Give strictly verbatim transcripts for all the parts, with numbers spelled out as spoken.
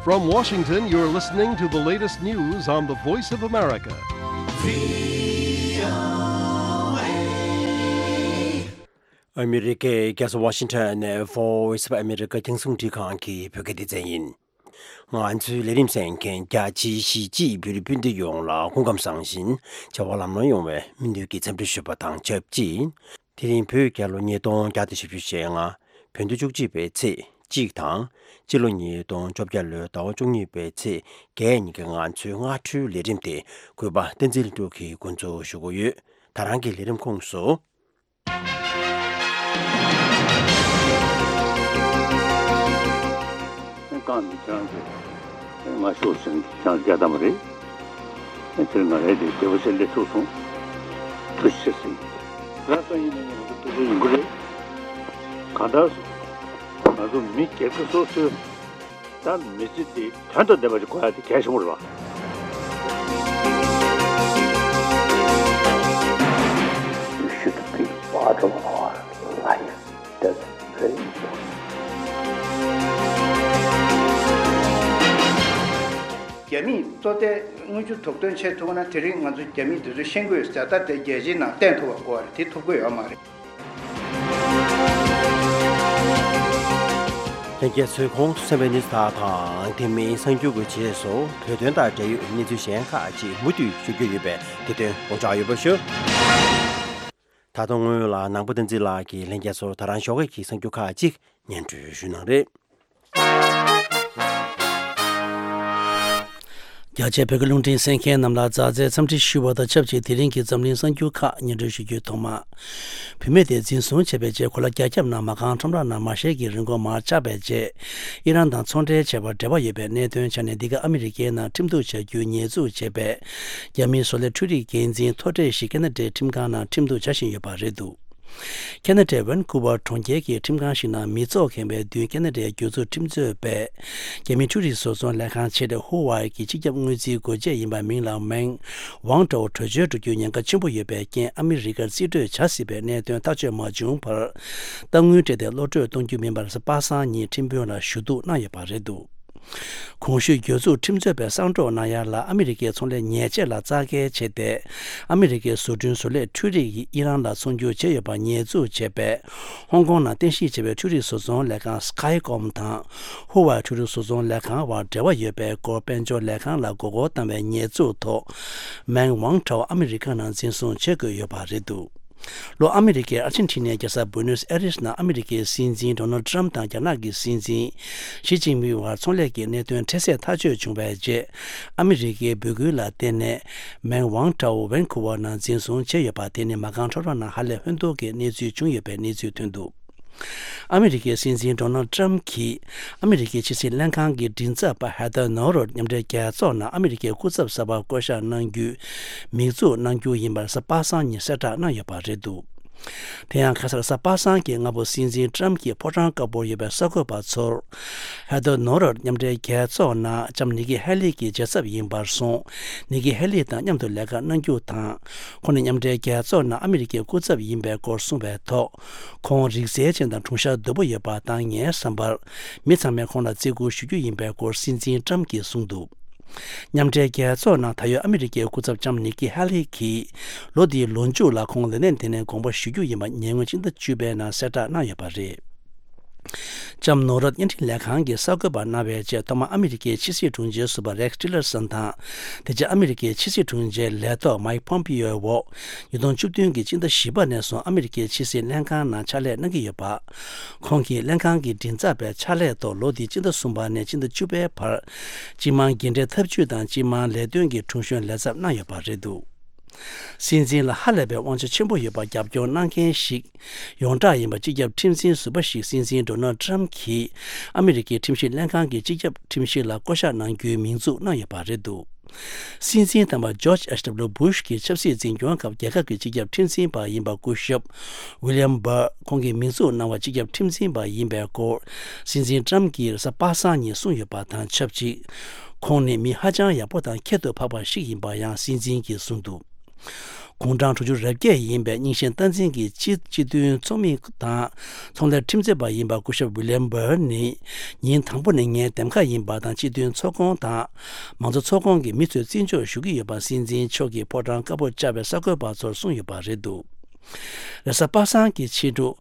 From Washington, you're listening to the latest news on the Voice of America. ཨ་མི་རི་ཀའི་རྒྱལ་ས་ཝ་ཤིང་ཊོན་ནས་Voice of America རྒྱང་སྲིང་འཕྲིན་ཁང་གི་བོད་སྐད་སྡེ་ཚན་ཡིན། ང་ཚོའི་ལས་རིམ་གསན་མཁན་རྒྱ་ཆེའི་གཞིས་བྱེས་བོད་རིགས་སྤུན་ཟླ་ཡོངས་ལ་སྐུ་ཁམས་བཟང་ཞིང་བྱ་བ་ལམ་ལྷོང་ཡོང་བའི་སྨོན་འདུན་གྱི་འཚམས་འདྲི་ཞུ་བ་དང་ཆབས་ཅིག་དེ་རིང་བོད་རྒྱལ་ལོ་ཉིས་སྟོང་བརྒྱ་དང་བཞི་བཅུ་ཞེ་ལྔ། བོད་ཟླ་བཅུ་གཅིག་པའི་ཚེས་གཅིག་དང་། སྤྱི་ལོ་ཉིས་སྟོང་བཅོ་བརྒྱད་ལོའི་ཟླ་བ་བཅུ་གཉིས་པའི་ཚེས་བརྒྱད་ཉིན་གྱི་ང་ཚོའི་སྔ་དྲོའི་ལས་རིམ་དེ་གུས་པ་བསྟན་འཛིན་ལྷུན་གྲུབ་ཀྱིས་འགོ་འཛུགས་ཞུ་གི་ཡོད། ད་རང་གི་ལས་རིམ་ཁོངས་སུ། རྐང་འདི་ཁྱེད་རང་ཚོས་ང་ཤོག་ཟེར་ནས་ཁྱེད་རང་ཚོ་རྒྱག་བཏང་བ་རེད། དེར་ང་རའི་དེ་དེ་བ་ཆེ་སླེབས་ཐུབ་སོང་། ཐུགས་རྗེ་ཆེ་ཟེར། ང་ཚོ་ཡིན་ན་ཡིན་ན་ང་ཚོ་ཐུགས་རྗེ་ཡིན་དགོས་རེད། གང་ལྟར་སོང་། ང་ཚོ་མི་སྒེར་གྱི་སོ་སོའི། ད་མི་ཚེ་འདི་དོན་དང་ལྡན་པ་ཞིག་དགོས་ཡ་དེ་གལ་ཆེན་པོ་རེད་པ། You should be part of our life. That's very important. རྒྱ་མིས་གཙོ་བསྟེན་དངུལ་ཆུ་དོགས་འདོན་བྱེད་ཐུབ་ན། དེ་རིང་ང་ཚོ་རྒྱ་མི་དེ་ཚོ་ཤེས་ཀྱི་ཡོད་ཟེར། ད་དེ་རྒྱལ་སྤྱིའི་ནང་བསྟན་ཐུབ་པ་དགོས་པ་རེད། དེ་ཐུབ་ཀྱི་ཡོད་མ་རེད། ལྷན་རྒྱས་ཚོས་ཁོང་དུ་གསན་པའི་གནས་ཚུལ་དག་དང་དེ་མིན་གསར་འགྱུར་གྱི་རྗེས་སུ་བོད་དོན་དང་འབྲེལ་ཡོད་གནས་ཚུལ་གཞན་ཁག་ཅིག་མུ་མཐུད་ཞུ་རྒྱུ་ཡོད་པས། དེ་དོན་དགོངས་འཇགས་ཡོད་པ་ཞུ། ད་དུང་སྔོན་ལ་ནང་པ་བསྟན་འཛིན་ལགས་ཀྱིས་ལྷན་རྒྱས་ཚོར་ད་རང་ཞོགས་ཀས་ཀྱི་གསར་འགྱུར་ཁག་ཅིག་སྙན་སྒྲོན་ཞུ་གནང་རེད། རྒྱ་ཆེའི་བོད་ཀྱི་རླུང་འཕྲིན་གསན་མཁན་རྣམས་ལ་མཛའ་བརྩེའི་འཚམས་འདྲི་ཞུ་བ་དང་ཆབས་ཅིག་དེ་རིང་གི་འཛམ་གླིང་གསར་འགྱུར་ཁག་སྙན་སྒྲོན་ཞུ་རྒྱུའི་ཐོག་མ། བུད་མེད་དེ་འཛིན་བཟུང་བྱས་པའི་རྗེས་གོ་ལ་རྒྱ་ཁྱབ་ནང་མ་རྐང་ཁྲོམ་ར་ནང་མ་ཤེས་ཀྱི་རིན་གོང་མར་ཆག་པའི་རྗེས། ཨི་རན་དང་ཚོང་འབྲེལ་བྱས་པར་འབྲེལ་བ་ཡོད་པའི་གནད་དོན་ཆ་ནས། འདི་ག་ཨ་མི་རི་ཀའི་ནང་ཁྲིམས་གཏུག་བྱ་རྒྱུའི་ཉེས་འཛུགས་བྱས་པའི་རྒྱ་མིའི་བཟོ་ལས་འཕྲུལ་རིག་འགན་འཛིན་མཐོ་གྲས་ཤིག་ཁེ་ན་ཌའི་ཁྲིམས་ཁང་ནང་ཁྲིམས་གཏུག་བྱ་བཞིན་ཡོད་པ་རེད་འདུག་ཁེ་ན་ཌའི་ཝན་ཀུ་ཝར་གྲོང་ཁྱེར་གྱི་ཁྲིམས་ཁང་ཞིག་ནང་མི་ཚོགས་ཁེངས་པའི་མདུན། ཁེ་ན་ཌའི་སྒེར་ཚུགས་ཁྲིམས་རྩོད་པས་རྒྱ་མིའི་འཕྲུལ་རིག་བཟོ་ཚོང་ལས་ཁང་ཆེ་གྲས་ཧུ་ཝའེ་གི་སྤྱི་ཁྱབ་དངུལ་རྩིས་འགོ་བྱེད་ཡིན་པ་མིང་ལ་མེང་ཝང་ཀྲའོ་བྲོས་བྱོལ་འགྲོ་རྒྱུའི་ཉེན་ཁ་ཆེན་པོ་ཡོད་པའི་རྐྱེན། ཨ་མི་རི་ཀར་རྩིས་སྤྲོད་བྱ་སྲིད་པའི་གནད་དོན་ཐག་གཅོད་མ་བྱུང་བར། གཏའ་དངུལ་སྤྲད་དེ་གློད་གྲོལ་གཏོང་རྒྱུ་མིན་པར་གཟའ་པ་སངས་ཉིན་ཁྲིམས་དཔོན་ལ་ཞུ་གཏུག་གནང་ཡོད་པ་རེད་འདུག་གོང་ཞུས་སྒེར་ཚུགས་ཁྲིམས་རྩོད་པས་གསང་སྒྲོག་གནང་ཡ་ལ། ཨ་མི་རི་ཀའི་ཚོང་ལས་ཉེས་ཆད་ལ་རྩ་འགེལ་བྱས་ཏེ། ཨ་མི་རི་ཀའི་བཟོ་སྐྲུན་བཟོ་ལས་འཕྲུལ་རིག་ཡིས་ཨི་རན་ལ་ཚོང་སྒྱུར་བྱས་ཡོད་པ་ཉེས་འཛུགས་བྱས་པས། ཧོང་ཀོང་ནང་རྟེན་གཞི་བྱས་པའི་འཕྲུལ་རིག་བཟོ་ཚོང་ལས་ཁང་Skycom དང་ཧུ་ཝའེ་འཕྲུལ་རིག་བཟོ་ཚོང་ལས་ཁང་བར་འབྲེལ་བ་ཡོད་པའི་སྐོར་དཔལ་འབྱོར་ལས་ཁང་ལ་མགོ་སྐོར་བཏང་བའི་ཉེས་འཛུགས་ཐོག་མེང་ཝང་ཀྲའོ་ཨ་མི་རི་ཀ་ནང་འཛིན་བཟུང་བྱེད་དགོས་ཡོད་པ་རེད་འདུག་ལྷོ་ཨ་མི་རི་ཀའི་ཨར་ཇེན་ཊི་ནའི་རྒྱལ་ས་བུ་ནོས་ཨེ་རིས་ནང་ཨ་མི་རི་ཀའི་སྲིད་འཛིན་ཌོ་ནལ་ཊམ་དང་རྒྱ་ནག་གི་སྲིད་འཛིན་ཞི་ཅིན་ཕིང་བར་ཚོང་ལས་ཀྱི་གནད་དོན་འཕྲལ་སེལ་ཐག་གཅོད་བྱུང་བའི་རྗེས། ཨ་མི་རི་ཀའི་འབོད་སྐུལ་ལ་བརྟེན་ནས་མེང་ཝང་ཀྲའོ་ཝན་ཀུ་ཝར་ནང་འཛིན་བཟུང་བྱས་ཡོད་པ་དེ་ནི་མ་རྐང་ཁྲོམ་ར་ནང་ཧ་ལས་ཧོན་ཐོར་གྱི་གནས་ཚུལ་བྱུང་ཡོད་པའི་གནས་ཚུལ་ཐོན་འདུག་ཨ་མི་རི་ཀའི་སྲིད་འཛིན་ཌོ་ནལ་ཊམ་གྱིས་ཨ་མི་རི་ཀའི་ཕྱི་སྲིད་ལྷན་ཁང་གི་མགྲིན་ཚབ་པ་ཧེ་ཐར་ནོ་རོད་མཉམ་འབྲེལ་རྒྱལ་ཚོགས་ནང་ཨ་མི་རི་ཀའི་སྐུ་ཚབ་གསར་པ་བསྐོ་གཞག་གནང་རྒྱུའི་མིག་འཛུགས་གནང་རྒྱུ་ཡིན་པར་གཟའ་པ་སངས་ཉིན་གསལ་བསྒྲགས་གནང་ཡོད་པ་རེད་འདུག་དེ་ཡང་ཁ་སང་གཟའ་པ་སངས་ཀྱི་སྔ་པོ་སྲིད་འཛིན་ཊམ་གྱིས་ཕོ་བྲང་དཀར་པོར་ཡོད་པའི་གསར་འགོད་པ་ཚོར། ཧེ་ཐར་ནོ་རོད་མཉམ་འབྲེལ་རྒྱལ་ཚོགས་ནང་ལྕམ་ནི་ཀི་ཧེ་ལི་གི་རྗེས་ཚབ་ཡིན་པར་སོང་། ནི་ཀི་ཧེ་ལི་དང་མཉམ་དུ་ལས་ཀ་གནང་རྒྱུ་དང་། ཁོང་ནི་མཉམ་འབྲེལ་རྒྱལ་ཚོགས་ནང་ཨ་མི་རི་ཀའི་སྐུ་ཚབ་ཡིན་པའི་སྐོར་གསུངས་པའི་ཐོག་ཁོང་རིག་རྩལ་ཅན་དང་གྲུང་ཤ་དོད་པོ་ཡོད་པ་དང་། ངའི་བསམ་པར་མི་ཚང་མས་ཁོང་ལ་བརྩི་བཀུར་ཞུ་རྒྱུ་ཡིན་པའི་སྐོར་སྲིད་འཛིན་ཊམ་གྱིས་གསུངས་འདུག་མཉམ་འབྲེལ་རྒྱལ་ཚོགས་ནང་ད་ཡོད་ཨ་མི་རི་ཀའི་སྐུ་ཚབ་ལྕམ་ནི་ཀི་ཧེ་ལི་གིས་ལོ་འདིའི་ལོ་མཇུག་ལ་ཁོང་ལས་གནས་དེ་ནས་དགོངས་པ་ཞུ་རྒྱུ་ཡིན་པ་ཉེ་སྔོན་སྤྱི་ཟླ་བཅུ་པའི་ནང་གསལ་བསྒྲགས་གནང་ཡོད་པ་རེད། ལྕམ་ནོ་རོད་བརྙན་འཕྲིན་ལས་ཁང་གིས་གསར་འགོད་པར་གནང་བའི་ཆེད་ཐོག་མར་ཨ་མི་རི་ཀའི་ཕྱི་སྲིད་དྲུང་ཆེ་ཟུར་པ་རེག་ཊི་ལར་སན་དང་། དེ་རྗེས་ཨ་མི་རི་ཀའི་ཕྱི་སྲིད་དྲུང་ཆེ་ལས་ཐོག་མའིག་ཕོམ་པིའོའི་འོག་ཉིས་སྟོང་བཅུ་བདུན་གྱི་སྤྱི་ཟླ་བཞི་པ་ནས་བཟུང་ཨ་མི་རི་ཀའི་ཕྱི་སྲིད་ལྷན་ཁང་ནང་ཕྱག་ལས་གནང་གི་ཡོད་པ། ཁོང་གིས་ལྷན་ཁང་གི་མགྲིན་ཚབ་པའི་ཕྱག་ལས་ཐོག་ལོ་འདིའི་སྤྱི་ཟླ་གསུམ་པ་ནས་སྤྱི་ཟླ་བཅུ་པའི་བར། སྤྱི་དམངས་འགན་འཁྲི་ཐབས་ཇུས་དང་སྤྱི་དམངས་ལས་དོན་གྱི་དྲུང་གཞོན་ལས་ཚབ་གནང་ཡོད་པ་རེད་འདུག་སྲིད་འཛིན་ལ་ཧ་ལས་པའི་དབང་ཆ་ཆེན་པོ་ཡོད་པར་རྒྱབ་སྐྱོར་གནང་མཁན་ཞིག་ཡོངས་གྲགས་ཡིན་པ་སྤྱི་ཁྱབ་ཁྲིམས་འཛིན་ཟུར་པ་ཞིག་སྲིད་འཛིན་ཌོ་ནལ་ཊམ་གྱིས་ཨ་མི་རི་ཀའི་ཁྲིམས་ཞིབ་ལྷན་ཁང་གི་སྤྱི་ཁྱབ་ཁྲིམས་ཞིབ་ལ་བསྐོ་གཞག་གནང་རྒྱུའི་མིང་འཛུགས་གནང་ཡོད་པ་རེད་འདུག་སྲིད་འཛིན་དམ་པ་ཇོརྗ་ཨེཆ་ཌབ་ལུ་བྷུཤ་གི་ཆབ་སྲིད་འཛིན་སྐྱོང་སྐབས་རྒྱལ་ཁབ་ཀྱི་སྤྱི་ཁྱབ་ཁྲིམས་འཛིན་པ་ཡིན་པ་སྐུ་ཞབས་ཝི་ལི་ཡམ་བྷར་ཁོང་གིས་མིང་འཛུགས་གནང་བ་སྤྱི་ཁྱབ་ཁྲིམས་འཛིན་པ་ཡིན་པའི་སྐོར་སྲིད་འཛིན་ཊམ་གྱིས་གཟའ་པ་སངས་ཉིན་གསུངས་ཡོད་པ་དང་ཆབས་ཅིག་ཁོང་ནི་མི་ཧ་ཅང་ཡག་པོ་དང་ཁྱད་དུ་འཕགས་པ་ཞིག་ཡིན་པ་ཡང་སྲིད་འཛིན་གྱིས་གསུངས་འདུག་དགུང་གྲངས་དྲུག་ཅུ་རེ་བརྒྱད་ཡིན་པའི་རྙིང་ཞེན་སྟངས་འཛིན་གྱི་སྤྱི་སྤྱི་མཐུན་ཚོགས་མི་དང་ཚོང་ལས་ཁྲིམས་རྩོད་པ་ཡིན་པ་སྐུ་ཞབས་ཝི་ལི་ཡམ་བྷར་ནི་ཉིན་དང་པོ་ནས་ངའི་འདེམས་ཁ་ཡིན་པ་དང་སྤྱི་མཐུན་ཚོགས་ཁོངས་དང་མང་གཙོ་ཚོགས་ཁོངས་ཀྱི་མི་ཚོས་བརྩི་འཇོག་ཞུ་གི་ཡོད་པ་སྲིད་འཛིན་མཆོག་གིས་ཕོ་བྲང་དཀར་པོར་བཅར་བའི་གསར་འགོད་པ་ཚོར་གསུངས་ཡོད་པ་རེད་འདུག་རེས་གཟའ་པ་སངས་ཀྱི་ཕྱི་དྲོ།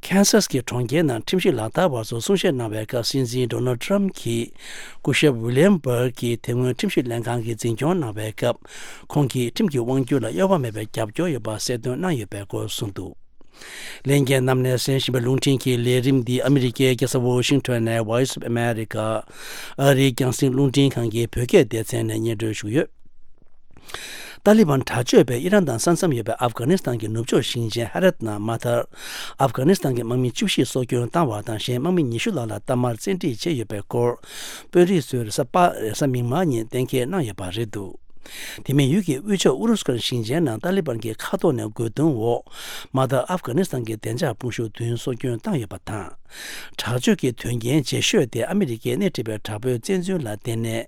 ཁན་སཱས་ཀྱི་གྲོང་ཁྱེར་ནང་ཁྲིམས་ཞིབ་ལག་བསྟར་བ་ཚོར་གསུང་བཤད་གནང་བའི་སྐབས་སྲིད་འཛིན་ཌོ་ནལ་ཊམ་གྱིས་སྐུ་ཞབས་ཝི་ལི་ཡམ་བྷར་གྱིས་དེ་སྔོན་ཁྲིམས་ཞིབ་ལྷན་ཁང་གི་འཛིན་སྐྱོང་གནང་བའི་སྐབས་ཁོང་གིས་ཁྲིམས་ཀྱི་དབང་སྒྱུར་ལ་གཡོ་བ་མེད་པའི་རྒྱབ་སྐྱོར་ཡོད་པ་གསལ་སྟོན་གནང་ཡོད་པའི་སྐོར་གསུངས་འདུག་ལྷན་རྒྱས་རྣམས་ནས་གསན་བཞིན་པའི་རླུང་འཕྲིན་གྱི་ལས་རིམ་འདི་ཨ་མི་རི་ཀའི་རྒྱལ་ས་ཝོ་ཤིང་ཊོན་ནས་Voice of America ཨ་རིའི་རྒྱང་སྲིང་རླུང་འཕྲིན་ཁང་གི་བོད་སྐད་སྡེ་ཚན་ནས་སྙན་སྒྲོན་ཞུས་ཡོད། ཏཱ་ལི་བན་དྲག་སྤྱོད་པས་ཨི་རན་དང་ས་མཚམས་ཡོད་པའི་ཨབ་གྷ་ནི་སི་ཐན་གྱི་ནུབ་ཕྱོགས་ཞིང་ཆེན་ཧ་རད་ནང་མ་མཐར་ཨབ་གྷ་ནི་སི་ཐན་གྱི་དམག་མི་བཅུ་བཞི་སྲོག་སྐྱོན་བཏང་བ་དང་གཞན་དམག་མི་ཉི་ཤུ་ལྷག་ལ་གཏའ་མར་བཙན་ཁྲིད་བྱས་ཡོད་པའི་སྐོར་དཔོན་རིགས་ཚོས་རེས་གཟའ་པ་རེས་གཟའ་མིག་དམར་ཉིན་གཏན་འཁེལ་གནང་ཡོད་པ་རེད་འདུག་དེ་མིན་ཡུལ་གྱི་དབུས་ཕྱོགས་ཨུ་རུ་སུ་ཁན་ཞིང་ཆེན་ནང་ཏཱ་ལི་བན་གྱི་མཁའ་ཐོག་ནས་རྒོལ་རྡུང་འོག་མ་མཐར་ཨབ་གྷ་ནི་སི་ཐན་གྱི་བདེ་འཇགས་དཔུང་ཤུགས་བདུན་སྲོག་སྐྱོན་བཏང་ཡོད་པ་དང་། དྲག་སྤྱོད་ཀྱི་དོན་རྐྱེན་ལྗིད་ཤོས་དེ་ཨ་མི་རི་ཀས་སྣེ་ཁྲིད་པའི་དྲག་པོའི་བཙན་འཛུལ་ལ་བརྟེན་ནས།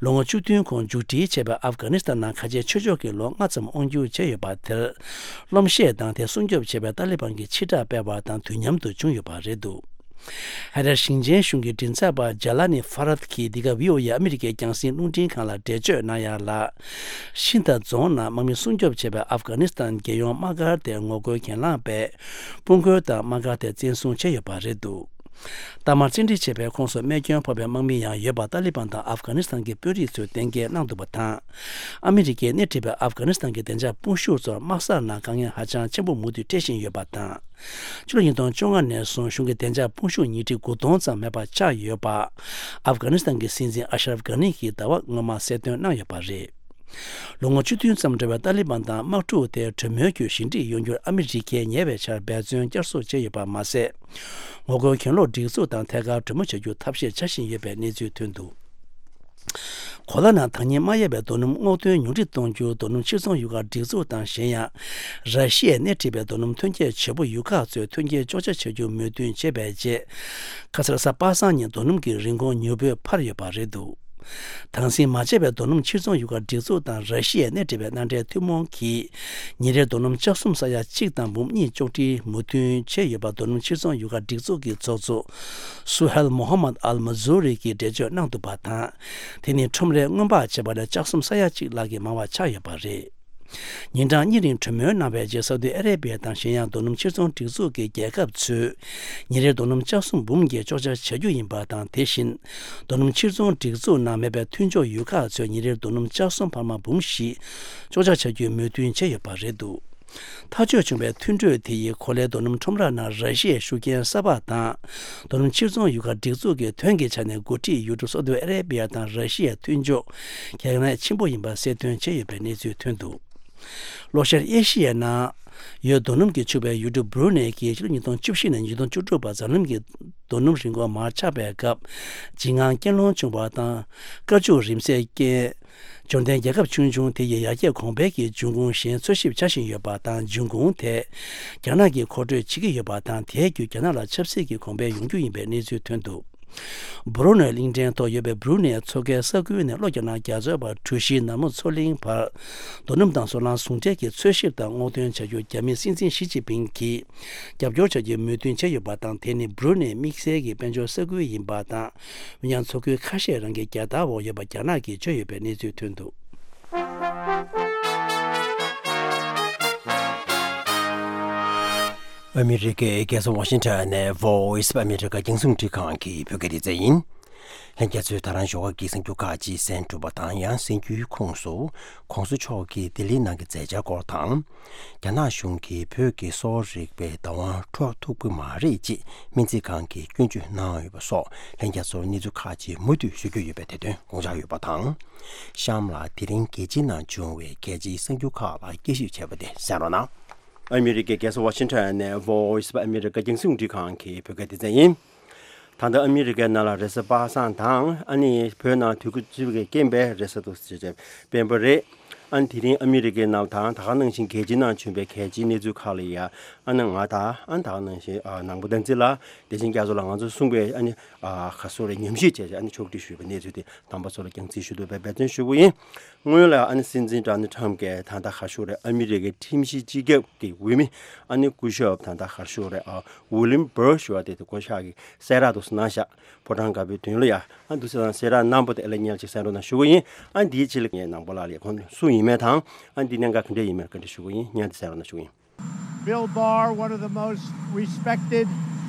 ལོ་ངོ་བཅུ་བདུན་གོང་མཇུག་སྒྲིལ་བྱས་པའི་ཨབ་གྷ་ནི་སི་ཐན་ནང་ཁ་ཆེ་ཆོས་ཕྱོགས་ཀྱི་ལོ་ལྔ་ཙམ་དབང་སྒྱུར་བྱས་ཡོད་པ་དེར། རློམ་གཤད་དང་དེ་སྲུང་སྐྱོབ་བྱེད་པའི་ཏཱ་ལི་བན་གྱི་ཕྱིར་བསྒྲགས་སྤེལ་བ་དང་དུས་མཉམ་དུ་བྱུང་ཡོད་པ་རེད་འདུག་ཧ་ར་ཞིང་ཆེན་གཞུང་གི་མགྲིན་ཚབ་པ་ཇ་ལ་ནི་ཧྥ་རད་ཀྱིས་འདི་ག་ཝི་ཨོ་ཨེ་ཨ་མི་རི་ཀའི་རྒྱང་སྲིང་རླུང་འཕྲིན་ཁང་ལ་འགྲེལ་བརྗོད་གནང་ཡ་ལ། ཤིན་ཐ་རྫོང་ནང་དམག་མི་སྲུང་སྐྱོབ་བྱས་པའི་ཨབ་གྷ་ནི་སི་ཐན་རྒྱལ་ཡོངས་དམག་སྒར་དེར་ངོ་རྒོལ་གྱེན་ལངས་པས། དཔུང་རྒོལ་དང་དམག་སྒར་དེ་བཙན་བཟུང་བྱས་ཡོད་པ་རེད་འདུག་གཏའ་མར་བཙན་ཁྲིད་བྱས་པའི་ཁོངས་སུ་རྨས་སྐྱོན་ཕོག་པའི་དམག་མི་ཡང་ཡོད་པ་ཏཱ་ལི་བན་དང་ཨབ་གྷ་ནི་སི་ཐན་གྱི་དཔོན་རིགས་ཚོས་གཏན་འཁེལ་གནང་འདུག་པ་དང་། ཨ་མི་རི་ཀས་སྣེ་ཁྲིད་པའི་ཨབ་གྷ་ནི་སི་ཐན་གྱི་བདེ་འཇགས་དཔུང་ཤུགས་ཚོར་དམག་སར་ནང་དཀའ་ངལ་ཧ་ཅང་ཆེན་པོ་མུ་མཐུད་འཕྲད་བཞིན་ཡོད་པ་དང་། ཕྱི་ལོ་ཉིས་སྟོང་བཅོ་ལྔ་ནས་བཟུང་གཞུང་གི་བདེ་འཇགས་དཔུང་ཤུགས་ཉིས་ཁྲི་དགུ་སྟོང་ཙམ་མེད་པ་ཆགས་ཡོད་པ། ཨབ་གྷ་ནི་སི་ཐན་གྱི་སྲིད་འཛིན་ཨ་ཤ་རབ་གྷ་ནི་གིས་ཟླ་བ་སྔོན་མ་གསལ་སྟོན་གནང་ཡོད་པ་རེད། ལོ་ངོ་བཅུ་བདུན་ཙམ་འགྲོ་བའི་ཏཱ་ལི་བན་དང་དམག་འཁྲུག་དེ་གྲོས་མོལ་བརྒྱུད་ཞི་འགྲིག་ཡོང་རྒྱུར་ཨ་མི་རི་ཀས་ཉེ་བའི་ཆར་འབད་བརྩོན་བསྐྱར་གསོ་བྱས་ཡོད་པ་མ་ཟད། ངོ་རྒོལ་གྱེན་ལོག་སྒྲིག་འཛུགས་དང་ཐད་ཀར་གྲོས་མོལ་བྱ་རྒྱུར་ཐབས་ཤེས་བྱ་བཞིན་ཡོད་པའི་གནས་ཚུལ་ཐོན་འདུག་གོ་ལ་ནང་ཐག་ཉེ་མ་ཡལ་བའི་རྡོ་སྣུམ་སྔོག་འདོན་ཉུང་འཕྲི་གཏོང་རྒྱུར་རྡོ་སྣུམ་ཕྱིར་ཚོང་ཡུལ་ཁག་སྒྲིག་འཛུགས་དང་གཞན་ཡང་། ར་ཤི་ཡས་སྣེ་ཁྲིད་པའི་རྡོ་སྣུམ་ཐོན་སྐྱེད་བྱེད་པོ་ཡུལ་ཁག་ཚོས་ཐོན་སྐྱེད་གཅོག་ཆ་བྱ་རྒྱུར་མོས་མཐུན་བྱས་པའི་རྗེས། ཁ་སང་རེས་གཟའ་པ་སངས་ཉིན་རྡོ་སྣུམ་གྱི་རིན་གོང་མྱུར་པོས་འཕར་ཡོད་པ་རེད་འདུག་དྭངས་སིང་མ་བྱས་པའི་རྡོ་སྣུམ་ཕྱིར་ཚོང་ཡུལ་ཁག་སྒྲིག་འཛུགས་དང་ར་ཤི་ཡས་སྣེ་ཁྲིད་པའི་མནའ་འབྲེལ་ཐུན་མོང་གིས། ཉིན་རེར་རྡོ་སྣུམ་ལྕགས་གསུམ་ས་ཡ་གཅིག་དང་འབུམ་གཉིས་གཅོག་འཕྲིར་མོས་མཐུན་བྱས་ཡོད་པ་རྡོ་སྣུམ་ཕྱིར་ཚོང་ཡུལ་ཁག་སྒྲིག་འཛུགས་ཀྱི་ཚོགས་གཙོ་སུ་ཧེལ་མོ་ཧམ་མད་ཨལ་མ་ཛུ་རི་གིས་འགྲེལ་བརྗོད་གནང་འདུག་པ་དང་། དེ་ནི་ཁྲོམ་རའི་སྔོན་དཔག་བྱས་པ་ལས་ལྕགས་གསུམ་ས་ཡ་གཅིག་ལྷག་གིས་མང་བ་ཆགས་ཡོད་པ་རེད། ཉིན་གྲངས་གཉིས་རིང་གྲོས་མོལ་གནང་བའི་རྗེས་སའུ་ཏི་ཨ་རེ་བི་ཡ་དང་གཞན་ཡང་རྡོ་སྣུམ་ཕྱིར་ཚོང་སྒྲིག་འཛུགས་ཀྱི་རྒྱལ་ཁབ་ཚོས་ཉིན་རེར་རྡོ་སྣུམ་ལྕགས་གསུམ་འབུམ་བརྒྱད་གཅོག་ཆ་བྱ་རྒྱུ་ཡིན་པ་དང་། དེ་བཞིན་རྡོ་སྣུམ་ཕྱིར་ཚོང་སྒྲིག་འཛུགས་ནང་མེད་པའི་མཐུན་ཕྱོགས་ཡུལ་ཁག་ཚོས་ཉིན་རེར་རྡོ་སྣུམ་ལྕགས་གསུམ་འཕར་མ་འབུམ་བཞི་གཅོག་ཆ་བྱ་རྒྱུའི་མོས་མཐུན་བྱས་ཡོད་པ་རེད་འདུག་ཐག་གཅོད་བྱུང་བའི་མཐུན་གྲོས་དེ་ཡིས་གོ་ལའི་རྡོ་སྣུམ་ཁྲོམ་ར་ནང་ར་ཤི་ཡའི་ཤུགས་རྐྱེན་གསར་པ་དང་། རྡོ་སྣུམ་ཕྱིར་ཚོང་ཡུལ་ཁག་སྒྲིག་འཛུགས་ཀྱི་དོན་གྱི་ཆ་ནས་འགོ་ཁྲིད་ཡུལ་གྲུ་སའུ་ཏི་ཨ་རེ་བི་ཡ་དང་ར་ཤི་ཡའི་མཐུན་ཕྱོགས་གལ་གནད་ཆེན་པོ་ཡིན་པ་གསལ་སྟོན་བྱས་ཡོད་པའི་གནས་ཚུལ་ཐོན་འདུག་ལྷོ་ཤར་ཨེ་ཤི་ཡའི་ནང་ཡོད་རྡོ་སྣུམ་གྱིས་ཕྱུག་པའི་ཡུལ་གྲུ་སྦུ་རུ་ནེ་གིས་ཕྱི་ལོ་ཉིས་སྟོང་བཅུ་བཞི་ནས་ཉིས་སྟོང་བཅུ་དྲུག་བར་འཛམ་གླིང་གི་རྡོ་སྣུམ་རིན་གོང་མར་ཆག་པའི་སྐབས། འཇིགས་དངངས་རྐྱེན་སློང་བྱུང་བ་དང་། བཀའ་བཅུ་རིམ་སེལ་རྐྱེན། འབྱོར་ལྡན་རྒྱལ་ཁབ་ཆུང་ཆུང་དེ་ཡི་ཡར་རྒྱས་གོང་འཕེལ་གྱི་འབྱུང་ཁུངས་གཞན་འཚོལ་ཞིབ་བྱ་བཞིན་ཡོད་པ་དང་། འབྱུང་ཁུངས་དེ་རྒྱ་ནག་གིས་མཁོ་སྤྲོད་བྱེད་ཀྱི་ཡོད་པ་དང་། དེའི་བརྒྱུད་རྒྱ་ནག་ལ་ཆབ་སྲིད་ཀྱི་གོང་འཕེལ་ཡོང་རྒྱུ་ཡིན་པའི་གནས་ཚུལ་ཐོན་འདུག་སྦུ་རུ་ནེ་གླིང་ཕྲན་ཐོག་ཡོད་པའི་སྦུ་རུ་ནེ་མཚོ་ཁའི་ས་ཁུལ་ནས་ལྷོ་རྒྱ་ནག་རྒྱ་མཚོའི་བར་གྲུ་བཞིའི་ནར་མོ་མཚོ་གླིང་བར་རྡོ་སྣུམ་དང་སོལ་རླངས་ཟུང་འབྲེལ་གྱི་འཚོལ་ཞིབ་དང་སྔོག་འདོན་བྱ་རྒྱུར་རྒྱ་མིའི་སྲིད་འཛིན་ཞི་ཅིན་ཕིང་གིས་རྒྱབ་སྐྱོར་བྱ་རྒྱུའི་མོས་མཐུན་བྱས་ཡོད་པ་དང་། དེ་ནི་སྦུ་རུ་ནེ་དམིགས་བསལ་གྱི་དཔལ་འབྱོར་ས་ཁུལ་ཡིན་པ་དང་། འོན་ཀྱང་མཚོ་ཁུལ་ཁ་ཤས་རང་གི་རྒྱལ་དར་འོག་ཡོད་པ་རྒྱ་ནག་གིས་བརྗོད་ཡོད་པའི་གནས་ཚུལ་ཐོན་འདུག་ཨ་མི་རི་ཀའི་རྒྱལ་ས་ཝ་ཤིང་ཊོན་ནས་Voice of America རྒྱང་སྲིང་རླུང་འཕྲིན་ཁང་གི་བོད་སྐད་སྡེ་ཚན་ཡིན། ལྷན་རྒྱས་ཚོས་ད་རང་ཞོགས་ཀ་གི་གསར་འགྱུར་ཁག་ཅིག་གསན་གྲུབ་པ་དང་། ཡང་གསར་འགྱུར་ཁོངས་སུ་༸གོང་ས་མཆོག་གིས་ལྡི་ལི་ནང་གི་མཛད་འཆར་སྐོར་དང་། རྒྱ་ནག་གཞུང་གིས་བོད་ཀྱི་གསོ་བ་རིག་པའི་བདག་དབང་འཕྲོག་ཐུབ་ཀྱི་མ་རེད་ཅེས་སྨན་རྩིས་ཁང་གིས་སྐྱོན་བརྗོད་གནང་ཡོད་པ་སོགས། ལྷན་རྒྱས་ཚོར་གནས་ཚུལ་ཁག་ཅིག་མུ་མཐུད་ཞུ་རྒྱུ་ཡོད་པའི་དེ་དོན་དགོངས་འཇགས་ཡོད་པ་དང་། གཤམ་ལ་དེ་རིང་རྒྱལ་སྤྱིའི་ནང་བྱུང་བའི་གལ་ཆེའི་གསར་འགྱུར་ཁག་ལ་དཔྱད་ཞིབ་བྱས་པ་དེ་གསན་རོགས་གནང་། ཨ་མི་རི་ཀའི་རྒྱལ་ས་ཝ་ཤིང་ཊོན་ནས་Voice of America རྒྱང་སྲིང་རླུང་འཕྲིན་ཁང་གི་བོད་སྐད་སྡེ་ཚན་ཡིན། ད་ལྟ་ཨ་མི་རི་ཀའི་ནང་ལ་རེས་གཟའ་པ་སངས་དང་། ཨ་ནི་བོད་ནང་དུས་འཁོར་སྤྱི་ཟླ་བའི་རྐྱེན་པས་རེས་གཟའ་འདུག་སེ་བྱས་སྤེན་པ་རེད། ཨ་ནི་དེ་རིང་ཨ་མི་རི་ཀའི་ནང་དང་ད་ག་ནང་བཞིན་རྒྱལ་སྤྱིའི་ནང་བྱུང་བའི་གལ་ཆེའི་གནས་ཚུལ་ཁག་ལ་ཡ་ཨ་ནི་ང་དང་ཨ་ནི་ད་ག་ནང་བཞིན་ཨ་ནང་པ་བསྟན་འཛིན་ལགས་བདེ་ཆེན་རྒྱ་མཚོ་ལགས་ང་ཚོ་གསུངས་པའི་ཨ་ནི་ཨ་ག་སོ་རེ་ཉམས་ཞིབ་བྱས་བྱས་ཨ་ནི་ཕྱོགས་སྒྲིག་ཞུས་པའི་གནས་ཚུལ་དེ་དམ་པ་ཚོ་ལ་རྒྱང་སྲིང་ཞུ་འདོད་པའི་འབད་བརྩོན་ཞུ་གི་ཡིན། སྔོན་ལ་ཨ་ནི་སྲིད་འཛིན་ཌོ་ནལ་ཊམ་གྱིས་ད་ལྟ་ག་ཤོག་རེད། ཨ་མི་རི་ཀའི་ཁྲིམས་ཞིབ་སྤྱི་ཁྱབ་ཀྱི་འོས་མི་ཨ་ནི་སྐུ་ཞབས་ད་ལྟ་ག་ཤོག་རེད། ཨ་ཝི་ལིམ་བྷར་ཞུ་བ་དེ་དེ་སྐུ་ཞབས་ཀྱི་གསལ་བསྒྲགས་དུ་གནང་ཤག་ཕོ་བྲང་དཀར་པོའི་མདུན་ལ་ཡ་ཨ་འདུག་སེ་དང་གསལ་བསྒྲགས་གནང་པོ་དེ་ཨེ་ལ་ཉལ་ཅིག་གསན་རོགས་གནང་ཞུ་གི་ཡིན། ཨ་འདིའི་ཆེད་ལ་ངས་ནང་པ་ལགས་ལ་ཁོང་སུ་ཡིན་མེད་དང་ཨ་འདི་གནད་འགག་ག་འདྲས་ཡིན་མེད་བཀའ་འདྲི་ཞུ་གི་ཡིན། ཉལ་དེ་གསན་རོགས་གནང་ཞུ་གི་ཡིན། Bill Barr, one of the most respected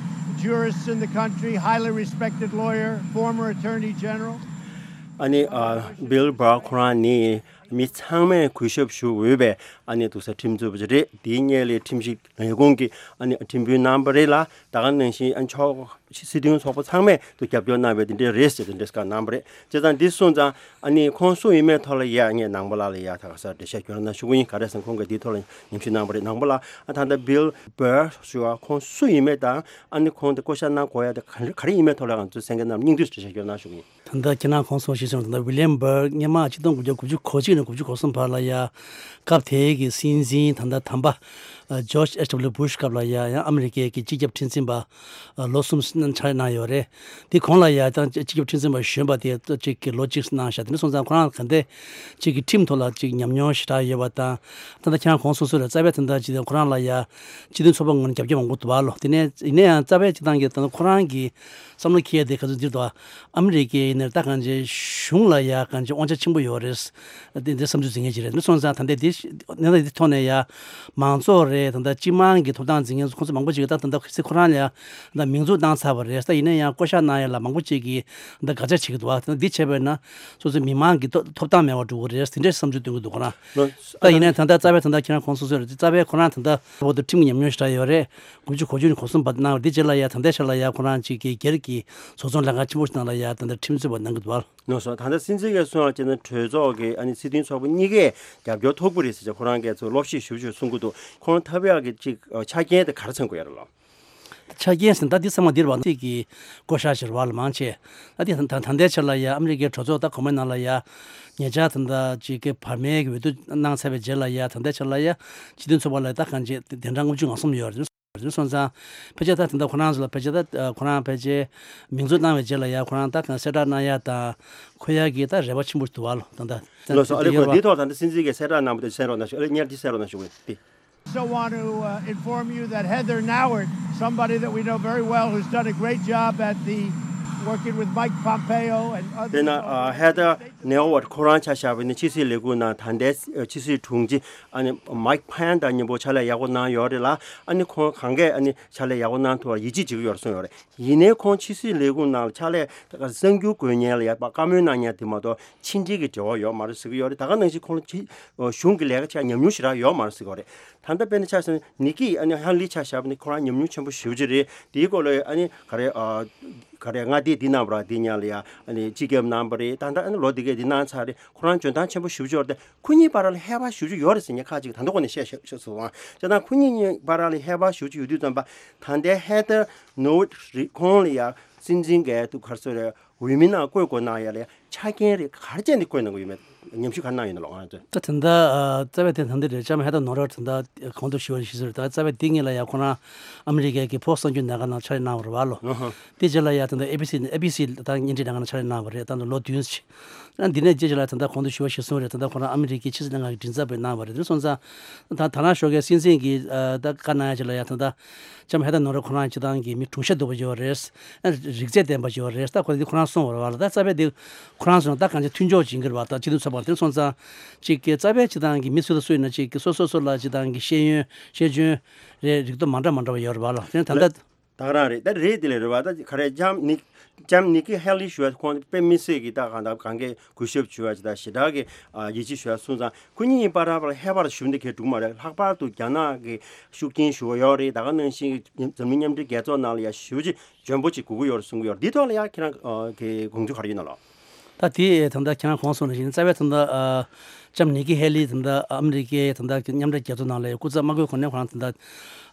jurists in the country, highly respected lawyer, former attorney general. ཨ་ནི་ཨ་བྷིལ་བྷར་ཁོ་རང་ནི་མི་ཚང་མས་གུས་ཞབས་ཞུ་འོས་པའི་ཨ་ནི་འདུག་སེ་ཁྲིམས་རྩོད་པ་ཅིག་རེད། དེའི་སྔོན་ལ་ཁྲིམས་ཞིབ་ལས་ཁུངས་ཀྱི་ཨ་ནི་ཁྲིམས་དཔོན་རྣམ་པ་རེད་ལ་ད་ག་ནང་བཞིན་ཨ་ནི་ཕྱོགས་སྲིད་དོན་ཚོགས་པ་ཚང་མས་དུ་རྒྱབ་སྐྱོར་གནང་བའི་དེ་འདྲའི་རེད་ཟེར་དེ་འདྲའི་སྐད་གནང་བ་རེད། བྱས་ཙང་འདི་སོང་ཙང་ཨ་ནི་ཁོང་སུ་ཡིན་མེད་ཐོག་ལ་ཡ་ངས་ནང་པ་ལགས་ལ་ཡ་ད་ག་ས་འགྲེལ་བཤད་སྐྱོན་གནང་ཞུ་གི་ཡིན། ག་རེ་ཟེར་ན་ཁོང་གིས་འདིའི་ཐོག་ལ་ཉམས་ཞིབ་གནང་བ་རེད། ནང་པ་ལགས་ཨ་ད་ལྟ་བྷིལ་བྷར་ཞུ་བ་ཁོང་སུ་ཡིན་མེད་དང་ཨ་ནི་ཁོང་དེ་བསྐོ་བཞག་གནང་དགོས་ཡ་དེ་ག་རེ་ག་རེ་ཡིན་མེད་ཐོག་ལ་ང་ཚོའི་གསན་མཁན་རྣམས་སྙིང་བསྡུས་འགྲེལ་བཤད་སྐྱོན་གནང་ཞུ་གི་ཡིན། ད་ལྟ་ཁྱེད་རང་གོང་སོང་ཞིག་སོང་ད་ལྟ་ཝི་ལི་ཡམ་བྷར་སྔོན་མ་ཆིག་སྟོང་དགུ་བརྒྱ་དགུ་བཅུ་གོ་གཅིག་ནས་དགུ་བཅུ་གོ་གསུམ་བར་ལ་ཡ་སྐབས་དེའི་གི་སྲིད་འཛིན་ད་ལྟ་དམ་པ་ཇོརྗ་ཨེཆ་ཌབ་ལིའུ་བྷུཤ་སྐབས་ལ་ཡ་ཡང་ཨ་མི་རི་ཀའི་གི་སྤྱི་ཁྱབ་ཁྲིམས་འཛིན་པ་ལོ་གསུམ་ཕྱག་ལས་གནང་ཡོད་རེད། དེ་གོང་ལ་ཡ་ད་སྤྱི་ཁྱབ་ཁྲིམས་འཛིན་པ་གཞོན་པ་དེ་གཅིག་གི་ལོ་གཅིག་གནང་བཞག་དེ་ནས་སོང་ཙང་ཁོ་རང་ག་འདྲ་གཅིག་གི་ཁྲིམས་ཐོག་ལ་གཅིག་ཉམས་མྱོང་ཞེ་དྲག་ཡོད་པ་དང་ད་ལྟ་ཁྱེད་རང་གོང་སོང་སོང་རེད། རྩ་བའི་ད་ལྟ་ཅི་ཁོ་རང་ལ་ཡ་སྤྱི་མཐུན་ཚོགས་པ་ངོས་ནས་རྒྱབ་སྐྱོར་མང་པོ་འདུག་བ་ལོ། དེ་ནས་ཡིན་ན་ཡང་རྩ་བའི་སྤྱི་བཏང་གི་ད་ལྟ་ཁོ་རང་གི་བསམ་བློ་འཁྱེར་ཡ་དེ་ག་ཚོད་འདིར་དུ་ཨ་མི་རི་ཀའི་ནས་ད་གང་ཅི་གཞུང་ལ་ཡ་གང་ཅི་དབང་ཆ་ཆེན་པོ་ཡོད་རེད། འདི་འདི་བསམ་ཚུལ་འཛིན་མཁན་ཅིག་རེད། འདི་སོང་ཙང་ད་ལྟ་འདི་གནས་སྟངས་འདི་ཐོག་ནས་ཡ་མང་ཚོགས་རེད། ད་ལྟ་སྤྱི་དམངས་ཀྱི་ཐོབ་ཐང་འཛིན་མཁན་ཁོང་ཚོ་མང་པོ་ཅིག་གིས་ད་ད་ལྟ་ཁོ་རང་ལ་ཡ་ད་མིང་འཛུགས་བཏང་ཚར་བ་རེད། ད་ཡིན་ན་ཡང་བསྐོ་བཞག་གནང་ཡ་ལ་མང་པོ་ཅིག་གིས་ད་དགག་བྱ་བྱེད་ཀྱི་འདུག་བ། ད་འདི་བྱས་པས་ན་སོ་སོའི་མི་མང་གི་ཐོབ་ཐོབ་ཐང་མེད་པ་འགྲོ་གི་རེད། དེ་འདྲའི་བསམ་ཚུལ་སྟོན་གྱི་འདུག་ཁོ་རང་། ད་ཡིན་ན་ད་ལྟ་རྩ་བའི་ད་ལྟ་ཁྱེད་རང་གོང་སོང་སོང་རེད། རྩ་བའི་ཁོ་རང་ད་ལྟ་བོད་དུ་ཁྲིམས་ཀྱི་ཉམས་མྱོང་ཞེ་དྲག་ཡོད་རེད། དགུ་བཅུ་གོ་བཅུ་ནས་གོ་གསུམ་བར་གནང་བ་འདི་རྗེས་ལ་ཡ་ད་ལྟའི་ཆར་ལ་ཡ་ཁོ་རང་གཅིག་གི་སྒེར་གྱི་བཟོ་ཚོང་ལས་ཁང་ཆེན་པོ་ཞིག་ནང་ལ་ཡ་ད་ལྟ་ཁྲིམས་རྩོད་པ་གནང་གི་འདུག་བ། ལགས་སོ། ད་ལྟ་སྲིད་འཛིན་གྱིས་གསུངས་པ་བྱས་ན་གྲོས་ཚོགས་ཀྱི་ཨ་ནི་སྲིད་དོན་ཚོགས་པ་གཉིས་ཀས་རྒྱབ་སྐྱོར་ཐོབ་ཀྱི་རེད་ཟེར་བྱས་ཁོ་རང་གིས་ཚོ་ལོག་བཤད་ཞིབ་ཞིབ་གསུང་གི་འདུག་ཁོང་ཐབས་ཡག་གི་ཅིག་ཆ་རྐྱེན་དེ་ག་རེ་མཚོན་གྱི་ཡོད་རེད་ལགས། ཆ་རྐྱེན་ཟེར་ན་ད་འདི་ཚང་མ་འདིར་བ་ཚིག་གི་བསྐོ་བཞག་ཞེས་བ་ལ་མང་ཆེ། ད་འདི་ད་ད་ལྟའི་ཆར་ལ་ཡ་ཨ་མི་རི་ཀའི་གྲོས་ཚོགས་ད་གོང་མའི་ནང་ལ་ཡ་ཉེ་ཆར་ད་ལྟ་ཅིག་གི་བར་མའི་གི་འོས་བསྡུ་གནང་ཚར་བའི་རྗེས་ལ་ཡ་ད་ལྟའི་ཆར་ལ་ཡ་སྤྱི་མཐུན་ཚོགས་པ་ལ་ད་གང་ཅི་དེ་འདྲ་ལྔ་བཅུ་ང་གསུམ་ཡོད་རེད། སོང་ཙང་ཕལ་ཆེར་ད་ད་ལྟ་ཁོ་རང་ཚོ་ལ་ཕལ་ཆེར་ད་ཁོ་རང་ཕལ་ཆེར་མིང་འཛུགས་གནང་བའི་རྗེས་ལ་ཡ་ཁོ་རང་ད་གང་གསལ་བསྒྲགས་གནང་ཡ་དང་ཁོ་ཡ་གི་ད་རེ་བ་ཆེན་པོ་འདུག་བ་ལོ། ད་ད་ལགས་སོ། ཨ་ལེ་ཁོ་འདི་ཐོག་ད་ལྟ་སྲིད་འཛིན་གྱིས་གསལ་བསྒྲགས་གནང་བ་དེ་གསན་རོགས་གནང་ཞུ། ཨ་ལེ་ཉལ་འདི་གསན་རོགས་གནང་ཞུ་དགོས་ཏེ། So want to uh, inform you that Heather Nauert, somebody that we know very well, who's done a great job at the working with Mike Pompeo and other དེ་ན་ཨ་ཧེ་ཐར་ནེ་ཝར་ཁོ་རང་ཆ་བཞག་པ་ཡིན་ན་ཕྱི་སྲིད་ལས་ཁུངས་ནང་ད་ལྟའི་ཕྱི་སྲིད་དྲུང་ཆེ་ཨ་ནི་མའིག་ཕན་དང་མཉམ་པོ་ཕྱག་ལས་ཡག་པོ་གནང་ཡོད་རེད་ལ། ཨ་ནི་ཁོང་གང་གས་ཨ་ནི་ཕྱག་ལས་ཡག་པོ་གནང་ཐུབ་པར་ཡིད་ཆེས་བྱེད་ཀྱི་ཡོད་རེད་གསུངས་ཡོད་རེད། ཡིན་ནའི་ཁོང་ཕྱི་སྲིད་ལས་ཁུངས་ནང་ལ་ཕྱག་ལས་གསར་འགྱུར་འགོད་མཁན་ལ་ཡ་བཀའ་མོལ་གནང་མཁན་དེ་མ་གཏོགས་ཕྱི་འབྲེལ་གྱི་འབྲེལ་བ་ཡོད་མ་རེད་ཟེར་གྱི་ཡོད་རེད། ད་ག་ནང་བཞིན་ཁོང་ལ་ཕྱི་གཞུང་གི་ལས་ཀ་བྱས་ཉམས་མྱོང་ཞེ་དྲག་ཡོད་མ་རེད་ཟེར་གྱི་ཡོད་རེད། ད་ལྟ་དཔེར་ན་ཆ་བཞག་ན་ནི་ཀི་ཨ་ནི་ཧེ་ལི་ཆ་བཞག་པ་ནི་ཁོ་རང་ཉམས་མྱོང་ཆེན་པོ་ཞེ་པོ་ཅིག་རེད། དེའི་སྐོར་ལ་ཨ་ནི་ག་རེ་ཨ་ག་རེ་མངའ་སྡེ་འདི་གནང་བ་ར་འདི་ཉག་ལ་ཡ་ཨ་ནི་སྤྱི་ཁྱབ་གནང་བ་རེད། ད་ལྟ་ཨ་ནི་ལོ་འདི་གས་འདི་གནང་ཚར་རེད། ཁོ་རང་འཇོན་ཐང་ཆེན་པོ་ཞེ་པོ་ཅིག་ཡོད་རེད། ཁོ་གཉིས་བར་ལ་ཧེ་བག་ཞེ་པོ་ཅིག་ཡོད་རེད་ཟེར་མཁན་ཁག་ཅིག་ད་ལྟ་ཁོ་ནས་བཤད་བཤད་བཤད་སོང་བ། བྱས་ཙང་ཁོ་གཉིས་གཉིས་བར་ལ་ཧེ་བག་ཞེ་པོ་ཅིག་ཡོད་དུས་ཙམ་པ་ད་ལྟའི་ཧེ་ཐར་ནོ་ཝར་ཁོང་ལ་ཡ་སྲིད་འཛིན་གས་དུ་ག་རེ་ཟེར་རེད། འོས་མི་ནང་བསྐོ་དགོས་གནང་ཡ་ལ་ཡ་ཆ་རྐྱེན་རེ་ག་རེ་བྱས་ནས་བསྐོ་གནང་གི་ཡོད་མེད་ཉམས་ཞིབ་ག་རེ་གནང་ཡོད་ན་ལོ་ང་ཚོས། ད་དེ་འདྲ་ཨ་རྩ་བའི་དེ་ད་འདི་རེད། ལྕམ་ཧེ་ཐར་ནོ་ཝར་དེ་འདྲ་གོང་དུ་ཞུས་པ་ནང་བཞིན་ཞུས་ཟེར། ད་རྩ་བའི་དེ་ངེད་ལ་ཡ་ཁོ་རང་ཨ་མི་རི་ཀའི་གི་ཕོགས་གསར་འགྱུར་ལས་ཁང་ནང་ཕྱག་ལས་གནང་བ་རེད་བ་ལོ། ཨ་ཧ། དེ་རྗེས་ལ་ཡ་ད་ལྟ་ཨེ་བི་སི་ཨེ་བི་སི་ད་བརྙན་འཕྲིན་ལས་ཁང་ནང་ཕྱག་ལས་གནང་བ་རེད། ད་ལྟ་ལོ་བདུན་ཅིག་ཨ་འདི་ནས་རྗེས་ལ་ད་ལྟ་གོང་དུ་ཞུ་བ་ཞུས་སོང་རེད། ད་ལྟ་ཁོ་རང་ཨ་མི་རི་ཀའི་ཕྱི་སྲིད་ལྷན་ཁང་གི་མགྲིན་ཚབ་པའི་གནང་བ་རེད། དེ་སོང་ཙང་ད་ད་ནང་ཞོགས་ཀའི་སྲིད་འཛིན་གྱིས་ཨ་ད་བཀའ་གནང་ཡ་ཅིག་ལ་ཡ་ད་ལྟ་ལྕམ་ཧེ་ཐར་ནོ་ཝར་ཁོ་རང་སྤྱི་བཏང་གི་མི་གྲུང་ཤ་སྡུག་པ་ཅིག་ཡོད་རེད། ཨ་རིག་རྩལ་ལྡན་པ་ཅིག་ཡོད་རེད། ད་ཁོ་འདི་ཁོ་རང་གསུངས་པ་རེད་བ་ལ། ད་རྩ་བའི་འདི་ཁོ་རང་གསུངས་ན་ད་གང་ཅི་མཐུན་ཕྱོགས་ཅིག་ཡིན་གྱི་རེད་བ། ད་སྤྱི་མཐུན་ཚོགས་པ་དེ་སོང་ཙང་ཅིག་གི་རྩ་བའི་སྤྱི་བཏང་གི་མི་སུ་དང་སུ་ཡིན་ན་ཅིག་གི་སོ་སོ་སོ་ལ་སྤྱི་བཏང་གི་ཤེས་ཡོན་ཤེས་འཇོན་རེད་རིག་སྟོབས་མ་འདྲ་མ་འདྲ་བ་ཡོད་རེད་བ་ལ། དེ་ད་ལྟ། ད་ག་རང་རེད། ད་རེད་དེ་ལས་རེད་བ། ད་ག་རེ་ལྕམ་ནི་ལྕམ་ནི་ཀི་ཧེ་ལི་ཞུ་བ་ཁོང་དཔེ་མི་སྲིད་ཀྱི་ད་གང་ལྟར་གང་གའི་གུས་ཞབས་ཞུ་བ་ཅི་ད་ཞེ་དྲག་གི་ཡིད་ཆེས་ཞུ་བ་སོང་ཙང་ཁོ་གཉིས་བར་ལ་ཧེ་བག་ཞུ་འདི་གའི་འགྲིག་མ་རེད། ལྷག་པར་དུ་རྒྱ་ནག་གི་ཤུགས་རྐྱེན་ཞུ་བ་ཡོད་རེད། ད་ག་ནང་བཞིན་འཛམ་གླིང་མཉམ་འབྲེལ་རྒྱལ་ཚོགས་ནང་ལ་ཡ་ཞུ་ཅིག་འཇོན་པོ་ཅིག་དགོས་ཀྱི་ཡོད་རེད་གསུང་གི་ཡོད་རེད། འདི་ཐོག་ལ་ཡ་ཁྱེད་རང་གི་དགོངས་ཚུལ་ག་རེ་ཡོད་ན་ལགས། ད་དེ་ད་ལྟ་ཁྱེད་རང་གོང་གསུངས་ནང་བཞིན་རྩ་བའི་ད་ལྟ་ཨ་ལྕམ་ནི་ཀི་ཧེ་ལི་ད་ལྟ་ཨ་མི་རི་ཀའི་ད་ལྟ་མཉམ་འབྲེལ་རྒྱལ་ཚོགས་ནང་ལ་སྐུ་ཚབ་མ་དགོས་གོང་ནས་ཁོ་རང་ད་ལྟ་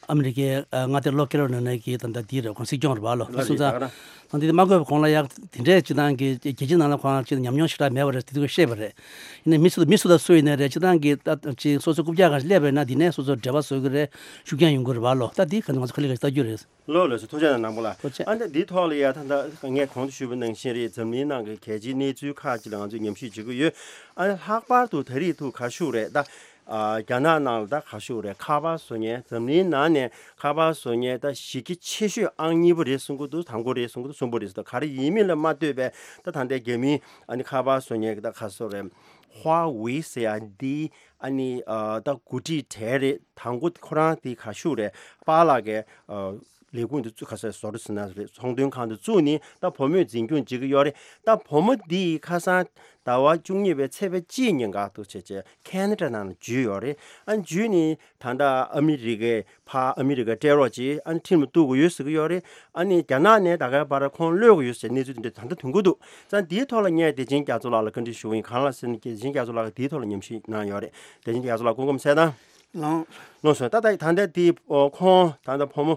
ཨ་མི་རི་ཀའི་ཨ་མངའ་སྡེ་ལོ་ཁེ་རོ་ལི་ན་གི་ད་ལྟ་དེ་རེད། ཁོང་སྲིད་སྐྱོང་རེད་བ་ལོ། ལ་སོང་ཙང་རེད། ད་ག་རང་ ཨ་འདི་མ་དགོས་པ་གོང་ལ་ཡག་དེ་འདྲས་སྤྱི་བཏང་གི་རྒྱལ་སྤྱི་ནང་ལ་ཁོང་ཅིག་ཉམས་མྱོང་ཞེ་དྲག་མེད་པ་རེད། དེ་དུས་ཤེས་པ་རེད། ཡིན་ནའི་མི་སུ་དང་མི་སུ་དང་སུ་ཡིན་ནའི་རེད། སྤྱི་བཏང་གི་ད་ཅིག་སོ་སོ་རྐུབ་བཀྱག་ག་སླེབས་པ་ཡིན་ན་འདི་ནས་སོ་སོ་འབྲེལ་བ་བཟོ་གི་རེད། ཤུགས་རྐྱེན་ཡོང་གི་རེད་བ་ལོ། ད་འདི་ག་ང་ཚོ་ཁ་ལི་ག་ཞིག་ལྟ་རྒྱུ་རེད། ལོ་ལོ་སུ་ཐུགས་རྗེ་གནང་པོ་ལ། ཐུགས་རྗེ། ཨ་ནི་འདི་ཐོག་ལ་ཡ་ད་ད་ངས་གོང་དུ་ཞུས་པ་ནང་བཞིན་རེད། འཛམ་གླིང་ནང་གི་གལ་ཆེའི་གནས་ཚུལ་ཁག་ཅིག་ལ་ང་ཚོས་ཉམས་ཞིབ་བྱེད་ཀྱི་ཡོད། ཨ་ནི་ལྷག་པར་དུ་ད་རེས་ཐུག་ག་ཤུག་རེད་ད། ཨ་རྒྱ་ནག་ནང་ལ་ད་ག་ཤུག་རེད། ཁ་པར་བཟོ་མཁན་འཛམ་གླིང་ནང་ནས་ཁ་པར་བཟོ་མཁན་ད་གཞི་རྒྱ་ཆེ་ཤོས་ཨང་གཉིས་པ་རེད་གསུང་གི་འདུག་དང་པོ་རེད་གསུང་གི་འདུག་གསུམ་པ་རེད་ཟེར་འདུག་ག་རེ་ཡིན་མིན་ལ་མ་ལྟོས་པའི་ད་ད་ལྟའི་རྒྱ་མིའི་ཨ་ནི་ཁ་པར་བཟོ་མཁན་གྱི་ད་ག་སོ་རེད། ཧྭ་ཝེ་ཟེར་ཡ་འདི་ཨ་ནི་ཨ་ད་འགོ་ཁྲིད་གྲས་རེད། དང་པོ་ཁོ་རང་དེ་ག་ཤུག་རེད། པཱ་ལགས་ཀྱི་ཨ་ལས་ཁུངས་དེ་བཙུགས། ཁ་སང་བཟོ་འདྲ་ཟེར་ན་རེད། ཚོང་དོན་ཁང་དེ་བཙུགས་ནས་ད་བུ་མོས་འཛིན་སྐྱོང་བྱེད་ཀྱི་ཡོད་རེད། ད་བུ་མོ་འདི་ཁ་སང་ཟླ་བ་བཅུ་གཉིས་པའི་ཚེས་པ་གཅིག་ཉིན་ག་ཐུག་བྱས་བྱས་ཁེ་ན་ཌ་ནང་ལ་འཇུས་ཡོད་རེད། ཨ་འཇུས་ནས་ད་ལྟ་ཨ་མི་རི་ཀའི་ཕར་ཨ་མི་རི་ཀའི་སྤྲད་རོགས་བྱེད། ཨ་ནི་ཁྲིམས་ལ་གཏུག་དགོས་ཡོད་ཟེར་གྱི་ཡོད་རེད། ཨ་ནི་རྒྱ་ནག་ནས་ད་གའི་བར་ཁོང་གློད་དགོས་ཡོད་ཟེར་གནས་ཚུལ་དེ་འདྲ་ད་ལྟ་ཐོན་གྱི་འདུག་ཙང་འདིའི་ཐོག་ལ་ངས་བདེ་ཆེན་རྒྱ་མཚོ་ལགས་ལ་བཀའ་འདྲི་ཞུ་གི་ཡིན། གང་ལ་ཟེར་ན་བདེ་ཆེན་རྒྱ་མཚོ་ལགས་ཀྱིས་འདིའི་ཐོག་ལ་ཉམས་ཞིབ་གནང་ཡོད་རེད། བདེ་ཆེན་རྒྱ་མཚོ་ལགས་སྐུ་ཁམས་བཟང་། ལགས་སོ། ད་ད་ད་ལྟ་དེ་ཨོ་ཁོང་ད་ལྟ་བུ་མོ་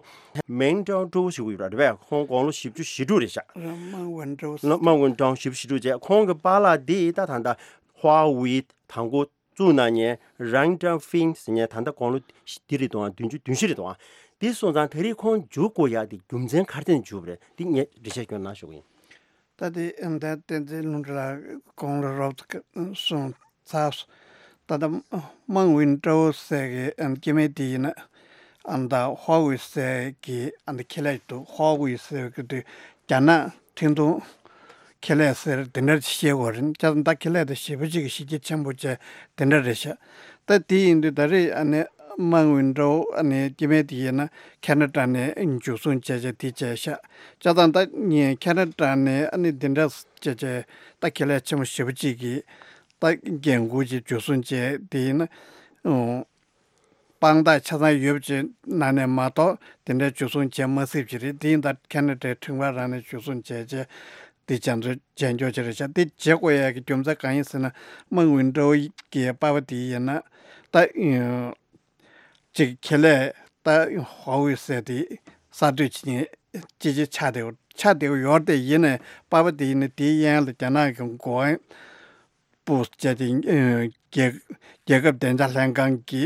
མེང་ཀྲའོ་ཀྲོའུ་ཞུ་གི་ཡོད་རེད་པས། ཁོང་དགུང་ལོ་བཞི་བཅུ་ཞེ་དྲུག་རེད་ཤག་མང་ཝུན་ཀྲོའུ། མང་ཝུན་ཀྲོའུ་བཞི་བཅུ་ཞེ་དྲུག་བྱས། ཁོང་གི་པཱ་ལགས་དེ་ད་ད་ལྟ་ཧྭ་ཝེ་དང་པོ་བཙུགས་གནང་མཁན་རང་ཀྲང་ཧྥིང་ཟེར་མཁན་ད་ལྟ་དགུང་ལོ་འདི་རེད་དང་བདུན་ཅུ་བདུན་བཞི་རེད་དང་། དེ་སོང་ཙང་ད་རེས་ཁོང་འཇུག་དགོས་ཡག་དེ་རྒྱུ་མཚན་ག་རེ་བརྟེན་འཇུག་པ་རེད། དེ་ངས་འགྲེལ་བཤད་སྐྱོན་གནང་ཞུ་གི་ཡིན། ད་དེ་ཨ་ད་བསྟན་འཛིན་ལྷུན་གྲུབ་ལགས་དགུང་ལོ་རོབ་ཙམ་སོང་ཚར་སོང་། ད་ལྟ་མང་ཝུན་ཀྲོའུ་ཟེར་གི་ཨ་སྐྱེ་དམན་དེ་ཡིན་ན་ཨ་ད་ཧྭ་ཝེ་ཟེར་གི་ཨ་ད་ཁེ་ལས་འདུག་ཧྭ་ཝེ་ཟེར་གི་དུས་རྒྱ་ནག་འཕྲིན་གཏོང་ཁེ་ལས་ཟེར་དེ་འདྲ་ཞིག་བཤད་དགོས་རེད། ཅག་ད་ཁེ་ལས་དེ་ཞེ་པོ་ཅིག་གི་གཞི་རྒྱ་ཆེན་པོ་བྱས་དེ་འདྲ་རེད་ཤག་ད་དེ་ཡིན་དུས་ད་རེས་ཨ་ནི་མང་ཝུན་ཀྲོའུ་ཨ་ནི་སྐྱེ་དམན་དེ་ཡིན་ན་ཁེ་ན་ཌ་ནས་འཇུ་བཟུང་བྱས་བྱས་དེ་བྱས་ཤག་ཅག་ད་ད་ངས་ཁེ་ན་ཌ་ནས་ཨ་ནི་དེ་འདྲ་བྱས་བྱས་ད་ཁེ་ལས་ཆེན་པོ་ཞེ་པོ་ཅིག་གི་ད་འགན་འཁུར་གྱིས་འཇུ་བཟུང་བྱས་དེ་ཡིན་ན་ཨོ་དཔང་རྟགས་ཆ་ཚང་ཡོད་པ་ཅིག་ནང་ནས་མ་གཏོགས་དེ་འདྲའི་འཇུ་བཟུང་བྱེད་མ་སྲིད་པ་ཅིག་རེད། དེ་ཡིན་ད་ཁེ་ན་ཌའི་ཁྲིམས་ཁང་རང་ནས་འཇུ་བཟུང་བྱས་བྱས་དེ་བྱས་ཚུལ་བྱས་འཇོག་ཅིག་རེད་ཤག་དེ་བྱེད་དགོས་ཡག་གི་རྒྱུ་མཚན་གང་ཡིན་ཟེར་ན་མང་ཝུན་ཀྲོའུ་གི་པ་ཕ་དེ་ཡིན་ན་ད་ཅིག་ཁེ་ལས་ད་ཧྭ་ཝེ་ཟེར་དེ་གསར་གཏོད་བྱེད་མཁན་ཅི་ཅི་ཆགས་བསྡད་ཆགས་བསྡད་ཡོད་རེད། དེ་ཡིན་ནའི་པ་ཕ་དེ་ཡིན་ན་དེའི་གཡས་གཡོན་ལ་རྒྱ་ནག་གི་འགོ་དབང་པོ་བྱས་ཏེ་ཨ་རྒྱལ་རྒྱལ་ཁབ་བདེ་འཇགས་ལྷན་ཁང་གི་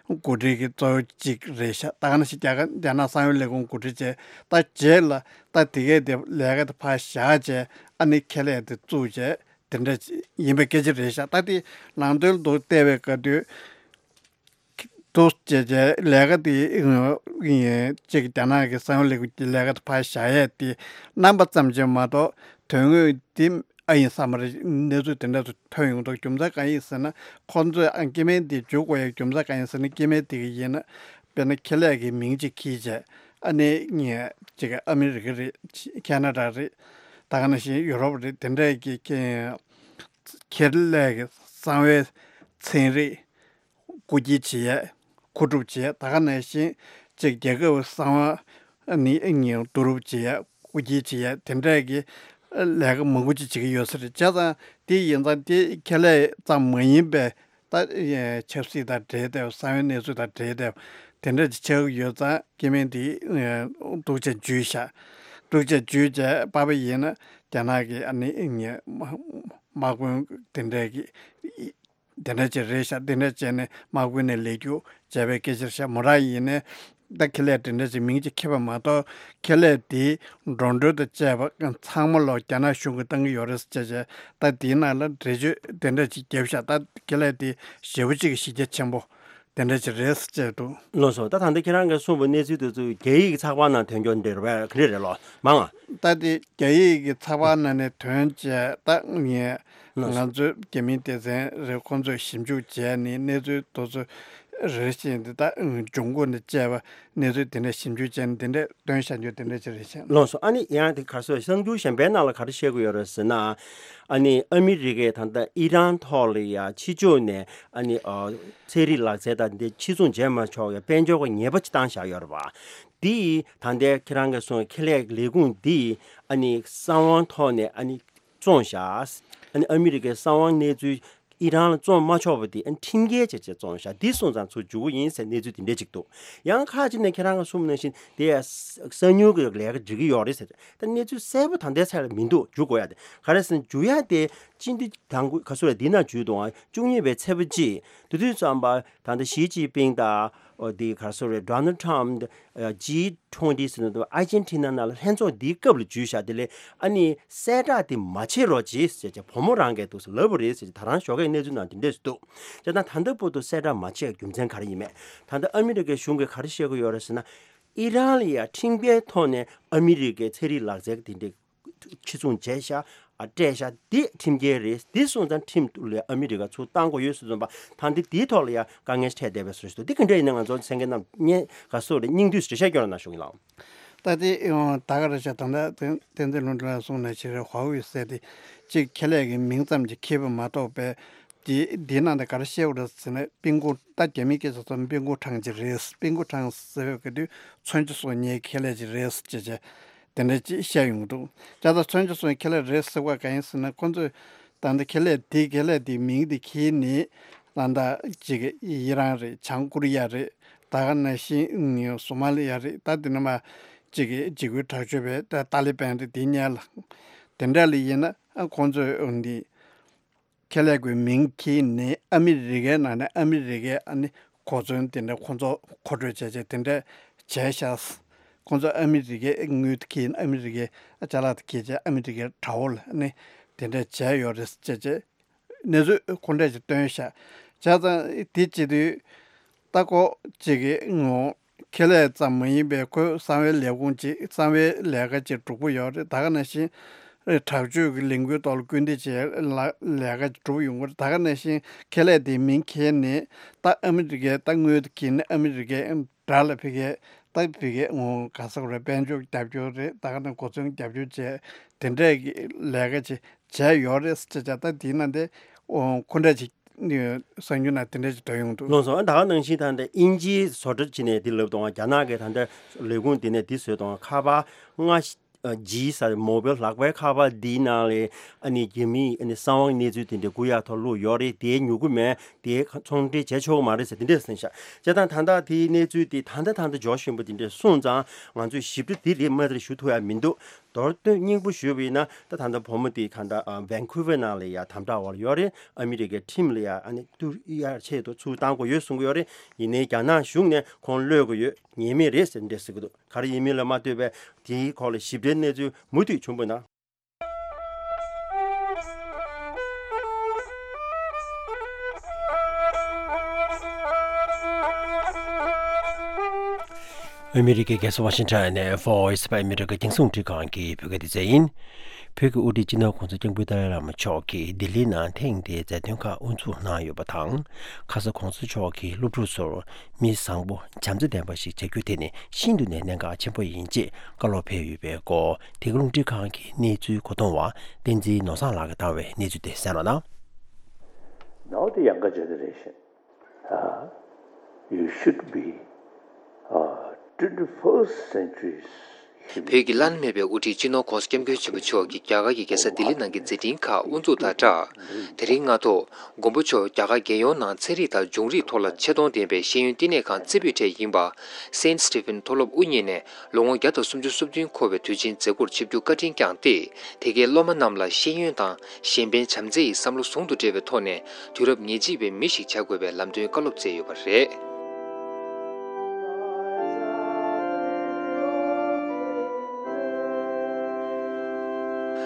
འགོ་ཁྲིད་ཀྱི་གཙོ་བོ་གཅིག་རེད་ཤག་ད་ག་ནང་བཞིན་རྒྱ་གར་རྒྱ་ནག་གསང་བའི་ལས་ཁུངས་འགོ་ཁྲིད་བྱས་ད་རྗེས་ལ་ད་དེ་གས་དེ་ལས་ཀ་དེ་ཕར་བཞག་བྱས་ཨ་ནི་ཁེ་ལས་དེ་བཙུགས་བྱས་དེ་འདྲ་ཡིན་པའི་སྐད་ཆ་རེད་ཤག་ད་དེ་ནང་དོན་དུ་བལྟས་པའི་སྐབས་དུས། དུ་བྱས་བྱས་ལས་ཀ་དེ་ཡིན་གཅིག་རྒྱ་ནག་གི་གསང་བའི་ལས་ཁུངས་ཀྱི་ལས་ཀ་དེ་ཕར་བཞག་ཡས་དེ་རྣམ་པ་ཙམ་ཅིག་མ་གཏོགས་དོན་དངོས་དེ་ཨ་ཡིན་ས་མ་རེད། གནས་ཚུལ་དེ་འདྲ་ཚོ་ཐོན་ཡོང་འདུག་རྒྱུ་མཚན་གང་ཡིན་ཟེར་ན་ཁོང་ཚོས་ཨ་སྐྱེ་དམན་དེ་འཇུག་དགོས་ཡས་རྒྱུ་མཚན་གང་ཡིན་ཟེར་ན་སྐྱེ་དམན་དེ་གི་ཡིན་ན་དཔེར་ན་ཁེ་ལས་ཀྱི་མིང་ཅིག་འཁྱེར་བྱས་ཨ་ནི་ངས་ཅིག་ཨ་མི་རི་ཀ་རེད། ཁེ་ན་ཌ་རེད། ད་ག་ནང་བཞིན་ཡུ་རོབ་རེད། དེ་འདྲས་ཀྱི་ཁེ་ཁེ་ལས་ཀྱི་གསང་བའི་ཚན་རིག་སྐུ་སྒྱིད་བྱེད་ཡས། མཁོ་སྒྲུབ་བྱེད་ཡས། ད་ག་ནང་བཞིན་གཅིག་རྒྱལ་ཁབ་གསང་བ་ནི་ངས་བསྡུ་རུབ་བྱེད་ཡས། སྐུ་སྒྱིད་བྱེད་ཡས་དེ་འདྲས་ཀྱི་ལས་ཀ་མང་པོ་ཅིག་བྱེད་ཀྱི་ཡོད་ས་རེད། བྱས་ཙང་དེ་ཡིན་ཙང་དེ་ཁེ་ལས་ཙམ་མ་ཡིན་པའི་ད་ཆབ་སྲིད་དང་འབྲེལ་ཏེ་གསང་བའི་གནས་ཚུལ་དང་འབྲེལ་ཏེ་དེ་འདྲས་ཅིག་ཆགས་ཀྱི་ཡོད་ཙང་སྐྱེ་དམན་དེ་སྡུག་ཅག་འཇུས་ཤག་སྡུག་ཅག་འཇུས་བྱས་པ་ཕ་ཡིན་ན་རྒྱ་ནག་གི་ཨ་ནི་དམག་དཔོན་དེ་འདྲས་ཀྱི། དེ་འདྲ་ཅིག་རེད་ཤག་དེ་འདྲ་བྱས་ནས་དམག་དཔོན་ནས་ལས་རྒྱུ་བྱས་པའི་སྐད་ཆ་རེད་ཤག་མོ་རང་ཡིན་ནས་ད་ཁེ་ལས་དེ་འདྲ་ཅིག་མིང་ཅིག་འཁྱེར་བ་མ་གཏོགས་ཁེ་ལས་དེ་འགྲོ་གྲོན་དང་བཅས་པ་ཚང་མ་ལོ་རྒྱ་ནག་གཞུང་གིས་བཏང་གི་ཡོད་རེད་ཟེར་བྱས་བྱས་ད་དེའི་ནང་ལ་འགྲེལ་བརྗོད་དེ་འདྲ་ཅིག་བརྒྱབ་ཤག་ད་ཁེ་ལས་དེ་ཞེ་པོ་ཅིག་གི་གཞི་རྒྱ་ཆེན་པོ་དེ་འདྲ་ཅིག་རེད་ཟེར་བྱས་འདུག་ལགས་སོ། ད་ད་ལྟ་ཁྱེད་རང་གིས་གསུངས་པའི་གནས་ཚུལ་དེ་ཚོ་རྒྱ་ཡིག་གི་ཚགས་པར་ནང་ཐོན་རྒྱུ་འདྲ་རེད་པས། ག་འདྲ་རེད་ལོ་མང་ང་། ད་དེ་རྒྱ་ཡིག་གི་ཚགས་པར་ནང་ནས་ཐོན་བྱས་ད་ངས་ལགས་སོ། ང་ཚོའི་རྒྱ་མིའི་སྡེ་ཚན་རེད། ཁོང་ཚོས་ཞིབ་འཇུག་བྱས་ནས་གནས་ཚུལ་དེ་ཚོ་རེ་བཞིན་དེ་ད་འབྱུང་ཁུངས་ནས་བཅས་པ་གནས་ཚུལ་དེ་འདྲ་ཞིབ་འཇུག་བྱས་ནས་དེ་འདྲ་བཏོན་བཞག་རྒྱུ་དེ་འདྲ་ཅིག་རེད་ཤག་ལགས་སོ། ཨ་ནི་ཡང་དེ་ག་རེ་ཟེར་གསར་འགྱུར་གཞན་པའི་ནང་ལ་ག་རེ་བཤད་ཀྱི་ཡོད་རེད་ཟེར་ན། ཨ་ནི་ཨ་མི་རི་ཀས་ད་ལྟ་ཨི་རན་ཐོག་ལ་ཡ་ཕྱི་ཕྱོགས་ནས་ཨ་ནི་ཨ་ཚན་རིག་ལག་རྩལ་དང་འདི་ཕྱིར་ཚོང་བྱས་མ་ཆོག་ཡ་དཔལ་འབྱོར་གྱི་ཉེས་པ་ཅིག་བཏང་བཞག་ཡོད་རེད་པ། འདི་ད་ལྟའི་ཁྱེད་རང་གིས་གསུངས་ཁེ་ལས་ལས་ཁུངས་འདི་ཨ་ནི་གསང་བའི་ཐོག་ནས་ཨ་ནི་བཙོངས་བཞག་ཨ་ནི་ཨ་མི་རི་ཀའི་གསང་བའི་གནས་ཚུལ་ ཨི་རན་ལ་བཙོང་མ་ཆོག་པ་དེ་ཨ་ཁྲིམས་འགལ་བྱས་བྱས་བཙོང་ཤག་འདི་སོང་ཙང་ཚུར་འཇུག་གི་ཡིན་ཟེར་གནས་ཚུལ་དེ་འདྲས་ཅིག་འདུག་ཡང་ཁ་ཅིག་ནས་ཁྱེད་རང་གིས་གསུངས་ནང་བཞིན་དེ་ཡ་གསང་ཉུལ་གྱི་ལས་ཀ་འགྲིག་གི་ཡོད་རེད་ཟེར། ད་གནས་ཚུལ་གསལ་པོ་ད་ལྟའི་ཆར་ལ་མི་འདུག་འཇུག་དགོས་ཡ་དེ་ག་རེ་ཟེར་ན་འཇུག་ཡ་དེ་སྤྱི་འཐུས་དང་པོ་ག་ཚོད་རེད། འདི་ན་འཇུག་དང་བཅུ་གཉིས་པའི་ཚེས་པ་གཅིག་དེ་དུས་ཙམ་པ་ད་ལྟ་ཞི་ཅིན་ཕིང་དང་། ཨོ་དེ་ག་རེ་ཟེར་རེད། Donald Trump། ཇི་ཊུ་ཝེན་ཊི་ཟེར་ནས་ཨར་ཇེན་ཊི་ན་ནང་ལ་ལྷན་ཚོགས་འདིའི་སྐབས་ལ་འཇུས་བཞག་དེ་ལས་ཨ་ནི་གསལ་བསྒྲགས་དེ་མ་བྱེད་རོགས་གྱིས་ཟེར་བྱས་བུ་མོ་རང་གིས་འདུག་ཟེར་ལབ་པ་རེད་ཟེར་བྱས་ད་རང་ཞོགས་ཀའི་གནས་ཚུལ་ནང་དེ་འདྲས་སུ་འདུག་བྱས་ཙང་ད་ལྟ་བར་དུ་གསལ་བསྒྲགས་མ་བྱས་རྒྱུ་མཚན་ག་རེ་ཡིན་མེད། ད་ལྟ་ཨ་མི་རི་ཀའི་གཞུང་གིས་ག་རེ་བཤད་ཀྱི་ཡོད་རེད་ཟེར་ན། ཨི་རན་ལ་ཡང་ཁྲིམས་འགལ་ཐོག་ནས་ཨ་མི་རི་ཀའི་ཚན་རིག་ལག་རྩལ་དེ་འདྲས། ཕྱིར་ཚོང་བྱས་ཤག་ཨ་སྤྲད་ཤག་འདི་ཁྲིམས་འགལ་རེད། འདི་སོང་ཙང་ཁྲིམས་ལ་ཨ་མི་རི་ཀ་ཚུར་བཏང་དགོས་ཡོད་ཟེར་ཙམ་པ་ད་འདི་འདིའི་ཐོག་ལ་ཡང་དཀའ་ངལ་འཕྲད་བསྡད་པའི་བཟོ་ཞིག་འདུག་འདི་ག་འདྲ་ཡིན་ན་ང་ཚོ་གསན་མཁན་རྣམས་སྙན་ག་སོགས་རེ་སྙིང་བསྡུས་རེ་བཤད་སྐྱོར་གནང་ཞུ་གི་ལགས། ད་དེ་ད་ག་རེ་བྱས་ད་ལྟ་བསྟན་འཛིན་ལྷུན་གྲུབ་ལགས་གསུངས་ནས་ཕྱི་རེ་ཧྭ་ཝེ་ཟེར་དེ་གཅིག་ཁེ་ལས་ཀྱི་མིང་ཙམ་གྱིས་ཁེ་པ་མ་གཏོགས་པའི། དེ་དེའི་ནང་དུ་ག་རེ་བཤད་པ་རེད་ཟེར་ན་པིན་ཀོ་ད་རྒྱ་མིའི་སྐད་ཆ་ཚོ་པིན་ཀོ་ཁྲང་ཅིག་རེད། པིན་ཀོ་ཁྲང་ཟེར་བའི་ག་དུས་མཚོན་ཆ་བཟོ་མཁན་ཁེ་ལས་ཅིག་རེད་ཅེས་བྱས་དེ་འདྲ་ཅིག་བཤད་ཡོང་གི་འདུག་བྱས་ཙང་མཚོན་ཆ་བཟོ་མཁན་ཁེ་ལས་རེད་ཟེར་བ་གང་ཡིན་ཟེར་ན་ཁོ་ཚོས་ད་ལྟ་ཁེ་ལས་དེ་ཁེ་ལས་དེའི་མིང་དེ་ཁྱེར་ནས་ད་ལྟ་ཅིག་ཨི་རན་རེད། བྱང་ཀོ་རི་ཡ་རེད། ད་ག་ནང་བཞིན་སོ་མ་ལི་ཡ་རེད། ད་དེ་ནས་མ་ཅིག་འཇིགས་སྐུལ་དྲག་སྤྱོད་པའི་ད་ཏཱ་ལི་པན་རེད། དེ་གཉིས་ལ་དེ་འདྲ་ལ་ཡིན་ན་ཁོ་ཚོས་འདི། ཁེ་ལས་ཀྱི་མིང་ཁྱེར་ནས་ཨ་མི་རི་ཀའི་ནང་ནས་ཨ་མི་རི་ཀའི་ཨ་ནི་གོ་མཚོན་དེ་འདྲ་ཁོ་ཚོ་མཁོ་སྤྲོད་བྱས་བྱས་དེ་འདྲ་བྱས་ཤག་ཁོ་ཚོ་ཨ་མི་རི་ཀའི་དངུལ་ཁྱེར་ནས་ཨ་མི་རི་ཀའི་ཅ་ལག་དེ་ཁྱེར་བྱས་ཨ་མི་རི་ཀའི་དྲ་བ་ལ་ཨ་ནི་དེ་འདྲ་བྱས་ཡོད་རེད་ཅེས་བྱས་གནས་ཚུལ་ཁོ་འདྲ་ཞིག་བཏོན་ཤག་བྱས་ཙང་དེ་བྱེད་དུས། ལྟ་སྐོར་གཅིག་གི་ངོ་། ཁེ་ལས་ཙམ་མ་ཡིན་པའི་ཁོའི་གསང་བའི་ལས་ཁུངས་གཅིག་གསང་བའི་ལས་ཀ་གཅིག་སྒྲུབ་ཀྱི་ཡོད་རེད། ད་ག་ནང་བཞིན་དྲག་སྤྱོད་ཀྱི་ལས་འགུལ་ཐོག་ལ་སྐུལ་འདེད་བྱེད་ལ་ལས་ཀ་གཅིག་སྒྲུབ་ཡོང་གི་རེད། ད་ག་ནང་བཞིན་ཁེ་ལས་དེའི་མིང་ཁྱེར་ནས་ད་ཨ་མི་རི་ཀའི་ད་དངུལ་དེ་ཁྱེར་ནས་ཨ་མི་རི་ཀའི་དགྲ་ལ་ཕ་གིའི་ད་ཕ་གིའི་ངོ་ག་ས་ག་རེད། དཔལ་འབྱོར་རྒྱབ་སྐྱོར་རེད། ད་ག་ནང་གོ་མཚོན་རྒྱབ་སྐྱོར་བྱས་དེ་འདྲས་ཀྱི་ལས་ཀ་ཅིག་བྱས་ཡོད་རེད་ཟེར་བྱས་ད་དེའི་ནང་དེ་ཁོ་འདྲ་ཅིག་གསར་འགྱུར་ནང་དེ་འདྲ་ཞིག་འདྲ་ཡོང་འདུག་ལགས་སོ། ད་ག་ནང་བཞིན་ད་ལྟ་དབྱིན་ཇིའི་བཟོ་གྲྭ་ཅིག་ནས་འདི་ལབ་དང་། རྒྱ་ནག་གི་ད་ལྟ་ལས་ཁུངས་འདི་ནས་འདི་བཟོས་དང་། ཁ་པར་ལྔ་ཇི་ཟེར་མོ་བེལ་ལག་པའི་ཁ་པར་འདིའི་ནང་ལ་ཨ་ནི་རྒྱ་མིའི་ཨ་ནི་གསང་བའི་གནས་ཚུལ་དེ་འདྲ་རྒུད་ཡག་ཐོག་བླུགས་ཡོད་རེད། དེ་ཉོ་གི་མེད། དེ་ཚོང་འབྲེལ་བྱས་ཆོག་གི་མ་རེད་ཟེར་དེ་འདྲས་གསུངས་ཤག་བྱས་ཙང་ད་ལྟ་དེའི་གནས་ཚུལ་དེ་ད་ལྟ་ད་ལྟ་ཇོརྗ་ཤིན་པོ་དེ་འདྲས་གསུངས་ཙང་ང་ཚོས་ཞིབ་ཕྲ་དེ་རེད་མ་རེད་ཞུ་ཐུབ་ཡ་མི་འདུག་མདོར་བསྡུས་སྙིང་པོ་ཞུས་པ་ཡིན་ན་ད་ད་ལྟ་བུ་མོ་དེ་ག་འདྲ་ཝན་ཀུ་ཝར་ནང་ལ་ཡ་དམ་དྲག་འོག་ལ་ཡོད་རེད། ཨ་མི་རི་ཀའི་ཁྲིམས་ལ་ཡ་ཨ་ནི་ཏུ་ཡར་ཆེད་དུ་ཚུར་བཏང་དགོས་ཡོད་གསུང་གི་ཡོད་རེད། ཡིན་ནའི་རྒྱ་ནག་གཞུང་ནས་ཁོང་གློད་དགོས་ཡོད། ཉན་མེད་རེད་ཟེར་འདྲ་ཟེར་གི་འདུག་ག་རེ་ཡིན་མིན་ལ་མ་ལྟོས་པའི་དེའི་སྐོར་ལ་ཞིབ་ཕྲའི་གནས་ཚུལ་མུ་མཐུད་བྱུང་བ་ན། ཨ་མི་རི་ཀའི་རྒྱལ་ས་ཝ་ཤིང་ཊོན་ནས་Voice of America རྒྱང་སྲིང་རླུང་འཕྲིན་ཁང་གི་བོད་སྐད་སྡེ་ཚན་ཡིན། བོད་ཀྱི་དབུ་ཁྲིད་སྤྱི་ནོར་༸གོང་ས་༸སྐྱབས་མགོན་ཏཱ་ལའི་བླ་མ་མཆོག་གིས་ལྡི་ལིའི་ནང་ཐེངས་འདིའི་མཛད་དོན་ཁག་དབུ་འཛུགས་གནང་ཡོད་པ་དང་། ཁ་ས་༸གོང་ས་མཆོག་གིས་སློབ་ཕྲུག་ཚོར་མི་བཟང་པོ་བྱམས་བརྩེ་ལྡན་པ་ཞིག་བྱ་རྒྱུ་དེ་ནི་ཤིན་ཏུ་ནས་གནད་འགག་ཆེན་པོ་ཡིན་ཅེས་བཀའ་སློབ་ཕེབས་ཡོད་པའི་སྐོར། འདི་ག་རླུང་འཕྲིན་ཁང་གི་གནས་ཚུལ་གོ་བསྡུར་བ་བསྟན་འཛིན་ནོར་བཟང་ལགས་ཀྱིས་བཏང་བའི་གནས་ཚུལ་དེ་གསན་རོགས་གནང་། Now the younger generation, uh, you should be, uh, twenty-first century's human. བོད་ཀྱི་བླ་ན་མེད་པའི་དབུ་ཁྲིད་སྤྱི་ནོར་༸གོང་ས་༸སྐྱབས་མགོན་ཆེན་པོ་མཆོག་གིས་རྒྱ་གར་གྱི་རྒྱལ་ས་ལྡི་ལི་ནང་གི་མཛད་འཕྲིན་ཁག་དབུ་འཛུགས་དང་སྦྲགས། དེ་རིང་སྔ་དྲོ། མགོན་པོ་མཆོག་རྒྱ་གར་རྒྱལ་ཡོངས་ནང་ཚན་རིག་དང་འབྱུང་རིག་ཐོག་ལ་ཆེད་གཏོང་ལྡན་པའི་ཤེས་ཡོན་བསྟི་གནས་ཁང་རྩེ་ཕུད་གྲས་ཡིན་པ། སེན་སི་ཊི་ཕིན་མཐོ་སློབ་དབུ་བརྙེས་ནས་ལོ་ངོ་བརྒྱ་དང་སུམ་ཅུ་སོ་བདུན་འཁོར་བའི་དུས་ཆེན་མཛད་སྒོར་ཆིབས་བསྒྱུར་བཀའ་དྲིན་བསྐྱངས་ཏེ། དེ་གའི་སློབ་མ་རྣམས་ལ་ཤེས་ཡོན་དང་གཞན་ཕན་བྱམས་བརྩེ་ཡི་བསམ་བློ་ཟུང་དུ་འབྲེལ་བའི་ཐོག་ནས་དུས་རབས་ཉེར་གཅིག་པའི་མི་ཞིག་བྱ་དགོས་པའི་ལམ་སྟོན་བཀའ་སློབ་སྩལ་ཡོད་པ་རེད།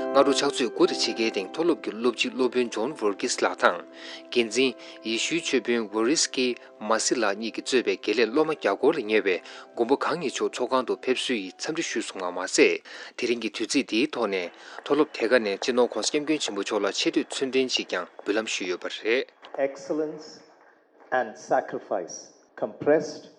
སྔ་དྲོ་ཕྱག་ཚོད་དགུ་དང་ཕྱེད་ཀའི་སྟེང་མཐོ་སློབ་ཀྱི་སློབ་སྤྱི་སློབ་དཔོན་ཇོན་ཝོར་ཀིས་ལགས་དང་། འགན་འཛིན་ཡེ་ཤུའི་ཆོས་དཔོན་ཝོ་རིས་ཀི་མ་སི་ལགས་གཉིས་ཀྱིས་གཙོས་པའི་དགེ་ལས་སློབ་མ་བརྒྱ་སྐོར་ལ་ཉེ་བའི་མགོན་པོ་གང་ཉིད་མཆོག་ཚོགས་ཁང་དུ་ཕེབས་བསུ་ཡི་འཚམས་འདྲི་ཞུས་སོང་བ་མ་ཟད། དེ་རིང་གི་དུས་ཚིགས་འདིའི་ཐོག་ནས་མཐོ་སློབ་དེ་ག་ནས་སྤྱི་ནོར་༸གོང་ས་༸སྐྱབས་མགོན་ཆེན་པོ་མཆོག་ལ་ཆེ་བསྟོད་ཚུལ་ལྡན་ཞིག་ཀྱང་འབུལ་ལམ་ཞུས་ཡོད་པ་རེད། Excellence and sacrifice compressed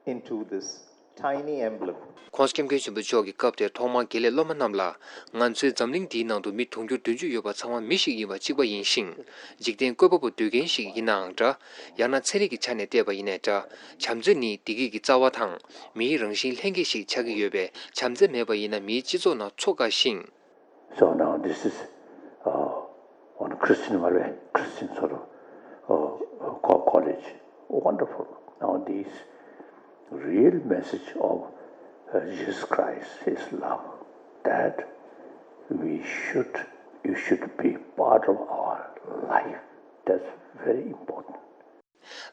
into this tiny emblem. ༸གོང་ས་༸སྐྱབས་མགོན་ཆེན་པོ་མཆོག་གི་སྐབས་དེར་ཐོག་མར་དགེ་ལས་སློབ་མ་རྣམས་ལ། ང་ཚོའི་འཛམ་གླིང་འདིའི་ནང་དུ་མི་དུང་ཕྱུར་བདུན་ཅུ་ཡོད་པ་ཚང་མ་མི་ཞིག་ཡིན་པ་གཅིག་པ་ཡིན་ཞིང་། འཇིག་རྟེན་བཀོད་པ་པོ་སྡུད་མཁན་ཞིག་ཡིན་ནའང་འདྲ། ཡང་ན་ཚན་རིག་གི་ཆ་ནས་བལྟས་པ་ཡིན་ནའི་འདྲ། བྱམས་བརྩེ་ནི་བདེ་སྐྱིད་ཀྱི་རྩ་བ་དང་། མིའི་རང་བཞིན་ལྷན་སྐྱེས་ཤིག་ཆགས་ཀྱི་ཡོད་པས། བྱམས་བརྩེ་མེད་པ་ཡིན་ན་མིའི་སྤྱི་ཚོགས་ནང་འཚོ་དཀའ་ཞིང་། So now this is, uh, on Christian མ་རེད། Christian sort of uh, co- college. Wonderful. Now this real message of uh, Jesus Christ, His love, that we should, you should be part of our life. That's very important.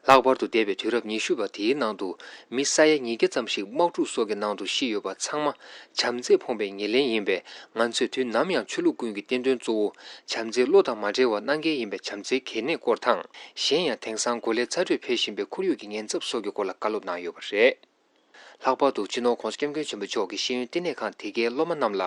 ལྷག་པར་དུ་འདས་པའི་དུས་རབས་ཉི་ཤུ་པ་དེའི་ནང་དུ་མི་ས་ཡ་ཉིས་བརྒྱ་ཙམ་ཞིག་དམག་འཁྲུག་སོགས་ཀྱི་ནང་དུ་ཤི་ཡོད་པ་ཚང་མ་བྱམས་བརྩེས་ཕོངས་པའི་ཉེར་ལེན་ཡིན་པས། ང་ཚོས་དུས་ནམ་ཡང་ཆོས་ལུགས་ཀུན་གྱི་བསྟན་དོན་གཙོ་བོ་བྱམས་བརྩེའི་བློ་དང་མ་བྲལ་བར་གནང་གལ་ཡིན་པའི་བྱམས་བརྩེའི་གལ་གནད་སྐོར་དང་། གཞན་ཡང་དེང་སང་གོ་ལའི་ཚ་དྲོད་འཕེལ་བཞིན་པའི་ཁོར་ཡུག་གི་ཉེན་ཚབས་སོགས་ཀྱི་སྐོར་ལ་བཀའ་སློབ་གནང་ཡོད་པ་རེད། ལྷག་པར་དུ་སྤྱི་ནོར་༸གོང་ས་༸སྐྱབས་མགོན་ཆེན་པོ་མཆོག་གིས་ཤེས་ཡོན་བསྟི་གནས་ཁང་དེ་གའི་སློབ་མ་རྣམས་ལ།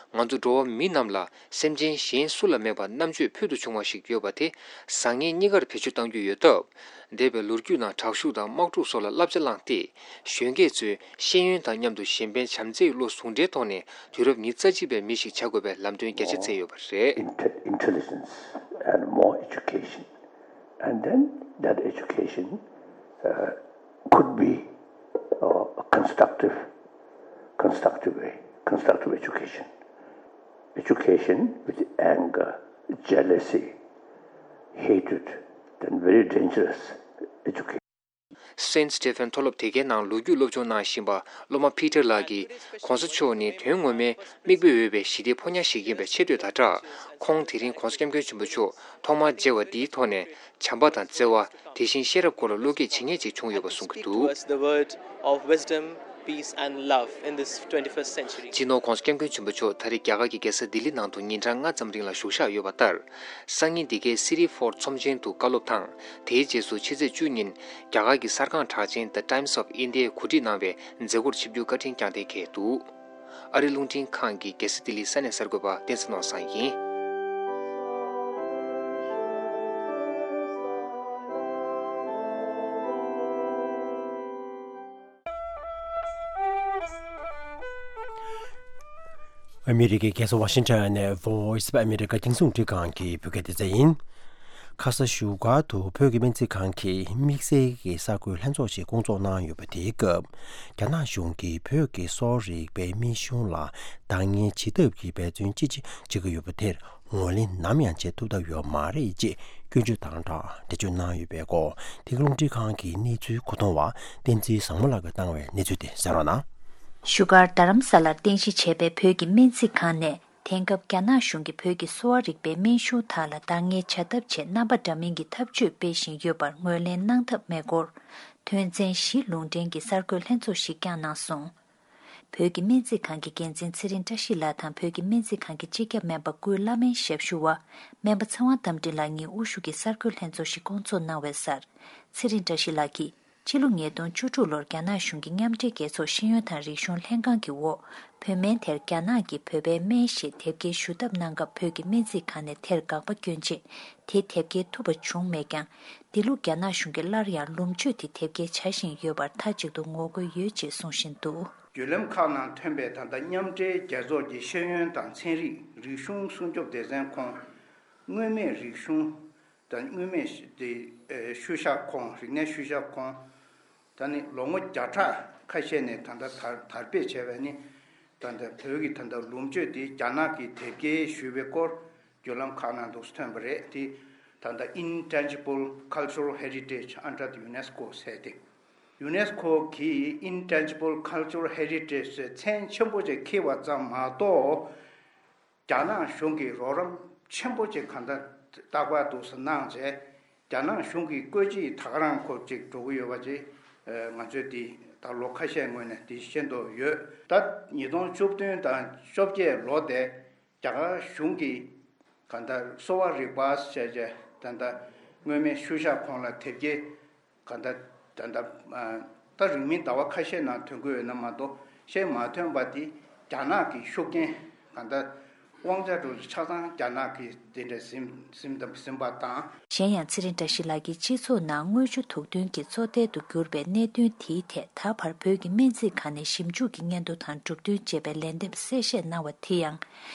ང་ཚོ་འགྲོ་བ་མི་རྣམས་ལ་སེམས་ཅན་གཞན་སུ་ལ་མེད་པར་རྣམ་དཔྱོད་ཕུལ་དུ་བྱུང་བ་ཞིག་ཡོད་པ་དེ་བཟང་ངན་གཉིས་ཀར་བེད་སྤྱོད་གཏང་རྒྱུ་ཡོད་སྟབས། འདས་པའི་ལོ་རྒྱུས་ནང་དྲག་ཤུགས་དང་དམག་འཁྲུག་སོགས་ལ་བསླབ་བྱ་བླངས་ཏེ། གཞོན་སྐྱེས་ཚོས་ཤེས་ཡོན་དང་མཉམ་དུ་གཞན་ཕན་བྱམས་བརྩེའི་བློ་ཟུང་འབྲེལ་ཐོག་ནས་དུས་རབས་ཉི་ཤུ་རྩ་གཅིག་པའི་མི་ཞིག་བྱ་དགོས་པའི་ལམ་སྟོན་རྒྱ་ཆེ་བསྩལ་ཡོད་པ་རེད། Inte- intelligence and more education. And then that education uh, could be uh, a constructive, constructive way, constructive education. Education with anger, jealousy, hatred, then very dangerous education. Saint Stephen མཐོ་སློབ་དེ་གའི་ནང་ལོ་རྒྱུས་སློབ་སྦྱོང་གནང་བཞིན་པ་སློབ་མ་ཕི་ཏར་ལགས་ཀྱིས། ༸གོང་ས་མཆོག་ནི་དོན་ངོ་མའི་མིག་དཔེ་འོས་པའི་ཞི་བདེའི་ཕོ་ཉ་ཞིག་ཡིན་པའི་ཆེ་བསྟོད་དང་སྦྲགས། ཁོང་དེ་རིང་༸གོང་ས་༸སྐྱབས་མགོན་ཆེན་པོ་མཆོག་ཐོག་མར་མཇལ་བ་འདིའི་ཐོག་ནས་བྱམས་པ་དང་བརྩེ་བ། དེ་བཞིན་ཤེས་རབ་སྐོར་ལ་བློ་སྐྱེད་བྱེད་མཁན་ཅིག་བྱུང་ཡོད་པ་གསུང་གི་འདུག Towards the word of wisdom, peace and love in this twenty-first century. སྤྱི་ནོར་༸གོང་ས་༸སྐྱབས་མགོན་ཆེན་པོ་མཆོག་ད་རེས་རྒྱ་གར་གྱི་རྒྱལ་ས་ལྡི་ལི་ནང་དུ་ཉིན་གྲངས་ལྔ་ཙམ་རིང་ལ་བཞུགས་བཞག་ཡོད་པ་ལྟར། སང་ཉིན་འདི་གའི་City Fort ཚོམས་ཆེན་དུ་བཀའ་སློབ་དང་། དེའི་རྗེས་སུ་ཕྱི་ཚེས་བཅུ་ཉིན་རྒྱ་གར་གྱི་གསར་ཁང་གྲགས་ཅན་The Times of India གོ་སྒྲིག་གནང་བའི་མཛད་སྒོར་ཆིབས་བསྒྱུར་བཀའ་དྲིན་བསྐྱངས་གཏན་འཁེལ་འདུག་ཨ་རི་རླུང་འཕྲིན་ཁང་གི་རྒྱལ་ས་ལྡི་ལིའི་ས་གནས་གསར་འགོད་པ་བསྟན་འཛིན་ནོར་བཟང་ཡིན། ཨ་མི་རི་ཀའི་རྒྱལ་ས་ཝ་ཤིང་ཊོན་ནས་Voice of America རྒྱང་སྲིང་རླུང་འཕྲིན་ཁང་གི་བོད་སྐད་སྡེ་ཚན་ཡིན། ཁ་ས་བཞུགས་སྒར་དུ་བོད་ཀྱི་སྨན་རྩིས་ཁང་གི་དམིགས་བསལ་གྱི་གསར་འགོད་ལྷན་ཚོགས་ཤིག་བསྐོང་ཚོགས་གནང་ཡོད་པ་དེའི་སྐབས། རྒྱ་ནག་གཞུང་གིས་བོད་ཀྱི་གསོ་བ་རིག་པའི་སྨན་གཞུང་ལ་འདང་ངེས་བྱེད་ཐབས་ཀྱི་འབད་བརྩོན་ཅི་ཆེ་བྱེད་ཀྱི་ཡོད་པ་དེར། ངོས་ལེན་ནམ་ཡང་བྱེད་ཐུབ་ཐབས་ཡོད་མ་རེད་ཅེས་སྐྱོན་བརྗོད་དང་སྦྲགས་འགྲེལ་བརྗོད་གནང་ཡོད་པའི་སྐོར། དེ་ག་རླུང་འཕྲིན་ཁང་གི་གནས་ཚུལ་མཁོ་གཏོང་བ་བསྟན་འཛིན་བཟང་མོ་ལགས་ཀྱིས་བཏང་བའི་གནས་ཚུལ་དེ་གསན་རོགས་གནང་། བཞུགས་སྒར་རྡ་རམ་ས་ལར་རྟེན་གཞི་བྱས་པའི་བོད་ཀྱི་སྨན་རྩིས་ཁང་ནས། དེང་སྐབས་རྒྱ་ནག་གཞུང་གིས་བོད་ཀྱི་གསོ་བ་རིག་པའི་སྨན་གཞུང་དག་ལ་འདང་ངེས་བྱ་ཐབས་ཆེད་རྣམ་པ་འདྲ་མིན་གྱི་ཐབས་ཇུས་སྤེལ་བཞིན་ཡོད་པར་ངོས་ལེན་གནང་ཐབས་མེད་སྐོར། དོན་ཚན་བཞི་ལུང་འདྲེན་གྱི་གསར་འགོད་ལྷན་ཚོགས་ཤིག་བསྐྱངས་གནང་སོང་། བོད་ཀྱི་སྨན་རྩིས་ཁང་གི་འགན་འཛིན་ཚེ་རིང་བཀྲ་ཤིས་ལགས་དང་བོད་ཀྱི་སྨན་རྩིས་ཁང་གི་སྤྱི་ཁྱབ་སྨན་པ་ཀུན་བླ་སྨན་ཞབས་ཞུ་བ་སྨན་པ་ཚེ་དབང་རྟ་མགྲིན་ལགས་གཉིས་དབུ་བཞུགས་ཀྱི་གསར་འགོད་ལྷན་ཚོགས་ཤིག་བསྐོང་ཚོགས་གནང་བའི་སར། ཚེ་རིང་བཀྲ་ཤིས་ལགས་ཀྱིས། ཕྱི་ལོ་ཉིས་སྟོང་བཅུ་དྲུག་ལོར་རྒྱ་ནག་གཞུང་གིས་མཉམ་འབྲེལ་རྒྱལ་ཚོགས་ཤེས་ཡོན་དང་རིག་གཞུང་ལྷན་ཁང་གི་འོག་བོད་སྨན་དེར་རྒྱ་ནག་གི་བོད་པའི་སྨན་ཞེས་དེབ་སྐྱེལ་ཞུ་ཐབས་གནང་སྐབས། བོད་ཀྱི་སྨན་རྩིས་ཁང་ནས་དེར་དགག་པ་བསྐྱོན་རྗེས། དེ་དེབ་སྐྱེལ་ཐུབ་པ་བྱུང་མེད་ཀྱང་། འདི་ལོ་རྒྱ་ནག་གཞུང་གིས་སླར་ཡང་ལུམས་བཅོས་དེ་དེབ་སྐྱེལ་བྱ་བཞིན་ཡོད་པར་མཐའ་གཅིག་ཏུ་ངོ་རྒོལ་ཡོད་ཅེས་གསུང་བཞིན་འདུག་བརྒྱུད་ལམ་ཁག་ནང་ཐོན་པའི་ད་ལྟ་མཉམ་འབྲེལ་རྒྱལ་ཚོགས་ཀྱི་ཤེས་ཡོན་དང་ཚན་རིག་རིག་གཞུང་སྲུང་སྐྱོབ་སྡེ་ཚན་ཁོངས། མངོན་མེད་རིག་གཞུང་དང་མངོན་མེད་ཤུ་དེ་ཤུལ་བཞག་ཁོངས། རིག་གནས་ཤུལ་བཞག་ཁོངས། ད་ནི་ལོ་ངོ་བརྒྱ་ཕྲག་ཁ་ཤས་ནས་ད་ལྟ་དར་དར་སྤེལ་བྱས་པའི་ནི། ད་ལྟ་བོད་ཀྱི་ད་ལྟ་ལུམས་བཅོས་དེ་རྒྱ་ནག་གིས་དེབ་སྐྱེལ་ཞུས་པའི་སྐོར་བརྒྱུད་ལམ་ཁག་ནང་དུ་ཐོན་པ་རེད། དེ་ད་ལྟ་Intangible Cultural Heritage under the UNESCO ཟེར་ཏེ། UNESCO གིས་Intangible Cultural Heritage ཟེར་མཚན་ཆེན་པོ་ཅིག་འཁྱེར་བ་ཙམ་མ་གཏོགས། རྒྱ་ནག་གཞུང་གིས་རོགས་རམ་ཆེན་པོ་ཅིག་གང་ལྟར་རྟག་པར་དུ་གནང་བྱས། རྒྱ་ནག་གཞུང་གིས་བཀོད་ཇུས་ད་ག་རང་ཁོ་ཅིག་འགྲོ་གི་ཡོད་པ་ཅིག་ང་ཚོས་འདི་ད་ལོ་ཁ་ཤས་སྔོན་ནས་འདི་ཤེས་འདོད་ཡོད། ད་ཉིས་སྟོང་བཅུ་བདུན་དང་བཅོ་བརྒྱད་ལོ་དེ་རྒྱ་གར་གཞུང་གིས་གང་ལྟར་གསོ་བ་རིག་པ་ཟེར་བྱས་ད་ལྟ་མངོན་མེད་ཤུལ་བཞག་ཁོངས་ལ་དེབ་སྐྱེལ། གང་ལྟར་ད་ལྟ་ད་རིང་མིན་ཟླ་བ་ཁ་ཤས་ནང་ཐོན་གྱི་ཡོད་ན་མ་གཏོགས། ཤེས་མ་ཐོན་པ་དེ་རྒྱ་ནག་གི་ཤུགས་རྐྱེན། གང་ལྟར་དབང་ཆ་འགྲོ་ཆ་ཚང་རྒྱ་ནག་གིས་དེ་འདྲ་ཟིན་ཟིན་ཟིན་པ་དང་། གཞན་ཡང་། ཚེ་རིང་བཀྲ་ཤིས་ལགས་ཀྱིས་སྤྱི་ཚོགས་ནང་དངུལ་ཆུ་དུག་འདོན་གྱི་གཙོ་ཐལ་དུ་གྱུར་པའི་གནད་དོན་དེའི་ཐད། ད་བར་བོད་ཀྱི་སྨན་རྩིས་ཁང་ནས་ཞིབ་འཇུག་གི་སྙན་ཐོ་དང་གྲུབ་དོན་ཅེས་པའི་ལན་འདེབས་གསལ་བཤད་གནང་བ་དེ་ཡང་།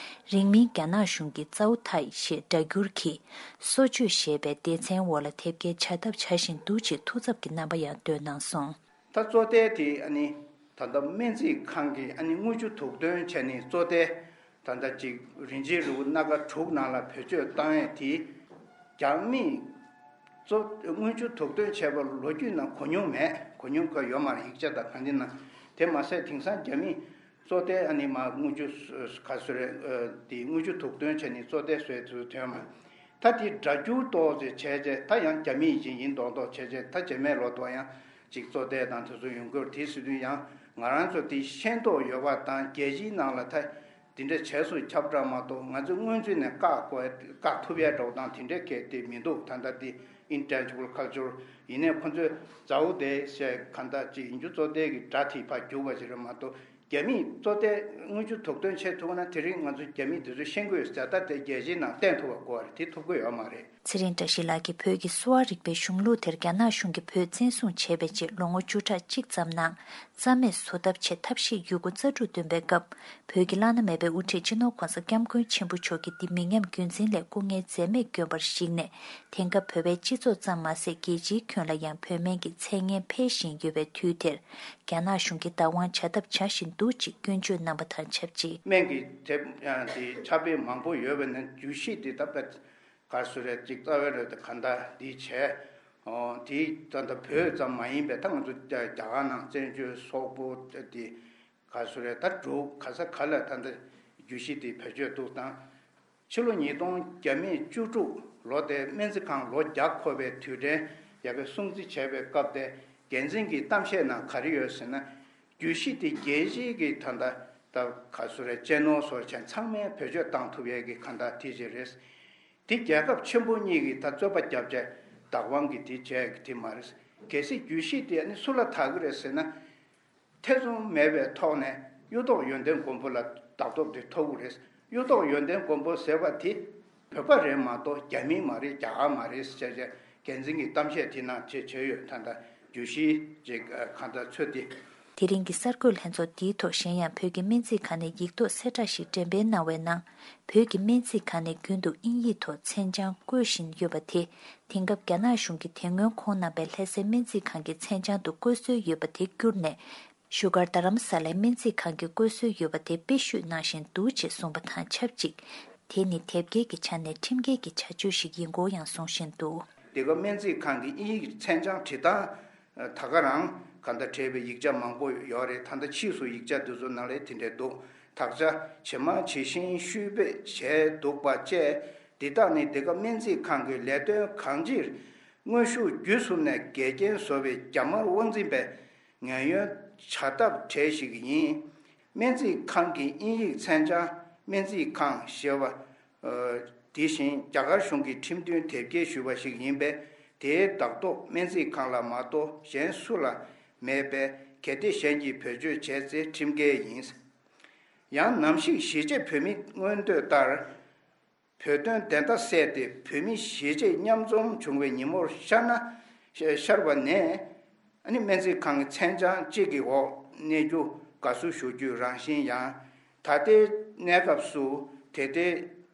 རིང་མིན་རྒྱ་ནག་གཞུང་གིས་ཙའུ་ཐའི་ཞེས་སྒྲ་བསྒྱུར་གྱིས། གསོ་བཅོས་ཞེས་པའི་སྡེ་ཚན་འོག་ལ་དེབ་སྐྱེལ་བྱ་ཐབས་བྱ་བཞིན་འདུག་ཅེས་ཐུགས་འཚབ་ཀྱི་རྣམ་པ་ཡང་བཏོན་གནང་སོང་། ད་གཙོ་ཐལ་དེ་ཨ་ནི་ད་ལྟ་སྨན་རྩིས་ཁང་གིས་ཨ་ནི་དངུལ་ཆུ་དུག་འདོན་བྱས་ནས་གཙོ་ཐལ་ ད་ལྟ་ཅིག་རིན་ཆེན་རིལ་བུ་སྣ་ཁ་དྲུག་ནང་ལ་བེད་སྤྱོད་བཏང་ཡས་དེ་རྒྱ་མིས་གཙོ་དངུལ་ཆུ་དུག་འདོན་བྱས་པ་ལོ་རྒྱུས་ནང་གོ་མྱོང་མེད། གོ་མྱོང་ཁོ་ཡོད་མ་རེད། ཡིག་ཆ་དང་གང་ཅི་ནང་། དེ་མ་ཟད་དེང་སང་རྒྱ་མིས་གཙོ་དེ་ཨ་ནི་མ་དངུལ་ཆུ་ག་ཚོད་རེད། དེ་དངུལ་ཆུ་དུག་འདོན་བྱས་ནས་གཙོ་དེ་བཟོས་ཚུལ་ཐོན་མ། ད་དེ་སྒྲ་སྒྱུར་ཏོག་ཙེ་བྱས་རྗེས་ད་ཡང་རྒྱ་མི་ཡིན་ཅིག་ཡིན་མདོག་མདོག་བྱས་རྗེས་ད་རྗེས་མའི་ལོ་ཏོག་ཡང་ཅིག་གཙོ་བསྡད་དང་དེ་ཚོ་ཡོང་གི་ཡོད་རེད། དེ་སྲིད་དུས་ཡང་ང་རང་ཚོ་དེ་ཤེས་རྟོགས་ཡོད་པ་དང་རྒྱལ་སྤྱིའི་ནང་ལ་ད་དེ་འདྲ་བྱས་སུ་ཁྱབ་བསྒྲགས་མ་གཏོགས་ང་ཚོས་སྔོན་ཚུད་ནས་བཀག་དགོས་བཀག་ཐུབ་ཡ་འདྲ་བོ་དང་དེ་འདྲའི་གལ་ཏེ་མི་འདུག་ད་ལྟ་དེ་intangible culture ཡིན་ནའི་ཁོ་ཚོས་མཛའ་བོ་དེ་བཤད་གང་ལྟར་ཅིག་ཡིན་རྒྱུ་གཙོ་བསྡད་ཀྱི་སྒྲ་དེ་ཕར་རྒྱུག་པ་ཞིག་རེད་མ་གཏོགས། རྒྱ་མིས་གཙོ་བསྡད་དངུལ་ཆུ་དུག་འདོན་བྱེད་ཐུབ་ན་དེ་རིང་ང་ཚོ་རྒྱ་མིས་དེ་ཚོ་ཤེས་ཀྱི་ཡོད་ཟེར། ད་དེ་རྒྱལ་སྤྱིའི་ནང་བསྟན་ཐུབ་པ་དགོས་རེད། དེ་ཐུབ་ཀྱི་ཡོད་མ་རེད། ཚེ་རིང་བཀྲ་ཤིས་ལགས་ཀྱིས་བོད་ཀྱི་གསོ་བ་རིག་པའི་གཞུང་ལུགས་དེར་རྒྱ་ནག་གཞུང་གིས་བོད་བཙན་བཟུང་བྱས་པའི་རྗེས་ལོ་ངོ་བཅུ་ཕྲག་གཅིག་ཙམ་ནང་རྩ་མེད་བཟོ་ཐབས་ཆེད་ཐབས་ཤེས་ཡོད་རྒུ་རྩལ་སྤྲུགས་བཏོན་པའི་སྐབས། བོད་ཀྱི་བླ་ན་མེད་པའི་དབུ་ཁྲིད་སྤྱི་ནོར་༸གོང་ས་༸སྐྱབས་མགོན་ཆེན་པོ་མཆོག་གིས་འདི་མི་ཉམས་རྒྱུན་འཛིན་སླད་སྐུ་ངལ་འཛེམས་མེད་བསྐྱོན་པར་གཞིགས་ནས། དེང་སྐབས་བོད་པའི་སྤྱི་ཚོགས་ཙམ་མ་ཟད་རྒྱལ་སྤྱིའི་ཁྱོན་ལ་ཡང་བོད་སྨན་གྱི་མཚན་སྙན་འཕེལ་བཞིན་ཡོད་པའི་དུས་དེར། རྒྱ་ནག་གཞུང་གིས་བདག་དབང་བྱ་ཐབས་བྱ་བཞིན་འདུག་ཅེས་སྐྱོན་བརྗོད་གནང་བ་དང་ཆབས་ཅིག་སྨན་གྱི་དེབ་ཡང་དེ་ཕྱག་དཔེ་མང་པོ་ཡོད་པ་ནི་རྒྱུད་བཞི་དེ་ད་དཔེ་ག་རེ་ཟེར་རེད། ཅིག་རྩ་བའི་རེད་དེ་ག་འདྲ་འདི་བྱས། ཨོ་དེ་ད་ལྟ་བོད་ཙམ་མ་ཡིན་པའི་ད་ང་ཚོ་རྒྱ་རྒྱ་གར་ནང་བཙན་བྱོལ་སོག་པོ་དེ་ག་རེ་ཟེར་རེད། ད་འབྲུག་ག་ས་ག་ལ་ད་ལྟ་རྒྱུད་བཞི་དེ་བེད་སྤྱོད་འདུག་དང་། ཕྱི་ལོ་ཉིས་སྟོང་བརྒྱ་མེད་བཅུ་དྲུག་ལོ་དེ་སྨན་རྩིས་ཁང་ལོ་བརྒྱ་འཁོར་བའི་དུས་དྲན་ཡ་གི་སྲུང་བརྩི་བྱས་པའི་སྐབས་དེ་འགན་འཛིན་གྱི་གཏམ་བཤད་ནང་ག་རེ་ཡོད་ཟེར་ན། རྒྱུད་བཞི་དེ་རྒྱལ་སྤྱིའི་གི་ད་ལྟ་ད་ག་རེ་ཟེར་རེད། གཅེས་ནོར་སོགས་བྱས་ཚང་མས་བེད་སྤྱོད་བཏང་ཐུབ་ཡས་ཀྱི་ག་འདྲ་དེ་ཅིག་རེད། དེ་རྒྱལ་ཁབ་ཆེན་པོ་གཉིས་ཀྱིས་ད་རྩོད་པ་བརྒྱབ་བྱས་བདག་དབང་གི་དེ་བྱས་ཀྱི་དེ་མ་རེད། གལ་སྲིད་རྒྱུད་བཞི་དེ་ནི་སུ་ལ་བདག་གི་རེད་ཟེར་ན། ཐེ་ཚོམ་མེད་པའི་ཐོག་ནས་གཡུ་ཐོག་ཡོན་ཏན་མགོན་པོ་ལ་བདག་ཐོབ་དེ་ཐོབ་ཀྱི་རེད། གཡུ་ཐོག་ཡོན་ཏན་མགོན་པོ་ཟེར་བ་དེ་བོད་པ་རེད་མ་གཏོགས་རྒྱ་མི་མ་རེད། རྒྱ་གར་མ་རེད་ཟེར་བྱས་འགན་འཛིན་གྱི་གཏམ་བཤད་དེ་ནང་བྱས་བྱས་ཡོད། ད་ལྟ་རྒྱུད་བཞི་ཅིག་གང་ལྟར་ཚོད་དེ། དེ་རིང་གི་གསར་འགོད་ལྷན་ཚོགས་འདིའི་ཐོག་གཞན་ཡང་བོད་ཀྱི་སྨན་རྩིས་ཁང་ནས་ཡིག་ཐོག་གསལ་བསྒྲགས་ཤིག་འགྲེམས་སྤེལ་གནང་བའི་ནང་། བོད་ཀྱི་སྨན་རྩིས་ཁང་ནས་རྒྱུན་དུ་དབྱིན་ཡིག་ཐོག་མཚན་བྱང་བཀོད་བཞིན་ཡོད་པ་དེ། དེང་སྐབས་རྒྱ་ནག་གཞུང་གིས་དེ་སྔོན་ཁོང་རྣམ་པའི་ལྷ་སའི་སྨན་རྩིས་ཁང་གི་མཚན་བྱང་དུ་བཀོད་སྲོལ་ཡོད་པ་དེ་བསྐྱུར་ནས། བཞུགས་སྒར་རྡ་རམ་ས་ལའི་སྨན་རྩིས་ཁང་གི་བཀོད་སྲོལ་ཡོད་པ་དེ་དཔེ་བཤུས་གནང་བཞིན་འདུག་ཅེས་གསུངས་པ་དང་ཆབས་ཅིག་དེ་ནི་དེབ་སྐྱེལ་གྱི་ཆ་ནས་ཁྲིམས་འགལ་གྱི་བྱ་སྤྱོད་ཞིག་ཡིན་སྐོར་ཡང་གསུང་བཞིན་འདུག་དེ་ག་སྨན་རྩིས་ཁང་གི་དབྱིན་ཡིག་མཚན་བྱང་བྲིས་སྟངས་ད་ག་རང་ག་འདྲ་བྲིས་པའི་ཡིག་ཆ་མང་པོ་ཡོད་རེད། ད་ལྟ་ཕྱིས་སུ་ཡིག་ཆ་འདི་ཚོ་ནང་ལ་དེ་འདྲ་འདུག་དག་ཆ་ཇེ་མང་ཇེ་ཞན་བཤུས་སྤེལ་བྱས་འདུག་པ་བཅས། འདི་དག་ནི་འདི་ག་སྨན་རྩིས་ཁང་གི་ལས་དོན་གང་ཅིར་དངོས་ཤུགས་བརྒྱུད་གསུམ་ནས་འགལ་རྐྱེན་བཟོ་བའི་རྒྱ་དམར་དབང་འཛིན་པའི་ངན་གཡོན་བྱ་ཐབས་གྲས་ཤིག་ཡིན། སྨན་རྩིས་ཁང་གི་དབྱིན་ཡིག་མཚན་བྱང་སྨན་རྩིས་ཁང་ཞེས་པ། དེ་བཞིན་རྒྱ་གར་གཞུང་གིས་ཁྲིམས་མཐུན་དེབ་སྐྱེལ་ཞུས་པ་ཞིག་ཡིན་པས། དེའི་བདག་ཐོབ་སྨན་རྩིས་ཁང་ལ་མ་གཏོགས་གཞན་སུ་ལ་མེད་པས། གལ་ཏེ་གཞན་གྱིས་བེད་སྤྱོད་བྱས་ཚེ་ཁྲིམས་འགལ་ཡིན། ཡང་ནམ་ཞིག་གཞིས་བྱེས་བོད་མིའི་མངོན་འདོད་ལྟར། བོད་དོན་བདེན་མཐའ་གསལ་ཏེ་བོད་མི་གཞིས་བྱེས་མཉམ་འཛོམས་བྱུང་བའི་ཉིན་མོར་ཤར་ན། ཤར་བ་ནས། ཨ་ནི་སྨན་རྩིས་ཁང་གི་མཚན་བྱང་གཅིག་གི་འོག་གནས་རྒྱུ་དགའ་བསུ་ཞུ་རྒྱུའི་རང་བཞིན་ཡང་། ད་ལྟའི་གནས་སྐབས་སུ་དེ་ལྟའི་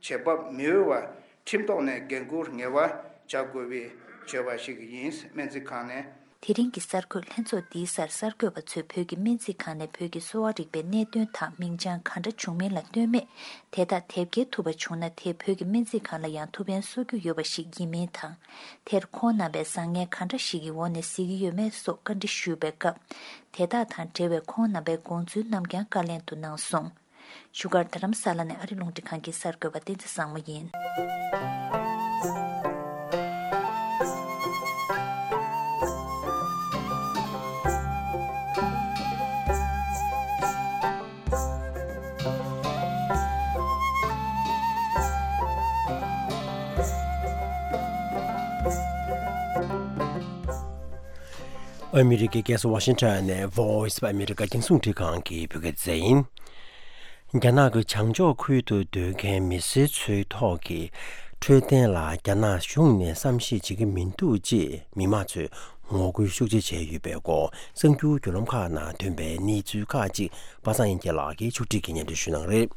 བྱེད་བབ་མི་འོས་པ། ཁྲིམས་ཐོག་ནས་འགན་འཁུར་ངེས་པ་བྱ་དགོས་པའི་བརྗོད་པ་ཞིག་ཡིན། སྨན་རྩིས་ཁང་ནས། དེ་རིང་གི་གསར་འགོད་ལྷན་ཚོགས་འདིའི་སར་གསར་འགོད་པ་ཚོས་བོད་ཀྱི་སྨན་རྩིས་ཁང་ནས་བོད་ཀྱི་གསོ་བ་རིག་པའི་གནད་དོན་དང་མིང་བྱང་ག་འདྲ་བྱུང་མིན་ལ་ལྟོས་མེད། དེ་དག་དེབ་སྐྱེལ་ཐུབ་པ་བྱུང་ན་དེས་བོད་ཀྱི་སྨན་རྩིས་ཁང་ལ་ཡང་ཐུགས་ཕན་གསོ་རྒྱུ་ཡོད་པ་ཞིག་ཡིན་མིན་དང་། དེར་ཁོང་རྣམ་པས་བཟང་ངན་ག་འདྲ་ཞིག་གི་འོག་ནས་གཟིགས་ཀྱི་ཡོད་མེད་སོགས་བཀའ་འདྲི་ཞུས་པའི་སྐབས། དེ་དག་དང་འབྲེལ་བའི་ཁོང་རྣམ་པའི་དགོངས་ཚུལ་རྣམས་ཀྱང་བཀའ་ལན་དུ་གནང་སོང་། བཞུགས་སྒར་རྡ་རམ་ས་ལ་ནས་ཨ་རི་རླུང་འཕྲིན་ཁང་གི་གསར་འགོད་པ་བསྟན་འཛིན་བཟང་མོ་ཡིན། ཨ་མི་རི་ཀའི་རྒྱལ་ས་ཝ་ཤིང་ཊོན་ནས་Voice of America རྒྱང་སྲིང་རླུང་འཕྲིན་ཁང་གི་བོད་སྐད་སྡེ་ཚན་ཡིན། རྒྱ་ནག་གི་བྱང་ཕྱོགས་ཁུལ་དུ་སྡོད་མཁན་མི་སེར་ཚོའི་ཐོག་གི་འཕྲོད་བསྟེན་ལ་རྒྱ་ནག་གཞུང་ནས་བསམ་ཤེས་བྱེད་ཀྱི་མི་འདུག་ཅེས་མི་མང་ཚོས་ངོ་རྒོལ་ཤུགས་ཆེ་བྱས་ཡོད་པའི་སྐོར་གསར་འགྱུར་བརྒྱུད་ལམ་ཁག་ནང་ཐོན་པའི་གནས་ཚུལ་ཁག་ཅིག་པ་སངས་དབྱངས་སྐྱིད་ལགས་ཀྱིས་ཕྱོགས་སྒྲིག་གིས་སྙན་སྒྲོན་ཞུ་གནང་རེད།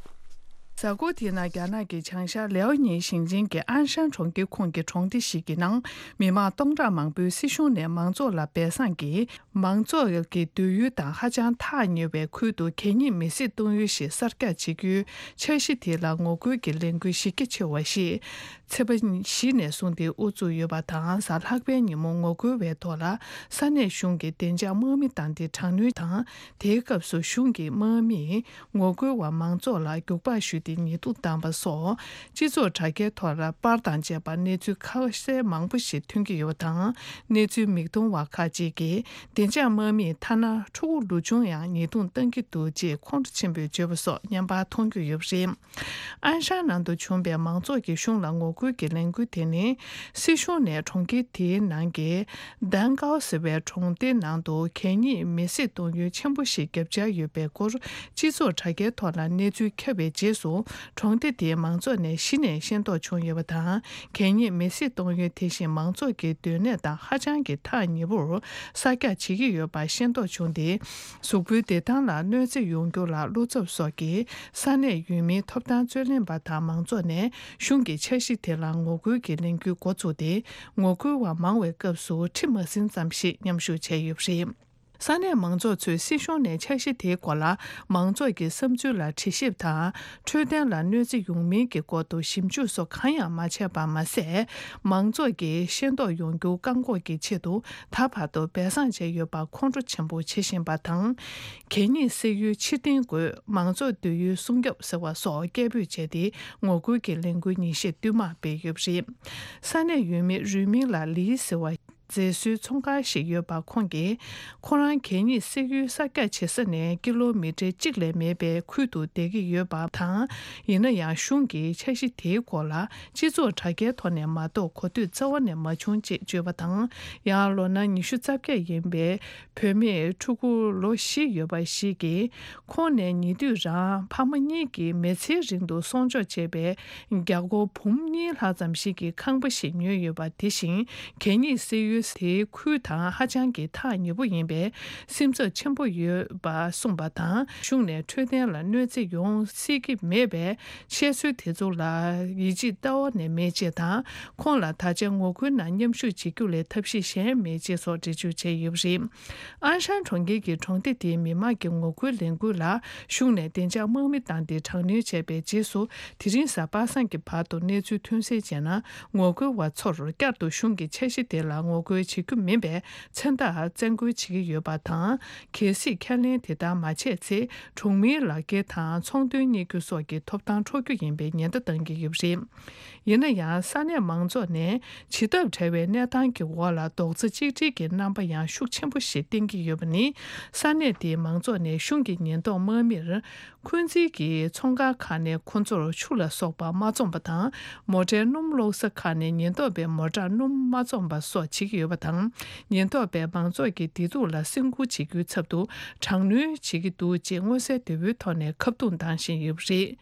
ཟླ་འགོ་དེའི་ནང་རྒྱ་ནག་གི་བྱང་ཤར་ལེའོ་ཉིན་ཞིང་ཆེན་གྱི་ཨན་ཧྲན་གྲོང་ཁྱེར་ཁོངས་ཀྱི་གྲོང་སྡེ་ཞིག་གི་ནང་མི་མང་སྟོང་ཕྲག་མང་པོས་སྲིད་གཞུང་ནས་མང་ཚོགས་ལ་སྦས་གསང་གིས་མང་ཚོགས་ཀྱི་སྡོད་ཡུལ་དང་ཧ་ཅང་ཐག་ཉེ་བའི་ཁུལ་དུ་གད་སྙིགས་མེ་བསྲེགས་གཏོང་ཡུལ་ཞིག་གསར་རྒྱག་བྱེད་རྒྱུའི་འཆར་གཞི་དེ་ལ་ངོ་རྒོལ་གྱི་ལས་འགུལ་གཞི་རྒྱ་ཆེ་བ་ཞིག་ཚེས་པ་བཞི་ནས་བཟུང་སྟེ་དབུ་བཙུགས་ཡོད་པ་དང་། གཟའ་ལྷག་པའི་ཉིན་མོ་ངོ་རྒོལ་བའི་ཐོག་ལ་ས་གནས་གཞུང་གི་བདེ་འཇགས་དམག་མི་བཏང་སྟེ་དྲག་གནོན་དང་། དེའི་སྐབས་སུ་གཞུང་གི་དམག་མིས་ངོ་རྒོལ་བ་མང་ཚོགས་ལ་རྒྱུག་པར་གཞུས་ཏེ་ཉེས་རྡུང་བཏང་པ་སོགས། སྤྱི་ཚོགས་དྲ་རྒྱའི་ཐོག་ལ་པར་དང་བཅས་པ་གནས་ཚུལ་ཁ་གསལ་མང་པོ་ཞིག་ཐོན་གྱི་ཡོད་པ་དང་། གནས་ཚུལ་མིག་མཐོང་བ་ཁག་ཅིག་གིས་བདེ་འཇགས་དམག་མིས་ཐ་ན་ཕྲུ་གུ་ལོ་ཆུང་ཡང་ཉེས་རྡུང་བཏང་གི་འདུག་ཅེས་ཁོང་ཁྲོ་ཆེན་པོས་བརྗོད་པ་སོགས་བརྙན་པར་མཐོང་རྒྱུ་ཡོད་པ་རེད། ཨན་ཧྲན་ནང་དུ་བྱུང་བའི་མང་ཚོགས་ཀྱིས་གཞུང་ལ་ངོ་རྒོལ་གྱི་ལས་འགུལ་དེ་ནི། སྲིད་གཞུང་ནས་གྲོང་ཁྱེར་དེའི་ནང་གི་དན་ཀའོ་ཟེར་བའི་གྲོང་སྡེ་ནང་དུ་གད་སྙིགས་མེ་བསྲེགས་གཏོང་ཡུལ་ཆེན་པོ་ཞིག་བརྒྱབ་འཆར་ཡོད་པའི་སྐོར། སྤྱི་ཚོགས་དྲ་རྒྱའི་ཐོག་ལ་གནས་ཚུལ་ཁྱབ་པའི་རྗེས་སུ། གྲོང་སྡེ་དེའི་མང་ཚོགས་ནས་གཞི་ནས་ཤེས་རྟོགས་བྱུང་ཡོད་པ་དང་། གད་སྙིགས་མེ་བསྲེགས་གཏོང་ཡུལ་དེ་བཞིན་མང་ཚོགས་ཀྱི་སྡོད་གནས་དང་ཧ་ཅང་གི་ཐག་ཉེ་པོར་གསར་རྒྱག་བྱེད་ཀྱི་ཡོད་པ་ཤེས་རྟོགས་བྱུང་སྟེ། གཟུགས་པོའི་བདེ་ཐང་ལ་གནོད་འཚེ་ཡོང་རྒྱུ་ལ་བློ་འཚབ་སོགས་ཀྱིས་ས་གནས་ཡུལ་མིའི་ཐོབ་ཐང་རྩོད་ལེན་པ་དང་མང་ཚོགས་ནས་གཞུང་གི་འཆར་གཞི་དེ་ལ་ངོ་རྒོལ་གྱི་ལས་འགུལ་འགོ་བཙུགས་ཏེ། ངོ་རྒོལ་བ་མང་བའི་སྐབས་སུ་ཁྲི་མ་ཟིན་ཙམ་ཞིག་མཉམ་ཞུགས་བྱས་ཡོད་པ་རེད། ས་གནས་མང་ཚོགས་ཚོས་སྲིད་གཞུང་ནས་འཆར་གཞི་དེའི་སྐོར་ལ་མང་ཚོགས་ཀྱི་བསམ་ཚུལ་ལ་དྲི་ཞིབ་དང་། འཕྲོད་བསྟེན་ལ་གནོད་འཚེ་ཡོང་མིན་གྱི་སྐོར་དུ་ཞིབ་འཇུག་སོགས་གང་ཡང་མ་བྱས་པ་མ་ཟད། མང་ཚོགས་ཀྱིས་ཤེས་རྟོགས་ཡོང་རྒྱུ་བཀག་འགོག་གི་ཆེད་དུ། ད་བར་དུ་སྦས་གསང་བྱས་ཡོད་པར་ཁོང་ཁྲོ་ཆེན་པོ་བྱེད་བཞིན་པ་དང་། གད་སྙིགས་བསྲེགས་ཡུལ་ཕྱིར་འཐེན་དགོས། མང་ཚོགས་སྡོད་ཡུལ་སྲུང་སྐྱོབ་ཟེར་བ་སོགས་སྐད་འབོད་བྱས་ཏེ། ངོ་རྒོལ་གྱི་ལས་འགུལ་ཉིན་ཤས་བསྟུད་མར་སྤེལ་ཡོད་པ་རེད། ས་གནས་ཡུལ་མི་རུས་མིང་ལ་ལི་ཟེར་བ་མཛེས་བཟོའི་ཚོང་ཁང་ཞིག་ཡོད་པ་ཁོང་གིས། ཁོ་རང་གད་སྙིགས་བསྲེགས་ཡུལ་གསར་རྒྱག་བྱེད་ས་ནས་ཀི་ལོ་མི་ཊར་གཅིག་ལས་མེད་པའི་ཁུལ་དུ་བསྡད་ཀྱི་ཡོད་པ་དང་། ཡིན་ན་ཡང་གཞུང་གིས་འཆར་གཞི་དེའི་སྐོར་ལ། སྤྱི་ཚོགས་དྲ་རྒྱའི་ཐོག་ནས་མ་གཏོགས་གོ་ཐོས་རྩ་བ་ནས་མ་བྱུང་ཅེས་བརྗོད་པ་དང་། ཡང་ལོ་ན་ཉི་ཤུ་རྩ་བརྒྱད་ཡིན་པའི་བུད་མེད་ཕྲུ་གུ་ལོ་བཞི་ཡོད་པ་ཞིག་གིས། ཁོང་ནས་ཉེ་དུས་རང་ཕ་མ་གཉིས་ཀྱིས་མི་ཚེའི་རིང་དུ་སྲུང་སྐྱོབ་བྱས་པའི་རྒྱ་སྒོར་འབུམ་གཉིས་ལྷག་ཙམ་ཞིག་གི་ཁང་པ་ཞིག་ཉོས་ཡོད་པ། དེ་བཞིན་གད་སྙིགས་བསྲེགས་ཡུལ་དེའི་ཁུལ་དང་ཧ་ཅང་གི་ཐག་ཉེ་པོ་ཡིན་པས། སེམས་འཚབ་ཆེན་པོ་ཡོད་པ་གསུངས་པ་དང་། གཞུང་ནས་འཕྲོད་བསྟེན་ལ་གནོད་འཚེ་ཡོང་སྲིད་ཀྱི་མེད་པས། བཤད་སྲོལ་དེ་ཚོ་ལ་ཡིད་ཆེས་རྩ་བ་ནས་མེད་ཅེས་དང་། ཁོང་ལ་ད་ཆ་ངོ་རྒོལ་ནང་མཉམ་ཞུགས་བྱེད་རྒྱུ་ལས་ཐབས་ཤེས་གཞན་མེད་ཅེས་སོགས་འགྲེལ་བརྗོད་བྱས་ཡོད་པ་རེད། ཨན་ཧྲན་གྲོང་ཁྱེར་གྱི་གྲོང་སྡེ་དེའི་མི་མང་གི་ངོ་རྒོལ་ལས་འགུལ་ལ་གཞུང་ནས་བདེ་འཇགས་དམག་མི་བཏང་སྟེ་དྲག་གནོན་བྱས་པའི་རྗེས་སུ། དེ་རིང་གཟའ་པ་སངས་ཀྱི་བར་དུ་གནས་ཚུལ་ཐོན་གསལ་བྱས་ན། ངོ་རྒོལ་བ་ཚོར་བསྐྱར་དུ་གཞུང་གི་འཆར་གཞི་དེ་ལ་ངོ་རྒོལ་བྱེད་རྒྱུ་མིན་པའི་མཚན་རྟགས་བཙན་རྒོལ་བྱེད་ཀྱི་ཡོད་པ་དང་། གལ་སྲིད་ཁས་ལེན་དེ་ལྟར་མ་བྱས་ཚེ། གྲོང་མིའི་ལག་འཁྱེར་དང་ཚོང་དོན་གཉེར་རྒྱུ་སོགས་ཀྱི་ཐོབ་ཐང་འཕྲོག་རྒྱུ་ཡིན་པའི་ཉེན་བརྡ་བཏང་གི་ཡོད་པ་རེད། ཡིན་ན་ཡང་། ས་གནས་མང་ཚོགས་ནས་བྱེད་ཐབས་བྲལ་བའི་གནས་སྟངས་ཀྱི་འོག་ལ་རྡོག་རྩ་གཅིག་སྒྲིལ་གྱི་རྣམ་པ་ཡང་ཤུགས་ཆེན་པོ་ཞིག་བསྟན་གྱི་ཡོད་པ་ནི། ས་གནས་དེའི་མང་ཚོགས་ནས་གཞུང་གི་ཉེན་རྟོག་དམག་མིར། འཁོན་འཛིན་གྱི་ཚོང་ཁང་ཁག་ནས་ཁོ་ཚོར་ཆུ་ལ་སོགས་པ་མ་བཙོངས་པ་དང་། མོ་ཊའི་སྣུམ་གློག་ས་ཁག་ནས་ཉེན་རྟོག་པས་མོ་ཊར་སྣུམ་མ་བཙོངས་པ་སོགས་བྱེད་ཀྱི་ཡོད་པ་དང་། ཉེན་རྟོག་པས་མང་ཚོགས་ཀྱི་བདེ་སྡུག་ལ་སེམས་ཁུར་བྱེད་རྒྱུའི་ཚབ་ཏུ་དྲག་གནོན་བྱེད་ཀྱི་འདུག་ཅེས་མངོན་གསལ་དོད་པོའི་ཐོག་ནས་ཁ་རྡུང་བཏང་བཞིན་ཡོད་པ་རེད།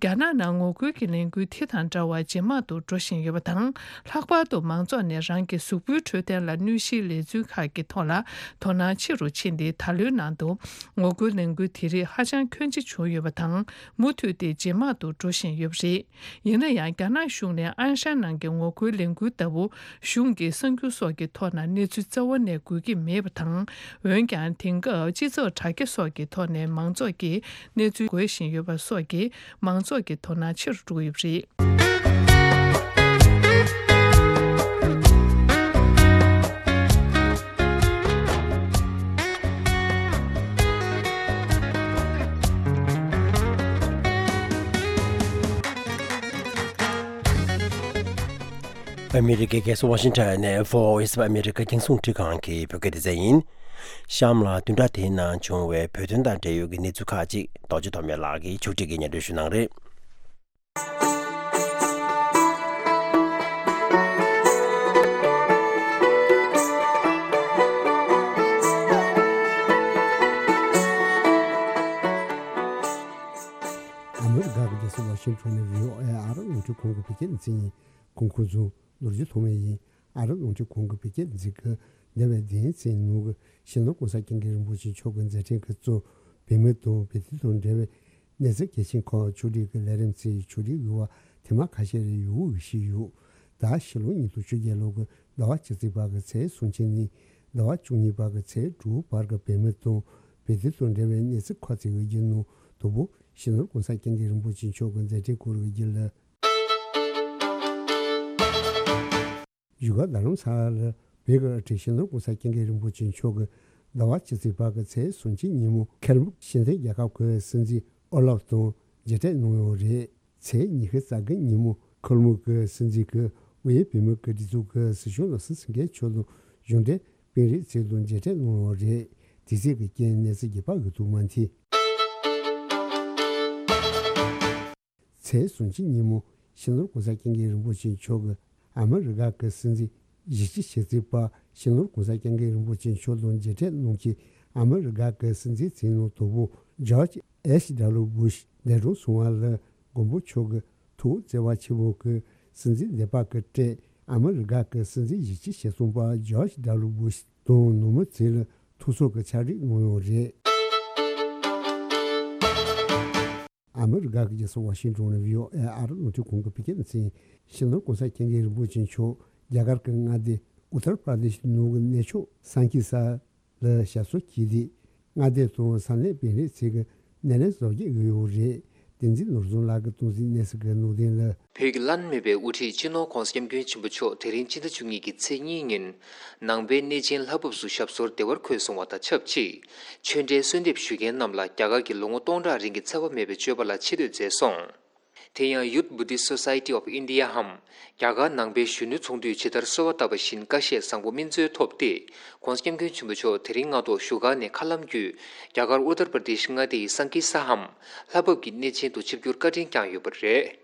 རྒྱ་ནག་ནང་ངོ་རྒོལ་གྱི་ལས་འགུལ་དེ་དང་འདྲ་བར་ཇེ་མང་དུ་འགྲོ་བཞིན་ཡོད་པ་དང་། ལྷག་པར་དུ་མང་ཚོགས་ནས་རང་གི་གཟུགས་པོའི་འཕྲོད་བསྟེན་ལ་གནོད་གཞིའི་ལས་ཚུལ་ཁག་གི་ཐོག་ལ་དོ་སྣང་ཆེ་རུ་ཕྱིན་ཏེ། ད་ལོའི་ནང་དུ་ངོ་རྒོལ་ལས་འགུལ་དེ་རིགས་ཧ་ཅང་ཁྱོན་ཆེ་བྱུང་ཡོད་པ་དང་། མུ་མཐུད་དེ་ཇེ་མང་དུ་འགྲོ་བཞིན་ཡོད་པ་རེད། ཡིན་ན་ཡང་། རྒྱ་ནག་གཞུང་ནས་ཨན་ཧྲན་ནང་གི་ངོ་རྒོལ་ལས་འགུལ་ལྟ་བུ་གཞུང་གི་གསར་འགྱུར་སོགས་ཀྱི་ཐོག་ན་གནས་ཚུལ་རྩ་བ་ནས་འགོད་ཀྱི་མེད་པ་དང་། འོན་ཀྱང་། དེང་སྐབས་སྤྱི་ཚོགས་དྲ་རྒྱ་སོགས་ཀྱི་ཐོག་ནས་མང་ཚོགས་ཀྱིས་གནས་ཚུལ་འགོད་བཞིན་ཡོད་པ་སོགས་ཀྱིས་མང་ཚོགས་ཀྱི་དོ་སྣང་ཆེ་རུ་འགྲོ་གི་ཡོད་པ་རེད། ཨ་མི་རི་ཀའི་རྒྱལ་ས་ཝ་ཤིང་ཊོན་ནས་ཨ་མི་རི་ཀ་རྒྱང་སྲུང་ཁྲི་ཁང་གི་བོད་སྐད་སྡེ་ཚན་ཡིན། གཤམ་ལ་བདུན་ཕྲག་དེའི་ནང་བྱུང་བའི་བོད་དོན་དང་འབྲེལ་ཡོད་ཀྱི་གནས་ཚུལ་ཁག་ཅིག་རྡོ་རྗེ་ཐོགས་མེད་ལགས་ཀྱིས་ཕྱོགས་སྒྲིག་གིས་སྙན་སྒྲོན་ཞུ་གནང་རེད། ཨ་མི་རི་ཀ་གི་རྒྱལ་ས་ཝ་ཤིང་ཊོན་ནས་བྷི་ཨོ་ཨེ་ཨ་རིའི་རླུང་འཕྲིན་ཁང་གི་བོད་སྐད་སྡེ་ཚན་ཡིན། གོང་འཁོད་ཚོ་ལོ་རྒྱུས་ཐོག་མེད་ཡིན། ཨ་རིའི་རླུང་འཕྲིན་ཁང་གི་བོད་སྐད་སྡེ་ཚན་གྱི་འདས་པའི་བདུན་ཚན་ནང་གི་སྤྱི་ནོར་གོང་ས་སྐྱབས་མགོན་རིན་པོ་ཆེ་མཆོག་གི་མཛད་འཕྲིན་གྱི་གཙོ་བོད་མི་དང་བོད་དོན་དང་འབྲེལ་བའི་ གནས་ཚུལ་གལ་ཆེན་ཁག་ཕྱོགས་སྒྲིག་གི་ལས་རིམ་ཚོའི་ཕྱོགས་སྒྲིག་དབྱེ་བ་དེ་མ་ཁ་ཤས་རེ་ཡོད་ཞུས་ཡོད། ད་ཕྱི་ལོ་ཉིས་སྟོང་བཅོ་བརྒྱད་ལོ་གི་ཟླ་བ་བཅུ་གཅིག་པ་གི་ཚེས་སུམ་ཅུ་ནས་ཟླ་བ་བཅུ་གཉིས་པ་གི་ཚེས་དྲུག་བར་གྱི་བོད་མི་དང་བོད་དོན་དང་འབྲེལ་བའི་གནས་ཚུལ་ཁག་ཅིག་གི་རྒྱུན་ནང་དང་པོ་སྤྱི་ནོར་༸གོང་ས་༸སྐྱབས་མགོན་རིན་པོ་ཆེ་མཆོག་གི་མཛད་འཕྲིན་སྐོར་གྱི་རྒྱུན་ལ། བཞུགས་སྒར་རྡ་རམ་ས་ལར་བོད་ཀྱི་སྤྱི་ནོར་༸གོང་ས་༸སྐྱབས་མགོན་རིན་པོ་ཆེ་མཆོག་གིས་ཟླ་བ་བཅུ་གཅིག་པ་གི་ཚེས་སུམ་ཅུ་ཉིན་མོ་ཁེལ་མུག་ཤིན་ཐན་རྒྱལ་ཁབ་ཀྱི་སྲིད་འཛིན་ཨོ་ལབ་དང་མཇལ་འཕྲད་གནང་ཡོད་རེད། ཚེས་ཉི་ཤུ་རྩ་དགུ་ཉིན་མོ་ཁེལ་མུག་གི་སྲིད་འཛིན་གྱིས་དབུས་བོད་མིའི་སྒྲིག་འཛུགས་ཀྱི་སྲིད་སྐྱོང་བློ་བཟང་སེང་གེ་མཆོག་དང་གཞུང་འབྲེལ་དཔོན་རིགས་ཚོ་དང་མཇལ་འཕྲད་གནང་ཡོད་རེད། དེ་ཚོའི་རྐྱེན་གནས་ཚུལ་རྒྱས་པ་ཡོད་དུ་མ་མཐུན། ཚེས་སུམ་ཅུ་ཉིན་མོ་སྤྱི་ནོར་༸གོང་ས་༸སྐྱབས་མགོན་རིན་པོ་ཆེ་མཆོག་གིས་ཨ་མི་རི་ཀ་གི་སྲིད་འཛིན་གཞི་རྩའི་ཆེད་མཁས་པ་སྤྱི་ནོར་༸གོང་ས་༸སྐྱབས་མགོན་རིན་པོ་ཆེ་མཆོག་དང་མཇལ་འཕྲད་གནང་རྗེས། ཨ་མི་རི་ཀ་གི་སྲིད་འཛིན་མཚན་གནང་དང་པོ་ཇོརྗ་ཨེཆ་ཌབ་ལུ་བུ་ཤ་འདས་གྲོངས་སོང་བ་ལ་མགོན་པོ་མཆོག་གི་ཐུགས་བརྩེ་བ་ཆེན་པོ་གིས་སྲིད་འཛིན་འདས་པ་གི་སྲས་ཨ་མི་རི་ཀ་གི་སྲིད་འཛིན་གཞི་རྩའི་ཆེད་གཏོང་པ་ཇོརྗ་ཌབ་ལུ་བུ་ཤ་དང་ནང་མི་ཚོ་ལ་ཐུགས་གསོ་གི་ཕྱག་བྲིས་གནང་ཡོད་རེད། ཨ་མི་རི་ཀ་གི་རྒྱལ་ས་ཝ་ཤིང་ཏོན་ནས་བྷི་ཨོ་ཨེ་ཨ་རི་རླུང་འཕྲིན་ཁང་གི་བོད་སྐད་སྡེ་ཚན། སྤྱི་ནོར་༸གོང་ས་༸སྐྱབས་མགོན་རིན་པོ་ཆེ་མཆོག་རྒྱ་གར་གྱི་མངའ་སྡེ་ཨུ་ཏར་པར་དེཤ་ནང་གི་གནས་མཆོག་སན་ཀི་སར་ལ་ཞབས་སོར་གྱིས་ཏེ། མངའ་སྡེ་དང་ས་གནས་དཔོན་རིགས་ཚོས་ཀྱི་སྣེ་ལེན་གཟབ་རྒྱས་ཡོད་ཡོད་རེད། བསྟན་འཛིན་ནོར་བཟང་ལགས་ཀྱིས་གཏོང་ཟིན་གནས་ཚུལ་གྱི་ནང་དོན་ལ། བོད་ཀྱི་བླ་ན་མེད་པའི་དབུ་ཁྲིད་སྤྱི་ནོར་༸གོང་ས་༸སྐྱབས་མགོན་ཆེན་པོ་མཆོག་དེ་རིང་སྤྱི་ཟླ་བཅུ་གཉིས་ཀྱི་ཚེས་གཉིས་ཉིན་ནང་པའི་གནས་ཆེན་ལྷ་བབས་སུ་ཞབས་སོར་བདེ་བར་འཁོད་སོང་བ་དང་ཆབས་ཅིག་ཆོས་འབྲེལ་གསོལ་འདེབས་ཞུ་མཁན་རྣམས་ལ་རྒྱ་གར་གྱི་ལོ་ངོ་སྟོང་ཕྲག་རིང་གི་འཚེ་བ་མེད་པའི་སྤྱོད་པ་ལ་ཆེ་བསྟོད་མཛད་སོང་། དེ་ཡང་Youth Buddhist Society of India འམ་རྒྱ་གར་ནང་པའི་གཞོན་ནུ་ཚོགས་འདུས་ཇི་ལྟར་གསོལ་བ་བཏབ་པ་བཞིན་བཀའ་བཞེས་བཟང་པོ་སྨིན་སྩོལ་ཐོབ་སྟེ། ༸གོང་ས་༸སྐྱབས་མགོན་ཆེན་པོ་མཆོག་དེ་རིང་སྔ་དྲོ་བཞུགས་སྒར་ནས་མཁའ་ལམ་བརྒྱུད་རྒྱ་གར་ཨུ་ཏར་པར་དེཤ་མངའ་སྡེ་ཡི་སན་ཀི་སར་འམ་ལྷ་བབས་ཀྱི་གནས་ཆེན་དུ་ཆིབས་བསྒྱུར་བཀའ་དྲིན་བསྐྱངས་ཡོད་པ་རེད།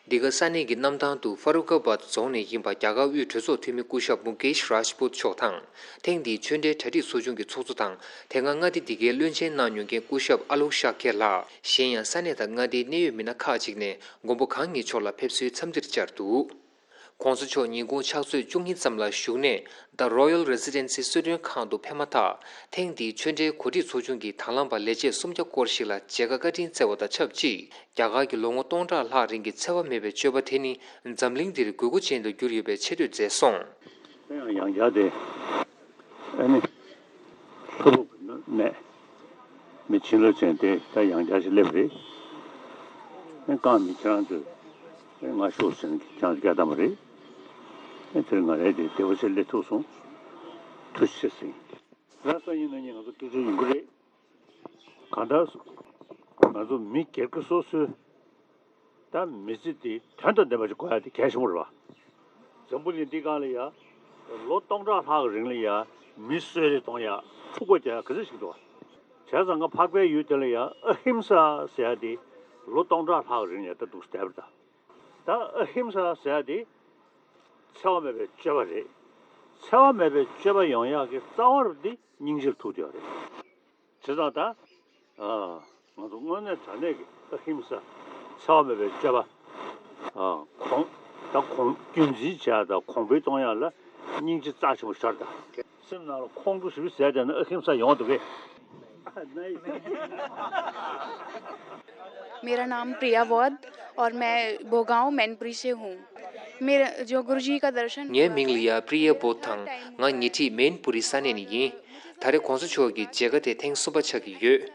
འདི་ག་ས་གནས་ཀྱི་གནམ་ཐང་དུ་ཧྥ་རུ་ཁ་བཱད་རྫོང་ནས་ཡིན་པ་རྒྱ་གར་དབུས་གྲོས་ཚོགས་འཐུས་མི་སྐུ་ཞབས་མུ་ཀེཤ་རཱཇ་པུད་མཆོག་དང་། ཐེངས་འདིའི་ཆོས་འབྲེལ་གྲ་སྒྲིག་ཚོགས་ཆུང་གི་ཚོགས་གཙོ་དང་། དེ་སྔ་མངའ་སྡེ་འདི་གའི་བློན་ཆེན་གནང་མྱོང་མཁན་སྐུ་ཞབས་ཨ་ལོག་ཤཱ་ཁེ་ལགས། གཞན་ཡང་ས་གནས་དང་མངའ་སྡེའི་གནད་ཡོད་མི་སྣ་ཁག་ཅིག་ནས་མགོན་པོ་གང་ཉིད་མཆོག་ལ་ཕེབས་བསུའི་འཚམས་འདྲིར་བཅར་འདུག ༸གོང་ས་མཆོག་ཉིན་གུང་ཕྱག་ཚོད་བཅུ་གཉིས་ཙམ་ལ་བཞུགས་གནས་The Royal Residency གསོལ་མགྲོན་ཁང་དུ་ཕེབས་མ་ཐག་ཐེངས་འདིའི་ཆོས་འབྲེལ་གོ་སྒྲིག་ཚོགས་ཆུང་གི་དང་བླངས་པ་ལས་བྱེད་སུམ་བརྒྱ་སྐོར་ཞིག་ལ་མཇལ་ཁ་བཀའ་དྲིན་སྩལ་བ་དང་ཆབས་ཅིག་རྒྱ་གར་གྱི་ལོ་ངོ་སྟོང་ཕྲག་ལྷག་རིང་གི་འཚེ་བ་མེད་པའི་སྤྱོད་པ་དེ་ནི་འཛམ་གླིང་འདིར་དགོས་མཁོ་ཅན་དུ་གྱུར་ཡོད་པའི་ཆེ་བསྟོད་མཛད་སོང་། ཡང་ཡང་བསྐྱར་ཏེ། ཨ་ནི། ལྷ་བབས་ཀྱི་གནས། མི་བྱིན་རླབས་ཅན་དེ་ད་ཡང་བསྐྱར་ཞིག་སླེབས་རེད། ཨེ་རྐང་མི་ཁྱེད་རང་ཚོས་ཨེ་ང་ཤོག་ཟེར་ནས་ཁྱེད་རང་ཚོ་སྐད་བཏང་བ་རེད། ཨེ་དེར་ང་རས་དེ་བདེ་བོ་ཞིག་སླེབས་ཐུབ་སོང་། ཐུགས་རྗེ་ཆེ་ཟེར། ར་ས་ཡིན་ན་ཉིན་ང་ཚོ་སྐྱིད་སྡུག་ཡོང་གི་རེད། གང་ལྟར་ང་ཚོ་མི་སྒེར་གྱི་སོ་སོའི་ད་མི་ཚེ་འདི་དོན་དང་ལྡན་པ་ཞིག་དགོས་ཡ་དེ་གལ་ཆེན་པོ་རེད་བ། འཛམ་བུ་གླིང་འདི་སྒང་ལ་ཡ་ལོ་སྟོང་ཕྲག་ལྷག་གི་རིང་ལ་ཡ་མི་གསོད་རེས་གཏོང་ཡ་འཁྲུག་པ་རྒྱག་ཡ་ག་ཚོད་ཞིག་འདུག་བ། བྱས་ཙང་ང་འཕགས་པའི་ཡུལ་དེ་ལ་ཡ་ཨ་ཧིམ་ས་ཟེར་ཡ་དེ་ལོ་སྟོང་ཕྲག་ལྷག་གི་རིང་ལ་ཡ་ད་འདུག་བསྡད་པ་རེད་ད། ད་ཨ་ཧིམ་ས་ཟེར་ཡ་དེ་འཚེ་བ་མེད་པའི་སྤྱོད་པ་རེད། འཚེ་བ་མེད་པའི་སྤྱོད་པ་ཡོང་ཡག་གི་རྩ་བ་རུ་འདི་སྙིང་རྗེར་ཐུག་བསྡད་ཡོད་རེད། བྱས་ཙང་ད། ཨ། ང་ཚོ་དངོས་གནས་དྲང་གནས་ཀྱི་ཨ་ཧིམ་ས། འཚེ་བ་མེད་པའི་སྤྱོད་པ། ཨ། གོང་། ད་གོང་རྒྱུན་འཛིན་བྱས་དང་གོང་འཕེལ་གཏོང་ཡག་ལ་སྙིང་རྗེ་རྩ་ཆེན་པོ་ཤར་དང་། སེམས་ནང་ལ་ཁོང་ཁྲོ་ཞེ་པོ་ཟ་བསྡད་ན་ཨ་ཧིམ་ས་ཡོང་འདུག་གས། मेरा नाम प्रिया वोध और मैं भोगांव मैनपुरी से हूँ। मेरा जो गुरु जी का दर्शन ངའི་མིང་ལ་ཡ་པྲི་ཡ་བོད་དང་ང་ཉེ་འཁྲིས་མེན་པུ་རི་ས་གནས་ནས་ཡིན། ད་རེས་༸གོང་ས་མཆོག་གི་མཇལ་ཁ་དེ་ཐེངས་གསུམ་པ་ཆགས་ཀྱི་ཡོད།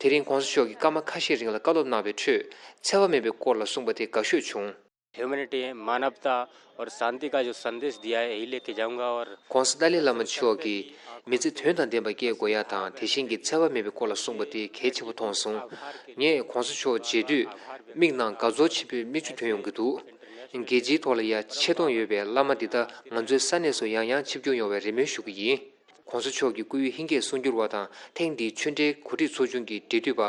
དེ་རིང་༸གོང་ས་མཆོག་གིས་སྐར་མ་ཁ་ཤས་རིང་ལ་བཀའ་སློབ་གནང་བའི་ཁྲོད་འཚེ་བ་མེད་པའི་སྐོར་ལ་གསུངས་པ་དེ་དགའ་ཤོས་བྱུང་། ह्यूमैनिटी, मानवता और शांति का जो संदेश दिया है, यही लेके जाऊंगा। और༸གོང་ས་ཏཱ་ལའི་བླ་མ་མཆོག་གིས་མི་ཚེ་དོན་དང་ལྡན་པ་སྐྱེལ་དགོས་ཡ་དང་དེ་བཞིན་གྱི་འཚེ་བ་མེད་པའི་སྐོར་ལ་གསུངས་པ་དེ་གལ་ཆེན་པོ་མཐོང་སོང་། ངས་༸གོང་ས་མཆོག་མཇལ་དུས་མིག་ནང་དགའ་ཚོར་ཆེན་པོའི་མིག་ཆུ་ཐོན་ཡོང་གི་འདུག་རྒྱལ་སྤྱིའི་ཐོག་ལ་ཡ་ཆེ་མཐོང་ཡོད་པའི་བླ་མ་འདི་དག་ང་ཚོའི་ས་གནས་སུ་ཡང་ཡང་ཆིབས་བསྒྱུར་ཡོང་བའི་རེ་སྨོན་ཞུ་གི་ཡིན། ༸གོང་ས་མཆོག་གི་སྐུའི་ཧིང་སྐད་གསུང་སྒྱུར་བ་དང་ཐེངས་འདིའི་ཆོས་འབྲེལ་གོ་སྒྲིག་ཚོགས་ཆུང་གི་འབྲེལ་མཐུད་པ་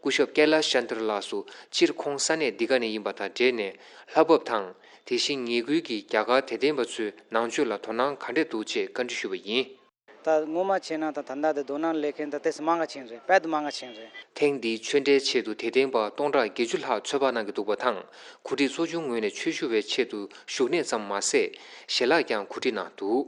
སྐུ་ཞབས་ཀེ་ལ་ཤ་ཆན་དྲ་ལགས་སུ་སྤྱིར་ཁོང་ས་གནས་འདི་ག་ནས་ཡིན་པ་དང་འབྲེལ་ནས་ལྷ་བབས་དང་དེ་བཞིན་ཉེ་ཁུལ་གྱི་རྒྱ་གར་དད་ལྡན་པ་ཚོའི་ནང་ཆོས་ལ་དོ་སྣང་ག་འདྲས་འདུག་ཅེས་བཀའ་འདྲི་ཞུས་པ་ཡིན། ད་སྔོན་མ་བྱས་ན་ད་ད་ལྟ་དེ་དོ་སྣང་སླེབས་མཁན་ད་ཏོག་ཙམ་མང་ག་ཕྱིན་རེད། དཔེ་དེ་མང་ག་ཕྱིན་རེད། ཐེངས་འདིའི་ཆོས་འབྲེལ་ཆེད་དུ་དད་ལྡན་པ་སྟོང་ཕྲག་བརྒྱད་ཅུ་ལྷག་ཚོད་དཔག་གནང་གི་འདུག་པ་དང་གོ་སྒྲིག་ཚོགས་ཆུང་ངོས་ནས་ཆོས་ཞུ་བའི་ཆེད་དུ་བཞུགས་གནས་ཙམ་མ་ཟད་ཞལ་ལག་ཀྱང་གོ་སྒྲིག་གནང་འདུག་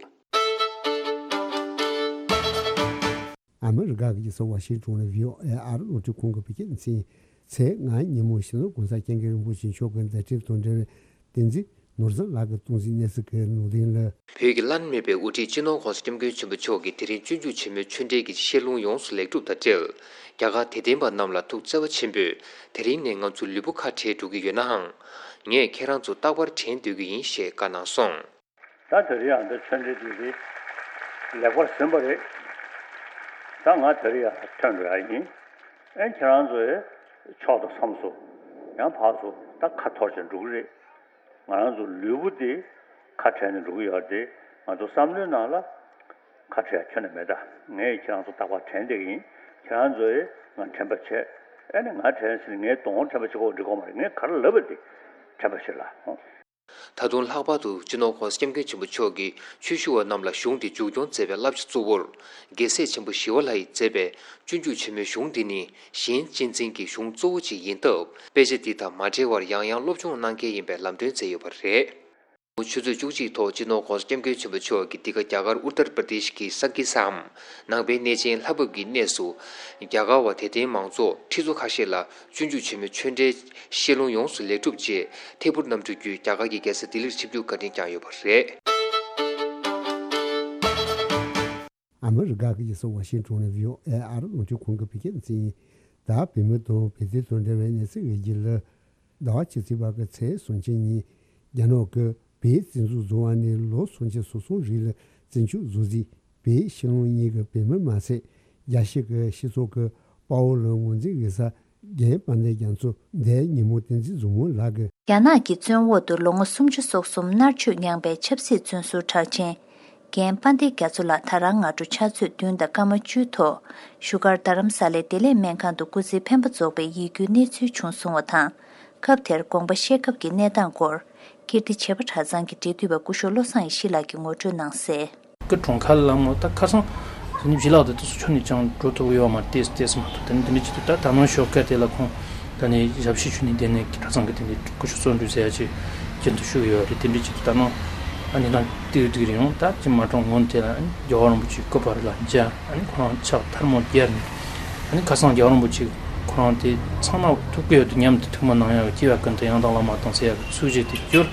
ཨ་མི་རི་ཀ་གི་རྒྱལ་ས་ཝ་ཤིང་ཏོན་ནས་བྷི་ཨོ་ཨེ་ཨ་རི་རླུང་འཕྲིན་ཁང་གི་བོད་སྐད་སྡེ་ཚན། ཚེས་ལྔ་ཉིན་མོ་སྤྱི་ནོར་༸གོང་ས་༸སྐྱབས་མགོན་རིན་པོ་ཆེ་མཆོག་གི་མཛད་འཕྲིན་དང་འབྲེལ་བའི་བསྟན་འཛིན་ནོར་བཟང་ལགས་ཀྱིས་གཏོང་གཟིགས་གནས་ཚུལ་གྱི་ནང་དོན་ལ། བོད་ཀྱི་བླ་ན་མེད་པའི་དབུ་ཁྲིད་སྤྱི་ནོར་༸གོང་ས་༸སྐྱབས་མགོན་ཆེན་པོ་མཆོག་གིས་དེ་རིང་སྤྱོད་འཇུག་ཆེན་མོའི་ཆོས་འབྲེལ་གྱི་བཤད་ལུང་ཡོངས་སུ་ལེགས་གྲུབ་དང་འབྲེལ། རྒྱ་གར་དད་ལྡན་པ་རྣམས་ལ་ཐུགས་བརྩེ་བ་ཆེན་པོས་དེ་རིང་ནས་ང་ཚོ་ལུས་པོ་ཁ་བྲལ་འགྲོ་གི་ཡོད་ནའང་། ངས་ཁྱེད་རང་ཚོ་རྟག་པར་དྲན་སྡོད་ཀྱི་ཡིན་ཞེས་བཀའ་གནང་སོང་། ད་དེ་རིང་ཡང་འདི་ཆོས་འབྲེལ་འདི་རེད། ལེགས་པར་ཟིན་པ་རེད། ད་ང་དེ་རིང་ཡང་ཐོན་འགྲོ་ཡ་ཡིན། ཨེ་ཁྱེད་རང་ཚོས་ཕྱོགས་དང་མཚམས་སུ་ཡང་ཕར་ཚུར་ད་ཁ་འཐོར་བྱས་འགྲོ་གི་རེད། ང་རང་ཚོ་ལུས་པོ་འདི་ཁ་བྲལ་ནས་འགྲོ་གི་ཡོད་རེད་དེ། ང་ཚོ་བསམ་བློའི་ནང་ལ་ཁ་བྲལ་ཁྱོན་ནས་མེད། ད་ངས་ཁྱེད་རང་ཚོ་རྟག་པར་དྲན་བསྡད་ཀྱི་ཡིན། ཁྱེད་རང་ཚོས་ང་དྲན་པ་བྱེད། ཨེ་ནི་ང་དྲན་ཟིན་ངས་གདོང་དྲན་པ་བྱེད་དགོས་འགྲིག་གོ་མ་རེད། ངས་ག་རེ་ལབ་པ་དེ་དྲན་པ་བྱེད་ལ། ད་དུང་ལྷག་པར་དུ་སྤྱི་ནོར་༸གོང་ས་༸སྐྱབས་མགོན་ཆེན་པོ་མཆོག་གིས་ཆོས་ཞུ་བ་རྣམས་ལ་གཞུང་འདི་མཇུག་སྐྱོང་མཛད་པའི་བསླབ་བྱ་གཙོ་བོར། རྒྱལ་སྲས་ཆེན་པོ་ཞི་བ་ལྷ་ཡིས་མཛད་པའི་སྤྱོད་འཇུག་ཆེན་མོའི་གཞུང་འདི་ནི་གཞན་གཅེས་འཛིན་གྱི་གཞུང་གཙོ་བོ་ཅིག་ཡིན་སྟབས། དཔེ་ཆ་འདི་དང་མ་བྲལ་བར་ཡང་ཡང་སློབ་སྦྱོང་གནང་གལ་ཡིན་པའི་ལམ་སྟོན་མཛད་ཡོད་པ་རེད། ཆུ་ཚོད་བཅུ་གཅིག་ཐོག་སྤྱི་ནོར་༸གོང་ས་༸སྐྱབས་མགོན་ཆེན་པོ་མཆོག་གིས་འདི་ག་རྒྱ་གར་ཨུ་ཏར་པར་དེཤ་གི་སང་གི་སམ་ནང་པའི་གནས་ཆེན་ལྷ་བབས་ཀྱི་གནས་སུ། རྒྱ་གར་བ་དད་ལྡན་མང་ཚོགས་ཁྲི་ཚོ་ཁ་ཤས་ལ་སྤྱོད་འཇུག་ཆེན་མོའི་ཆོས་འབྲེལ་བཤད་ལུང་ཡོངས་སུ་ལེགས་གྲུབ་རྗེས། ཐད་འཕུར་གནམ་གྲུ་བརྒྱུད་རྒྱ་གར་གྱི་རྒྱལ་ས་ལྡི་ལིར་ཆིབས་བསྒྱུར་བཀའ་དྲིན་བསྐྱངས་ཡོད་པ་རེད། ཨ་མི་རི་ཀ་གི་རྒྱལ་ས་ཝ་ཤིང་ཊོན་ནས་བྷི་ཨོ་ཨེ་ཨ་རི་རླུང་འཕྲིན་ཁང་གི་བོད་སྐད་སྡེ་ཚན་ཡིན། ད་བོད་མི་དང་བོད་དོན་དང་འབྲེལ་བའི་གནས་ཚུལ་འགའ་ཞིག་ལ། ཟླ་བ་ཕྱི་ཚེས་པ་གི་ཚེས་སུམ་ཅུ་ཉིན། རྒྱ་ནག་གི་བོད་བཙན་འཛུལ་བཟུང་བ་ནས་ལོ་སུམ་ཅུ་སོ་གསུམ་རིང་ལ་བཙན་ཆབ་བཟོ་རྩིས་བོད་ཕྱི་ལོགས་གཉིས་ཀྱི་བོད་མི་མ་ཟད། རྒྱལ་སྤྱི་གི་སྤྱི་ཚོགས་ཀྱི་དཔའ་བོ་ལ་ངོས་འཛིན་དགོས་ས། རྒན་དཔལ་ལྡན་རྒྱ་མཚོ་འདས་ཉིན་མོ་བསྟན་འཛིན་བཟང་མོ་ལགས་ཀྱིས། རྒྱ་ནག་གི་བཙོན་འོག་ཏུ་ལོ་ངོ་སུམ་ཅུ་སོ་གསུམ་མནར་གཅོད་མྱངས་པའི་ཆབ་སྲིད་བཙོན་ཟུར་གྲགས་ཅན། རྒན་དཔལ་ལྡན་རྒྱ་མཚོ་ལགས་ད་རང་སྔ་དྲོ་ཕྱག་ཚོད་བདུན་དང་སྐར་མ་བཅུ་ཐོག་བཞུགས་སྒར་རྡ་རམ་ས་ལའི་བདེ་ལེགས་སྨན་ཁང་དུ་སྐུ་ཚེའི་འཕེན་པ་རྫོགས་པའི་ཡིད་སྐྱོའི་གནས་ཚུལ་བྱུང་སོང་བ་དང་། སྐབས་དེར་དགོངས་པ་བཞེས་སྐབས་ཀྱི་གནས་སྟངས་སྐོར། ཀིརྟི་བྱེས་པ་གྲྭ་ཚང་གི་འབྲེལ་མཐུད་པ་སྐུ་ཞབས་བློ་བཟང་ཡེ་ཤེས་ལགས་ཀྱིས་ངོ་སྤྲོད་གནང་གསལ། ཀི་གྲོང་ཁ་ལ་མོ་ད་ཁ་སང་དེ་ནི་བྱི་ལག་དེ་དུས་སུ་ཆུ་ནི་ཅང་འགྲོ་ཐུབ་ཡོད་མ་རེད། ཏེས་ཏེས་མ་ཐུབ། དེ་ནི་དེ་འདྲ་ཅིག་ཏུ་ད་ད་ནང་ཞོགས་ཀ་དེ་ལ་ཁོང་ད་ནི་ཞབས་ཕྱི་ཞུ་ནི་དེ་ནས་གྲྭ་ཚང་གི་དེ་ནི་སྐུ་ཞབས་བརྩོན་འགྲུས་ཟེར་ཡ་ཅིག་རྒྱུན་དུ་ཞུ་གི་ཡོད་རེད། དེ་འདྲ་ཅིག་ཏུ་ད་ནང་ཨ་ནི་ད་ཏིག་ཏིག་རེ་ཡོང་ད་ཅི་མ་གྲོང་ངོ་དེ་ལ་ཨ་ནི་རྒྱལ་བ་རིན་པོ་ཆེ་སྐུ་པར་ལ་མཇལ། ཨ་ནི་ཁོ་རང་ཕྱག་ཐལ་མོ་སྦྱར་ནས་ཨ་ནི་ཁ་སང་རྒྱལ་བ་རིན་པོ་ཆེ་ཁོ་རང་དེ་ཚང་མ་ཐུག་གི་ཡོད་དུ་མཉམ་དུ་ཐུགས་མ་གནང་ཡག་སྐྱེ་བ་ཀུན་ཏུ་ཡང་དག་བླ་མ་དང་ཟེར་ཡག་གི་ཚུལ་བཞིན་དུ་གྱུར།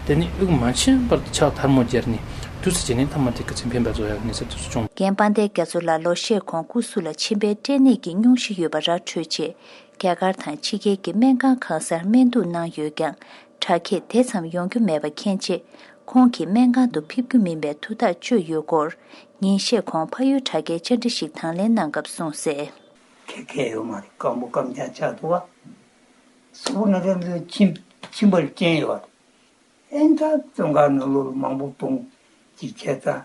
དེ་ནི་དབུགས་མ་ཆད་པར་ཕྱག་ཐལ་མོ་སྦྱར་ནས་དུས་སུ་བྱས་ནས་ཐ་མ་དེ་སྐུ་ཚེ་འཕེན་པ་རྫོགས་ཡག་གནས་ཚུལ་དེ་ཚོ་བྱུང་། རྒན་དཔལ་ལྡན་རྒྱ་མཚོ་ལགས་ལོ་ཤས་གོང་སྐུ་གཟུགས་ལ་མཆིན་པའི་སྐྲན་ནད་ཀྱི་སྙུང་གཞི་ཡོད་པ་ར་འཕྲོད་རྗེས། རྒྱ་གར་དང་ཕྱི་རྒྱལ་གྱི་སྨན་ཁང་གང་སར་སྨན་གཏུགས་གནང་ཡོད་ཀྱང་། དྲག་སྐྱེད་དེ་ཙམ་ཡོང་རྒྱུ་མེད་པ་མཁྱེན་རྗེས། ཁོང་གིས་སྨན་ཁང་དུ་ཕེབས་རྒྱུ་མིན་པའི་ཐུགས་ཐག་གཅོད་ཡོད་སྐོར། ཉིན་ཤས་གོང་ཕ་ཡུལ་དྲ་རྒྱའི་བཅར་འདྲི་ཞིག་དང་ལེན་གནང་སྐབས་གསུངས་གསལ། ཁེ་ཁེ་ཡོད་མ་རེད། སྐམ་པོ་སྐམ་ཆག་ཆག་འདུག་བ། གཟུགས་པོ་ན་ཚ་འདི་མཆིན་མཆིན་པར་སྐྱེན་ཡོད་རེད། ཨེ་ད་བཙོན་ཁང་ནང་ལོགས་ལ་མང་པོ་བཏུང་ཅིག་བྱས་ཙང་།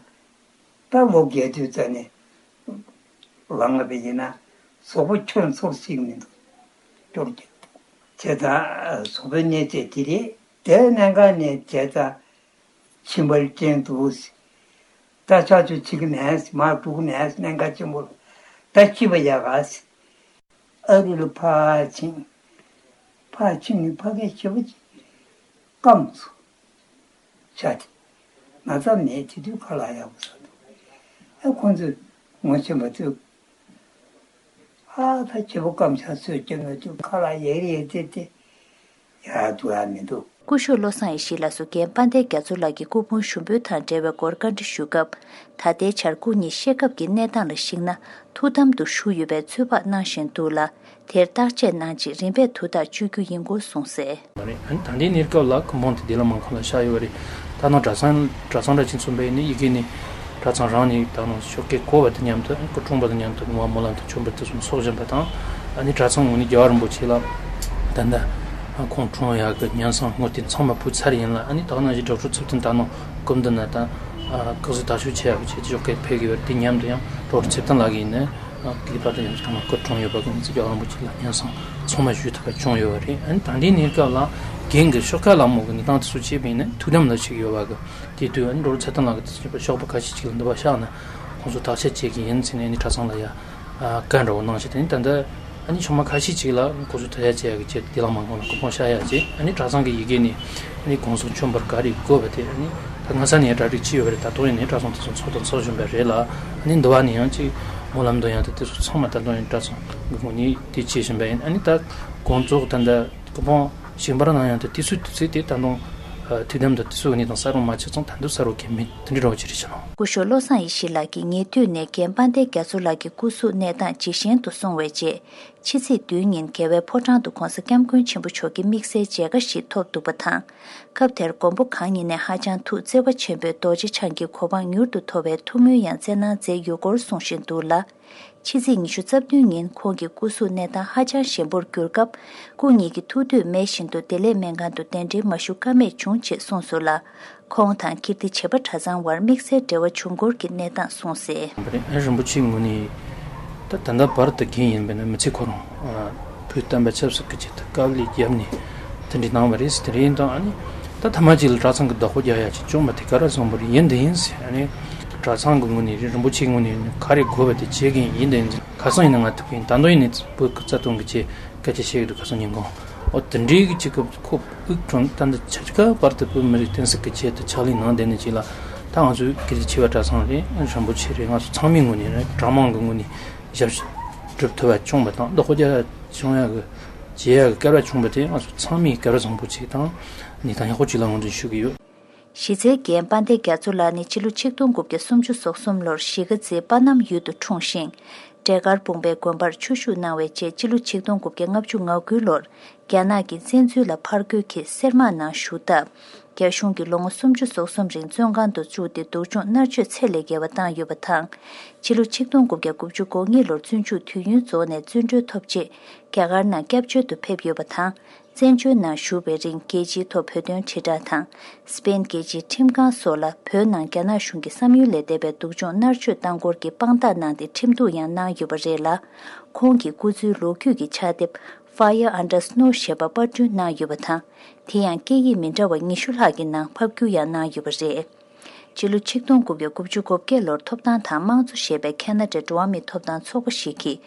ད་ལོ་བརྒྱད་དུས་ཙ་ནས་ལངས་པ་ཡིན་ན་གཟུགས་པོ་ཁྱོན་ཚོར་ཞིག་མི་འདུག་སྐྱོར་གྱི་བྱས་ཙང་གཟུགས་པོའི་གནས་ཚད་དེ་རེད། དེ་གནད་འགག་ནས་བྱས་ཙང་མཆིན་པར་སྐྱེན་འདུག་ད་ཆ་ཆུ་ཆིག་ནས་མ་དྲུག་ནས་གནད་འགག་ཆེན་པོ་ལ་ད་ཤི་བ་ཡག་ག་ཨ་རི་ལ་ཕར་ཕྱིན། ཕར་ཕྱིན་ནས་ཕ་གིའི་བྱེད་པོ་ཅིག་སྐམ་སོང་། ཤ་དེ་ན་ཚ་མེད་དེ་དུས་ཁ་ལག་ཡག་པོ་ཟ་འདུག་ཨ་ཁོང་ཚོས་ངོ་ཤེས་པ་ཚོས་ཨ་ད་བྱེད་པོ་སྐམ་ཤ་ཚོས་སྐྱེ་མེད་དུས་ཁ་ལག་ཡག་རེད་དེ་དེ་ཡག་འདུག་ཨ་མི་འདུག་སྐུ་ཞབས་བློ་བཟང་ཡེ་ཤེས་ལགས་སུ་རྒན་དཔལ་ལྡན་རྒྱ་མཚོ་ལགས་ཀྱི་སྐུ་ཕུང་ཞུགས་འབུལ་དང་འབྲེལ་བའི་སྐོར་བཀའ་འདྲི་ཞུ་སྐབས། ད་ལྟའི་བྱ་སྒོ་གཉིས་བཤད་སྐབས་ཀྱི་གནས་སྟངས་ལ་གཞིགས་ན་ཐུགས་དམ་དུ་བཞུགས་ཡོད་པའི་ཚོད་དཔག་གནང་བཞིན་འདུག་ལ། དེར་བརྟག་དཔྱད་གནང་རྗེས་རིམ་པས་དུས་ཐག་གཅོད་རྒྱུ་ཡིན་སྐོར་གསུངས་གསལ། མ་རེད། ཨ་ནི་ད་ལྟའི་གནས་སྐབས་ལ་སྐུ་ཕུང་དེ་བདེ་ལ་མང་ཁང་ལ་བཞག་ཡོད་པ་རེད། ད་ནང་གྲྭ་ཚང་གྲྭ་ཚང་འདྲ་ཅིག་མཚོན་པ་ཡིན་ན་ཡི་གེ་ནི་གྲྭ་ཚང་རང་ནས་ད་ནང་ཞོགས་ཀས་བསྐོར་བ་དང་མཉམ་དུ་སྐུ་འཁྲུངས་པ་དང་མཉམ་དུ་ངུ་བ་སྨོན་ལམ་དང་མཆོད་འབུལ་དེ་ཚོ་ཚོགས་བཞིན་པ་དང་། ཨ་ནི་གྲྭ་ཚང་ངོས་ནས་རྒྱལ་བ་རིན་པོ་ཆེ་ལ་ད་ལྟ་ཁོང་འཁྲུངས་ཡག་གི་ཉེན་སྲུང་དངུལ་དེ་ཚང་མ་ཕུལ་ཚར་ཡིན་ལ། ཨ་ནི་ད་ག་ནང་བཞིན་ཌོག་ཊར་ཚེ་བརྟན་ད་ནང་སྐུ་མདུན་ན་ད་སྐུ་གཟུགས་དར་ཞོག་བྱེད་ཡག་གི་ཆེད་དུ་ཞོགས་ཀས་ཕེབས་ཀྱི་ཡོད་རེད། དེ་མཉམ་དུ་ཡང་ཌོག་ཊར་ཚེ་བརྟན་ལགས་ཀྱིས་ནི། ཨ་གི་པར་དུ་ཡང་ཐོག་མར་སྐུ་འཁྲུངས་ཡོད་པ་གི་མི་ཚེ་རྒྱལ་བ་རིན་པོ་ཆེ་ལ་སྙན་སེང་ཚང་མ་ཞུས་ཐུབ་པ་བྱུང་ཡོད་པ་རེད། ཨ་ནི་ད་ལྟའི་གནས་སྐབས་ལ་རྒན་གྱི་ཤོག་ཁག་ལ་མོ་གི་གནས་སྟངས་དེ་ཚོ་བྱས་པ་ཡིན་ན་ཐུགས་དམ་ལ་བཞུགས་ཡོད་པ་གི་དེ་དུས། ཨ་ནི་ཌོག་ཊར་ཚེ་བརྟན་ལགས་ཀྱི་དེ་ཚོ་ཤོག་པ་ཁ་ཤས་ཅིག་ལ་འདི་པར་བཞག་ན་ཁོང་ཚོ་བརྟག་དཔྱད་བྱེད་ཀྱི་ཡིན་ཟེར་ནས། ཨ་ནི་གྲྭ་ཚང་ལ་ཡ་ཨ་བཀའ་འདྲ་བོ་གནང་བྱས། དེ་ནི་ད་ལྟ་ཨ་ནི་ཆུང་མ་ཁ་ཤས་ཅིག་ལ་ཁོང་ཚོ་དོ་ཡ་བྱེད་ཡ་གི་ཆེད་དུ་བདེ་ལ་མང་ཁང་ལ་སྐུ་ཕུང་བཞག་ཡ་བྱས། ཨ་ནི་གྲྭ་ཚང་གི་ཡི་གེ་ནས་ཨ་ནི་གུང་སེང་མཆོད་འབུལ་ག་རེ་དགོས་པ་དེ་ཨ་ནི་ད་སྔ་ས་ནས་ཡང་གྲ་སྒྲིག་བྱས་ཡོད་པ་རེད། ད་དུང་ཡང་ནས་གྲྭ་ཚང་དེ་ཚོ་ཚོགས་དང་ཚོགས་བཞིན་པ་རེད་ལ། ཨ་ནི་འདི་བ་ནས་ཡང་ཅིག་ སྨོན་ལམ་དང་ཡང་ད་དེ་ཚོ་ཚང་མ་ད་དུང་ཡང་གྲྭ་ཚང་གི་ངོས་ནས་དེ་བྱེད་བཞིན་པ་ཡིན། ཨ་ནི་ད་དགོངས་རྫོགས་ད་ལྟ་སྐུ་ཕུང་བཞེངས་པར་གནང་ཡང་ད་དེ་ཚོའི་དུས་ཚོད་དེ་ད་དུང་ཐུགས་དམ་དང་དེ་ཚོའི་གནས་སྟངས་གསར་བ་མ་ཆགས་ཙང་ད་དུང་གསལ་བོ་གང་ཡང་མེད། དེ་འདྲའི་འདྲ་བོ་ཅིག་རེད་ཤག་ལགས། སྐུ་ཞབས་བློ་བཟང་ཡེ་ཤེས་ལགས་ཀྱིས་ཉེ་དུས་ནས་རྒན་དཔལ་ལྡན་རྒྱ་མཚོ་ལགས་ཀྱི་སྐུ་གཟུགས་གནས་སྟངས་ཇེ་ཞན་དུ་སོང་བའི་རྗེས། ཕྱི་ཚེས་བདུན་ཉིན་རྒྱལ་བའི་ཕོ་བྲང་དུ་༧གོང་ས་༧སྐྱབས་མགོན་ཆེན་པོ་མཆོག་གི་དམིགས་བསལ་མཇལ་ཁ་ཞིག་ཐོབ་འདུག་པ་དང་། སྐབས་དེར་མགོན་པོ་གང་ཉིད་ནས་ཧ་ཅང་ཐུགས་བརྩེ་བ་ཆེན་པོས་རྡོ་རྗེ་འཆང་གི་གོ་འཕང་མྱུར་དུ་ཐོབ་པའི་ཐུགས་སྨོན་ཡང་སྩལ་གནང་མཛད་ཡོད་སྐོར་གསུང་བཞིན་འདུག་ལ། ཕྱི་ཚེས་ཉི་ཤུ་རྩ་བདུན་ཉིན་ཁོང་གི་སྐུ་གཟུགས་གནས་སྟངས་ཧ་ཅང་ཞན་པོར་གྱུར་སྐབས། སྐུ་ཉིད་ཀྱི་ཐུགས་འདོད་མེད་བཞིན་དུ་བདེ་ལེགས་སྨན་ཁང་དུ་གདན་འདྲེན་མ་ཞུ་ཀ་མེད་བྱུང་ཅེས་གསུངས་སོང་ལ། ཁོང་དང་ཀིརྟི་བྱེས་པ་གྲྭ་ཚང་བར་དམིགས་བསལ་འབྲེལ་བ་བྱུང་སྐོར་གྱི་གནས་སྟངས་གསུངས་གསལ། རིན་པོ་ཆེའི་ངོས་ནས་ད་ད་ལྟ་བར་དུ་རྒན་ཡིན་པས་ན་མི་ཚེ་ཁོ་རང་བོད་བསྟན་པ་ཆབ་སྲིད་ཀྱི་ཆེད་དུ་དཀའ་ལས་བརྒྱབ་ནས་དེ་འདྲ་གནང་བ་རེད་ཟེར། དེ་རེད་དང་ཨ་ནི་ད་ཐ་མ་གཅིག་ལ་གྲྭ་ཚང་གི་བདག་པོ་རྒྱག་ཡ་ཅིག་བྱུང་བ་དེ་ག་རེ་བཟང་པོ་རེད། ཡིན་དེ་ཡིན་ཟེར། ཨ་ནི་གྲྭ་ཚང་གི་ངོས་ནས་རིན་པོ་ཆེའི་ངོས་ནས་ག་རེ་དགོས་པ་དེ་བྱེད་མཁན་ཡིན་དེ་ཡིན་ཟེར། ཁ་སང་ཡིན་ན་ང་ཐུག་གིན་ད་དུང་ཡིན་ནས་བོད་ཀྱི་རྩ་དོན་གྱི་ཆེད་སྐད་ཆ་བཤད་ཀྱི་འདུག་ཁ་སང་ཉིན་གང་། འོ་དེ་འདྲའི་གི་ཅིག་གི་ཁོ་དབུགས་གྲོངས་ད་འདི་ཆ་ཅིག་བར་དུ་བོད་མི་རིགས་བསྟན་སྲིད་ཀྱི་ཆེད་དུ་ཕྱག་ལས་གནང་བསྡད་ནས་ཅིག་ལ། ད་ང་ཚོའི་ཀིརྟི་བྱེས་པ་གྲྭ་ཚང་རེད། རིན་པོ་ཆེ་རེད། ང་ཚོ་ཚང་མའི་ངོས་ནས་རེད། གྲྭ་མང་གི་ངོས་ནས་ཞབས་ཕྱི་སྒྲུབ་ཐུབ་པ་བྱུང་བ་དང་བདག་པོ་རྒྱག་བྱུང་ཡག་གི་བྱེད་ཡག་གི་སྐལ་བ་བྱུང་བ་དེ་ང་ཚོ་ཚང་མས་སྐལ་བ་བཟང་པོ་ཅིག་དང་གནས་སྟངས་ཡག་པོ་ཅིག་ལ་ངོས་འཛིན་ཞུ་གི་ཡོད། གཞི་རྩའི་རྒན་དཔལ་ལྡན་རྒྱ་མཚོ་ལགས་ནི་ཕྱི་ལོ་ཆིག་སྟོང་དགུ་བརྒྱ་སུམ་ཅུ་སོ་གསུམ་ལོར་གཞིས་ཀ་རྩེའི་པ་ནམ་ཡུལ་དུ་འཁྲུངས་ཤིང་། འབྲས་དཀར་སྤུངས་པའི་དགོན་པར་ཆོས་ཞུགས་གནང་བའི་རྗེས་ཕྱི་ལོ་ཆིག་སྟོང་དགུ་བརྒྱ་ལྔ་བཅུ་ང་དགུ་ལོར་རྒྱ་ནག་གི་བཙན་འཛུལ་ལ་ཕར་རྒོལ་གྱིས་སེར་དམག་ནང་ཞུགས་སྟབས། རྒྱ་གཞུང་གིས་ལོ་ངོ་སུམ་ཅུ་སོ་གསུམ་རིང་བཙོན་ཁང་དུ་བཅུག་སྟེ་སྡུག་སྦྱོང་མནར་གཅོད་ཚད་ལས་བརྒལ་བ་བཏང་ཡོད་པ་དང་། ཕྱི་ལོ་ཆིག་སྟོང་དགུ་བརྒྱ་དགུ་བཅུ་གོ་གཉིས་ལོར་བཙོན་འཇུག་དུས་ཡུན་རྫོགས་ནས་བཙོན་གྲོལ་ཐོབ་རྗེས་རྒྱ་གར་ནང་སྐྱབས་བཅོལ་དུ་ཕེབས་ཡོད་པ་དང་། བཙན་བྱོལ་ནང་བཞུགས་པའི་རིང་རྒྱལ་སྤྱིའི་ཐོག་བོད་དོན་དྲིལ་བསྒྲགས་དང་། སི་པེན་རྒྱལ་སྤྱིའི་ཁྲིམས་ཁང་སོགས་ལ་བོད་ནང་རྒྱ་ནག་གཞུང་གིས་བསམ་ཡུལ་ལས་འདས་པའི་སྡུག་སྦྱོང་མནར་གཅོད་བཏང་སྐོར་གྱི་དཔང་རྟགས་གནང་སྟེ་ཁྲིམས་གཏུག་ཡང་གནང་ཡོད་པ་རེད་ལ། ཁོང་གི་སྐུ་ཚེའི་ལོ་རྒྱུས་ཀྱི་ཕྱག་དེབ་Fire Under Snow ཞེས་པ་པར་སྐྲུན་གནང་ཡོད་པ་དང་། དེ་ཡང་སྐད་ཡིག་མི་འདྲ་བ་ཉི་ཤུ་ལྷག་གི་ནང་ཕབ་བསྒྱུར་ཡང་གནང་ཡོད་པ་རེད། ཕྱི་ལོ་ཆིག་སྟོང་དགུ་བརྒྱ་དགུ་བཅུ་གོ་བརྒྱད་ལོར་ཐོབ་ཐང་དང་དམངས་གཙོ་ཞེས་པའི་ཁ་ན་ཌའི་འགྲོ་བ་མིའི་ཐོབ་ཐང་ཚོགས་པ་ཞིག་གིས།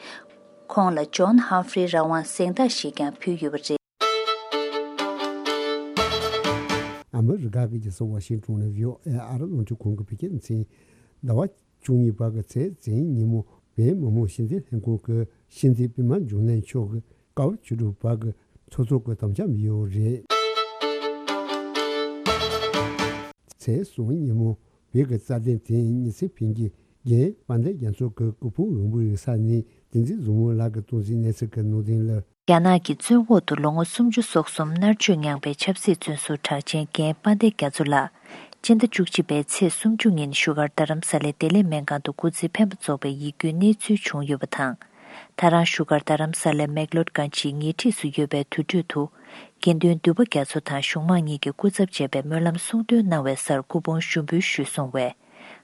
ཁོང་ལ་ཇོན་ཧམ་ཧྥི་རི་རང་དབང་གཟེངས་རྟགས་ཤིག་ཀྱང་ཕུལ་ཡོད་པ་རེད། ཨ་མི་རི་ཀ་གི་རྒྱལ་ས་ཝ་ཤིང་ཏོན་ནས་བྷི་ཨོ་ཨེ་ཨ་རི་རླུང་འཕྲིན་ཁང་གི་བོད་སྐད་སྡེ་ཚན། ཟླ་བ་བཅུ་གཉིས་པ་གི་ཚེས་བཙན་ཉིན་མོ་བོད་མི་མང་སྤྱི་འཐུས་ལྷན་ཁང་གི་སྤྱི་འཐུས་པད་མ་འབྱུང་གནས་མཆོག་གི་སྐབས་བཅུ་དྲུག་པ་གི་ཚོགས་གཙོ་གི་དམ་བཅའ་ཡོད་རེད། ཚེས་གསུམ་ཉིན་མོ་བོད་ཀྱི་རྩ་དོན་དེ་ཉི་ཚེ་ཕན་གྱི་རྒན་དཔལ་ལྡན་རྒྱ་མཚོ་གི་སྐུ་ཕུང་དབང་པོའི་རིག་ས་ནས་བསྟན་འཛིན་བཟང་མོ་ལགས་ཀྱི་སྟོང་འཛིན་གནས་ཚུལ་གྱི་ནང་དོན་ལ། རྒྱ་ནག་གི་བཙོན་འོག་ཏུ་ལོ་ངོ་སུམ་ཅུ་སོ་གསུམ་མནར་གཅོད་མྱངས་པའི་ཆབ་སྲིད་བཙོན་ཟུར་གྲགས་ཅན་རྒན་དཔལ་ལྡན་རྒྱ་མཚོ་ལགས། སྤྱི་ཟླ་བཅུ་གཅིག་པའི་ཚེས་སུམ་ཅུ་ཉིན་བཞུགས་སྒར་རྡ་རམ་ས་ལའི་བདེ་ལེགས་སྨན་ཁང་དུ་སྐུ་ཚེ་འཕེན་པ་རྫོགས་པའི་ཡིད་སྐྱོའི་གནས་ཚུལ་བྱུང་ཡོད་པ་དང་། ད་རང་བཞུགས་སྒར་རྡ་རམ་ས་ལའི་མེག་ལོར་གྷན་ཇིའི་ཉེ་འཁྲིས་སུ་ཡོད་པའི་དུར་ཁྲོད་དུ། དགེ་འདུན་འདུས་པ་རྒྱ་མཚོ་དང་གཞུང་མང་གཉིས་ཀྱིས་སྐུ་ཚབ་བྱས་པའི་སྨོན་ལམ་གསུང་འདོན་གནང་བའི་སར་སྐུ་ཕུང་ཞུགས་འབུལ་ཞུས་སོང་བས།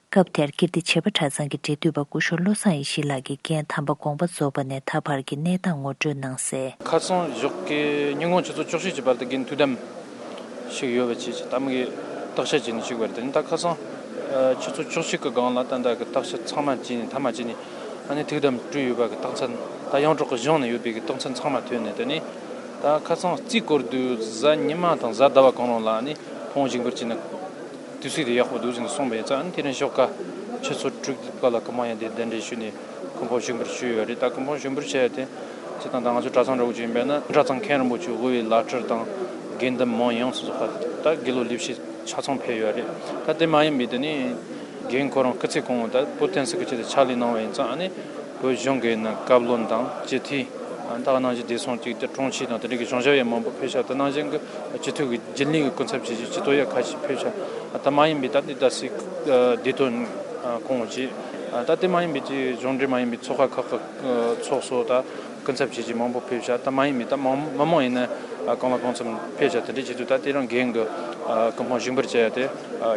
སྐབས་དེར་ཀིརྟི་བྱེས་པ་གྲྭ་ཚང་གི་འབྲེལ་མཐུད་པ་སྐུ་ཞབས་བློ་བཟང་ཡེ་ཤེས་ལགས་ཀྱིས་རྒན་དམ་པ་དགོངས་པ་རྫོགས་པ་ནས་ད་བར་གྱི་གནས་སྟངས་ངོ་སྤྲོད་གནང་གསལ། ཁ་སང་ཞོགས་ཀའི་ཉིན་གུང་ཆུ་ཚོད་བཅུ་གཅིག་གི་བར་དུ་རྒན་ཐུགས་དམ་ཞིག་ཡོད་པ་བཅས་ཀྱི་ད་མི་གི་བརྟག་དཔྱད་བྱས་ནས་ཞུགས་པ་རེད། དེ་ནི་ད་ཁ་སང་ཆུ་ཚོད་བཅུ་གཅིག་གི་སྒང་ལ་ད་ལྟ་གི་བརྟག་དཔྱད་ཚང་མ་བྱས་ནས་མཐའ་མ་བྱས་ནས་ཨ་ནི་ཐུགས་དམ་སྤྲོས་ཡོད་པ་གི་རྟགས་མཚན་ད་ཡོངས་གྲགས་གི་གཞུང་ནས་ཡོད་པའི་གི་རྟགས་མཚན་ཚང་མ་ཐོན་ནས། དེ་ནི་ད་ཁ་སང་རྩིས་སྐོར་དུས་གཟའ་ཉི་མ་དང་གཟའ་ཟླ་བ་གང་རུང་ལ་ཨ་ནི་ཕུང་བོ་བཞེངས་འབུལ་བྱས་ནས། དུས་ཚོད་དེ་ཡག་པོ་འདུག་ཟེར་ནས་གསུངས་པ་ཡིན་ཙང་། དེ་རིང་ཞོགས་ཀ་ཆུ་ཚོད་དྲུག་པ་ལ་སྐུ་ཕུང་ཡང་དེ་གདན་འདྲེན་ཞུས་ནས་སྐུ་ཕུང་བཞེངས་འབུལ་ཞུས་ཡོད་རེད། ད་སྐུ་ཕུང་བཞེངས་འབུལ་བྱས་ཡ་དེ་སྤྱིར་བཏང་ད་ང་ཚོ་གྲྭ་ཚང་འདྲ་བོ་ཅིག་ཡིན་པས་ན་གྲྭ་ཚང་མཁན་རིན་པོ་ཆེ་དབུས་པའི་བླ་སྤྲུལ་དང་དགེ་འདུན་མང་ཡོངས་སུ་རྫོགས་པ་ད་དགེ་སློབ་ལས་བྱེད་ཆ་ཚང་ཕེབས་ཡོད་རེད། ད་དེ་མ་ཡིན་པའི་དེ་ནི་རྒན་ཁོ་རང་སྐུ་ཚེ་གང་བོ་ད་བོད་བསྟན་སྲིད་ཀྱི་ཆེད་དུ་ཕྱག་ལས་གནང་བ་ཡིན་ཙང་། ཨ་ནི་བོད་གཞུང་གི་ནང་བཀའ་བློན་དང་སྤྱི་འཐུས། ད་ག་ནང་བཞིན་བདེ་སྲུང་ཅིག་དེ་དྲུང་ཆེ་དང་དེ་འདྲ་གི་གཞུང་ཞབས་ཡང་མང་པོ་ཕེབས་ཤག་དེ་ནང་བཞིན་གྱི་སྤྱི་འཐུས་ཀྱི་རྒྱུན་ལས་ཀྱི་སྐུ་ཚབ་བྱས་རྗེས་སྤྱི་འཐུས་ཡང་ཁ་ཤས་ཕེབས་ཤག་དེ་མ་ཡིན་པའི་ད་ལྟའི་ད་སྲིད་བདེ་དོན་ཁོངས་ཀྱི། ད་དེ་མ་ཡིན་པའི་དེ་གཞུང་འབྲེལ་མ་ཡིན་པའི་ཚོགས་ཁག་ཁག་གི་ཚོགས་གཙོ་ད་སྐུ་ཚབ་བྱས་རྗེས་མང་པོ་ཕེབས་ཤག་དེ་མ་ཡིན་པའི་ད་མང་མི་མང་ཡིན་ན་གང་ལ་གང་འཚམ་ཕེབས་ཤག་དེ་འདྲ་བྱེད་དུས་ད་དེ་རང་རྒན་གྱི་སྐུ་ཕུང་བཞེངས་འབུལ་བྱས་ཡ་དེ་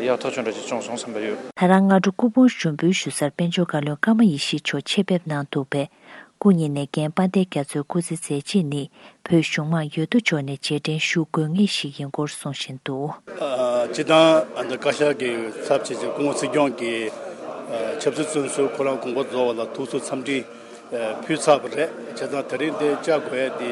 ཡག་ཐག་ཆོད་འདྲ་ཞིག་བྱུང་སོང་བསམ་པ་ཡོད། ད་རང་སྔ་དྲོ་སྐུ་ཕུང་ཞུགས་འབུལ་ཞུ་སར་དཔལ་འབྱོར་བཀའ་བློན་ཀརྨ་ཡེ་ཤེས་མཆོག་ཆེད་ཕེབས་གནང་འདུག་པས། སྐུ་ཉིད་ནས་རྒན་དཔལ་ལྡན་རྒྱ་མཚོའི་སྐུ་ཚེ་མཛད་རྗེས་ནི་བོད་གཞུང་མང་ཡོད་དོ་ཅོག་ནས་རྗེས་དྲན་ཞུ་དགོས་ངེས་ཤིག་ཡིན་སྐོར་གསུང་བཞིན་འདུག། ཨ། སྤྱིར་བཏང་ཨ་ནི་བཀའ་ཤག་གི་ཚབ་བྱས་ཏེ་སྐུ་ངོ་སྲིད་སྐྱོང་གིས་ཨ་ཆབ་སྲིད་བཙོན་ཟུར་ཁོ་རང་དགོངས་པ་རྫོགས་པ་ལ་ཐུགས་གསོ་འཚམས་འདྲི་ཨ་ཕུལ་ཚར་བ་རེད། བྱས་ཙང་དེ་རིང་འདིར་བཅར་དགོས་ཡ་དེ་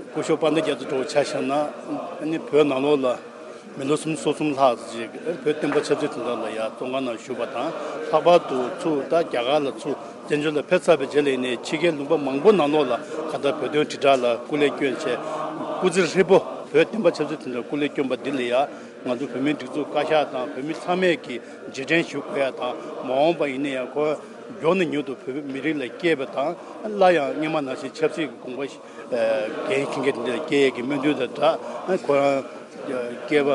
སྐུ་ཞབས་དཔལ་ལྡན་རྒྱ་མཚོ་འདྲ་བོ་ཆ་བཞག་ན་ཨ་ནི་བོད་ནང་ལོགས་ལ། མི་ལོ་སུམ་ཅུ་སོ་གསུམ་ལྷག་ཅིག་བོད་བསྟན་པ་ཆབ་སྲིད་དོན་དག་ལ་ཡང་བཙོན་ཁང་ནང་བཞུགས་པ་དང་། ལྷག་པར་དུ་ཚུར་ད་རྒྱ་གར་ལ་ཚུར་ བཙན་བྱོལ་ལ་ཕེབས་ཚར་བའི་རྗེས་ལ་ཡིན་ནའི་ཕྱི་རྒྱལ་ལུང་པ་མང་པོ་ནང་ལོགས་ལ་གང་ལྟར་བོད་དོན་དྲིལ་བསྒྲགས་ལ་སྐུ་ལས་བསྐྱོན་བྱས། སྐུ་ཚེ་ཧྲིལ་པོ་བོད་བསྟན་པ་ཆབ་སྲིད་དོན་དུ་སྐུ་ལས་བསྐྱོན་པ་འདི་ལ་ཡང་ང་ཚོ་བོད་མིའི་སྒྲིག་འཛུགས་བཀའ་ཤག་དང་བོད་མི་ཚང་མས་ཀྱིས་རྗེས་དྲན་ཞུ་དགོས་ཡ་དང་། མ་འོངས་པ་ཡིན་ན་ཡང་ཁོ་མགྱོགས་ནས་མྱུར་དུ་བོད་མི་རིགས་ལ་སྐྱེས་པ་དང་། སླར་ཡང་སྔོན་མ་ནང་བཞིན་ཆབ་སྲིད་ཀྱི་དགོངས་པ་འགན་འཁྱེར་མཁན་དེ་འདྲ་སྐྱེ་ཡས་ཀྱི་སྨོན་འདུན་དང་སྦྲགས། ཁོ་རང་སྐྱེས་པ་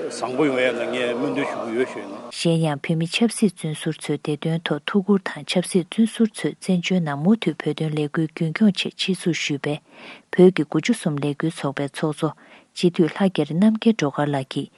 བཟང་པོ་ཡོང་ཡ་ལ་ངས་སྨོན་འདུན་ཞུ་གི་ཡོད་ཞུ་ཡིན། གཞན་ཡང་བོད་མི་ཆབ་སྲིད་བཙོན་ཟུར་ཚོའི་བདེ་དོན་ཐོག་ཐུགས་ཁུར་དང་། ཆབ་སྲིད་བཙོན་ཟུར་ཚོས་བཙན་བྱོལ་ནང་མུ་མཐུད་བོད་དོན་ལས་འགུལ་རྒྱུན་འཁྱོངས་ཆེད་ཆེད་འཛུགས་ཞུས་པའི་བོད་ཀྱི་དགུ་བཅུ་གསུམ་ལས་འགུལ་ཚོགས་པའི་ཚོགས་གཙོ་སྤྱི་འཐུས་ལྷ་རྒྱ་རི་རྣམ་རྒྱལ་སྒྲོལ་དཀར་ལགས་ཀྱིས།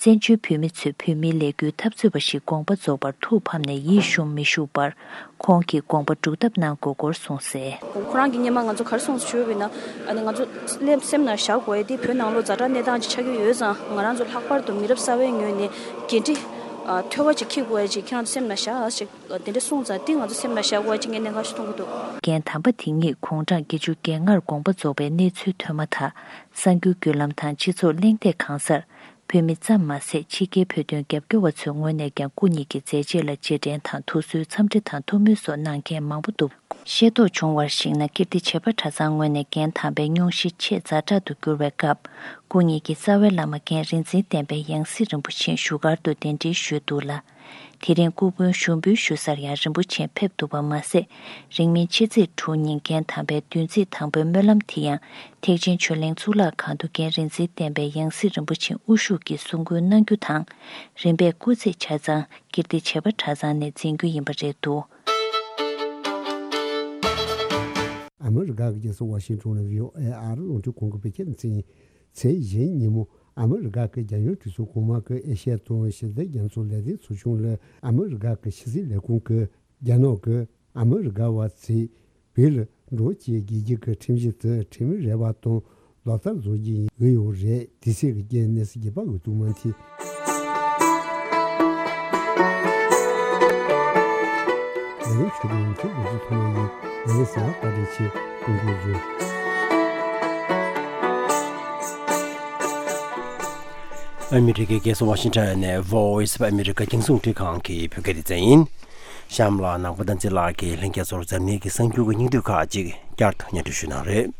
བཙན་བྱོལ་བོད་མི་ཚོས་བོད་མིའི་ལས་འགུལ་འཐབ་རྩོད་པ་ཞིག་དགོངས་པ་རྫོགས་པར་ཐུགས་ཕམ་ནས་ཡིད་ཞུམ་མི་ཞུགས་པར། ཁོང་གིས་དགོངས་པ་སྒྲུབ་ཐབས་གནང་དགོས་སྐོར་གསུངས་གསལ། ཁོ་རང་གིས་སྔོན་མ་ང་ཚོ་ག་རེ་གསུངས་ཞུས་པ་ཡིན་ན། ཨ་ནི་ང་ཚོ་སེམས་སེམས་ནང་བཞག་དགོས་ཡ་དེ་བོད་ནང་ལོགས་ཛ་དྲག་གནས་སྟངས་ཅིག་ཆགས་ཀྱི་ཡོད་ཙང་། ང་རང་ཚོ་ལྷག་པར་དུ་མི་རབས་གསར་བའི་ངོས་ནས་འགན་འཁྲི་ཨ་མཐོ་བ་ཅིག་འཁྱེར་དགོས་ཡ་ཅིག་ཁྱེད་རང་ཚོ་སེམས་ནང་བཞག་ཨ་ཅིག་དེ་འདྲ་གསུངས་ཙང་། དེ་ང་ཚོ་སེམས་ནང་བཞག་དགོས་ཡ་ཅིག་ངས་གནད་འགག་ཞིག་མཐོང་གི་འདུག། རྒན་དམ་པ་དེ་ཉིད་དགུང་གྲངས་བརྒྱད་ཅུ་གྱ་ལྔར་དགོངས་པ་རྫོགས་པའི་གནས་ཚུལ་ཐོན་མ་ཐག། གསར་འགྱུར་བརྒྱུད་ལམ་དང་སྤྱི་ཚོགས་གླེང་སྟེགས་གང་སར། བོད་མི་ཙམ་མ་ཟད། ཕྱི་རྒྱལ་བོད་དོན་རྒྱབ་སྐྱོར་བ་ཚོའི་ངོས་ནས་ཀྱང་སྐུ་ཉིད་ཀྱི་མཛད་རྗེས་ལ་རྗེས་དྲན་དང་། ཐུགས་གསོའི་འཚམས་འདྲི་དང་ཐུགས་སྨོན་སོགས་གནང་མཁན་མང་པོ་འདུག། ཤེས་རྟོགས་བྱུང་བར་གཞིགས་ན། ཀིརྟི་བྱེས་པ་གྲྭ་ཚང་ངོས་ནས་རྒན་དམ་པའི་སྙུང་གཞི་ཆེས་ཛ་དྲག་ཏུ་གྱུར་བའི་སྐབས། སྐུ་ཉིད་ཀྱི་རྩ་བའི་བླ་མ་རྒན་རིག་འཛིན་བསྟན་པའི་ཡང་སྲིད་རིན་པོ་ཆེ་བཞུགས་སྒར་དུ་གདན་འདྲེན་ཞུས་འདུག་ལ། དེ་རིང་སྐུ་མགྲོན་ཞུགས་འབུལ་ཞུ་སར་ཡང་རིན་པོ་ཆེ་ཕེབས་འདུག་པ་མ་ཟད། རིང་མིན་ཕྱི་ཚེས་དྲུག་ཉིན་རྒན་དམ་པའི་བདུན་ཚིགས་དང་པོའི་སྨོན་ལམ་དེ་ཡང་། ཐེག་ཆེན་ཆོས་གླིང་གཙུག་ལག་ཁང་དུ་རྒན་རིག་འཛིན་བསྟན་པའི་ཡང་སྲིད་རིན་པོ་ཆེ་དབུ་བཞུགས་ཀྱིས་གསུང་བསྐུལ་གནང་རྒྱུ་དང་། རིམ་པས་སྐུ་ཚེ་ཆ་ཚང་ཀིརྟི་བྱེས་པ་གྲྭ་ཚང་ནས་འཛིན་རྒྱུ་ཡིན་པ་རེད་འདུག། ཨ་མི་རི་ཀ་གི་རྒྱལ་ས་ཝ་ཤིང་ཊོན་ལ་བྷི་ཨོ་ཨེ་ཨ་རི་རླུང་འཕྲིན་ཁང་གིས་བོད་སྐད་སྙན། ཚེས་བཞི་ཉིན་མོ། ཨ་མི་རི་ཀ་གི་རྒྱལ་ཡོངས་གྲོས་ཚོགས་གོང་མ་གི་ཨེ་ཤ་ཡ་དང་ཞི་བདེ་རྒྱ་མཚོ་ལས་དོན་ཚོགས་ཆུང་ལ། ཨ་མི་རི་ཀ་གི་ཕྱི་སྲིད་ལས་ཁུངས་ཀྱིས་རྒྱ་ནག་གིས་ཨ་མི་རི་ཀ་བ་ཚོས་བོད་ལ་འགྲོ་བྱེད་དགོས་རྒྱུ་གི་ཁྲིམས་གཞི་དེ་ཁྲིམས་མེད་རེད་པ་དང་། ལག་བསྟར་བཟོ་རྒྱུ་ཡིན་འོས་ཡོད་རེད། དེ་སྲིད་ཀྱི་རྒྱལ་གནས་སུ་རྒྱལ་པ་འོས་བསྡུ་མ་མཐུན། ལས་རིམ་ཆུ་ཚོད་ཉི་ཤུ་དགུ་ཚོད་ཐོག་མ་ཡིན། ལས་རིམ་གསན་པར་བཀའ་དྲིན་ཆེ། ཀུན་གོ་བཟོས། ཨ་མི་རི་ཀའི་རྒྱལ་ས་ཝ་ཤིང་ཊོན་ནས་Voice of America རྒྱང་སྲིང་རླུང་འཕྲིན་ཁང་གི་བོད་སྐད་སྡེ་ཚན་ཡིན། གཤམ་ལ་ནང་པ་བསྟན་འཛིན་ལགས་ཀྱིས་ལྷན་རྒྱས་ཚོར་འཛམ་གླིང་གི་གསར་འགྱུར་གྱི་སྙིང་བསྡུས་ཁག་ཅིག་བསྐྱར་དུ་སྙན་སྒྲོན་ཞུ་གནང་རེད།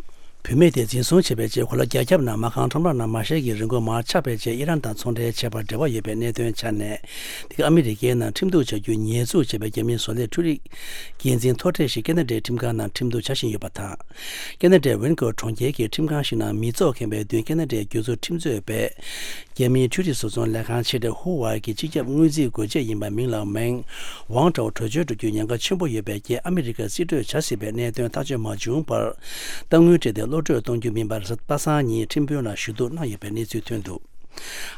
བུད་མེད་དེ་འཛིན་བཟུང་བྱས་པའི་རྗེས། གོ་ལ་རྒྱ་ཁྱབ་ནང་མ་རྐང་ཁྲོམ་ར་ནང་མ་ཤེལ་གྱི་རིན་གོང་མར་ཆག་པའི་རྗེས། ཨི་རན་དང་ཚོང་འབྲེལ་བྱས་པར་འབྲེལ་བ་ཡོད་པའི་གནད་དོན་ཆ་ནས། འདི་ག་ཨ་མི་རི་ཀའི་ནང་ཁྲིམས་གཏུག་བྱ་རྒྱུ་ཉེས་འཛུགས་བྱས་པའི་རྒྱ་མིའི་བཟོ་ལས་འཕྲུལ་རིག་འགན་འཛིན་མཐོ་གྲས་ཤིག་ཁེ་ན་ཌའི་ཁྲིམས་ཁང་ནང་ཁྲིམས་གཏུག་བྱ་བཞིན་ཡོད་པ་དང་། ཁེ་ན་ཌའི་ཝེན་ཀོ་གྲོང་ཁྱེར་གྱི་ཁྲིམས་ཁང་ཞིག་ནང་མི་ཚོགས་ཁེངས་པའི་མདུན་ཁེ་ན་ཌའི་རྒྱུ་ཚོ་ཁྲིམས་རྩོད་པས། རྒྱ་མིའི་འཕྲུལ་རིག་བཟོ་ཚོང་ལས་ཁང་ཆེ་གྲས་ཧུ་ཝའེ་གི་སྤྱི་ཁྱབ་དངུལ་རྩིས་འགོ་བྱེད་ཡིན་པ་མིང་ལའོ་མེང་ཝང་ཀྲའོ་བྲོས་བྱོལ་འགྲོ་རྒྱུའི་ཉེན་ཁ་ཆེན་པོ་ཡོད་པའི་རྐྱེན། ཨ་མི་རི་ཀར་རྩིས་སྤྲོད་བྱ་སྲིད་པའི་གནད་དོན་ཐག་གཅོད་མ་བྱུང་བར། གཏའ་དངུལ་སྤྲད་དེ་གློད་བཀྲོལ་གཏོང་རྒྱུ་མིན་པར། གཟའ་པ་སངས་ཉིན་ཁྲིམས་དཔོན་ལ་ཞུ་གཏུག་གནང་ཡོད་པའི་གནས་ཚུལ་ཐོན་འདུག།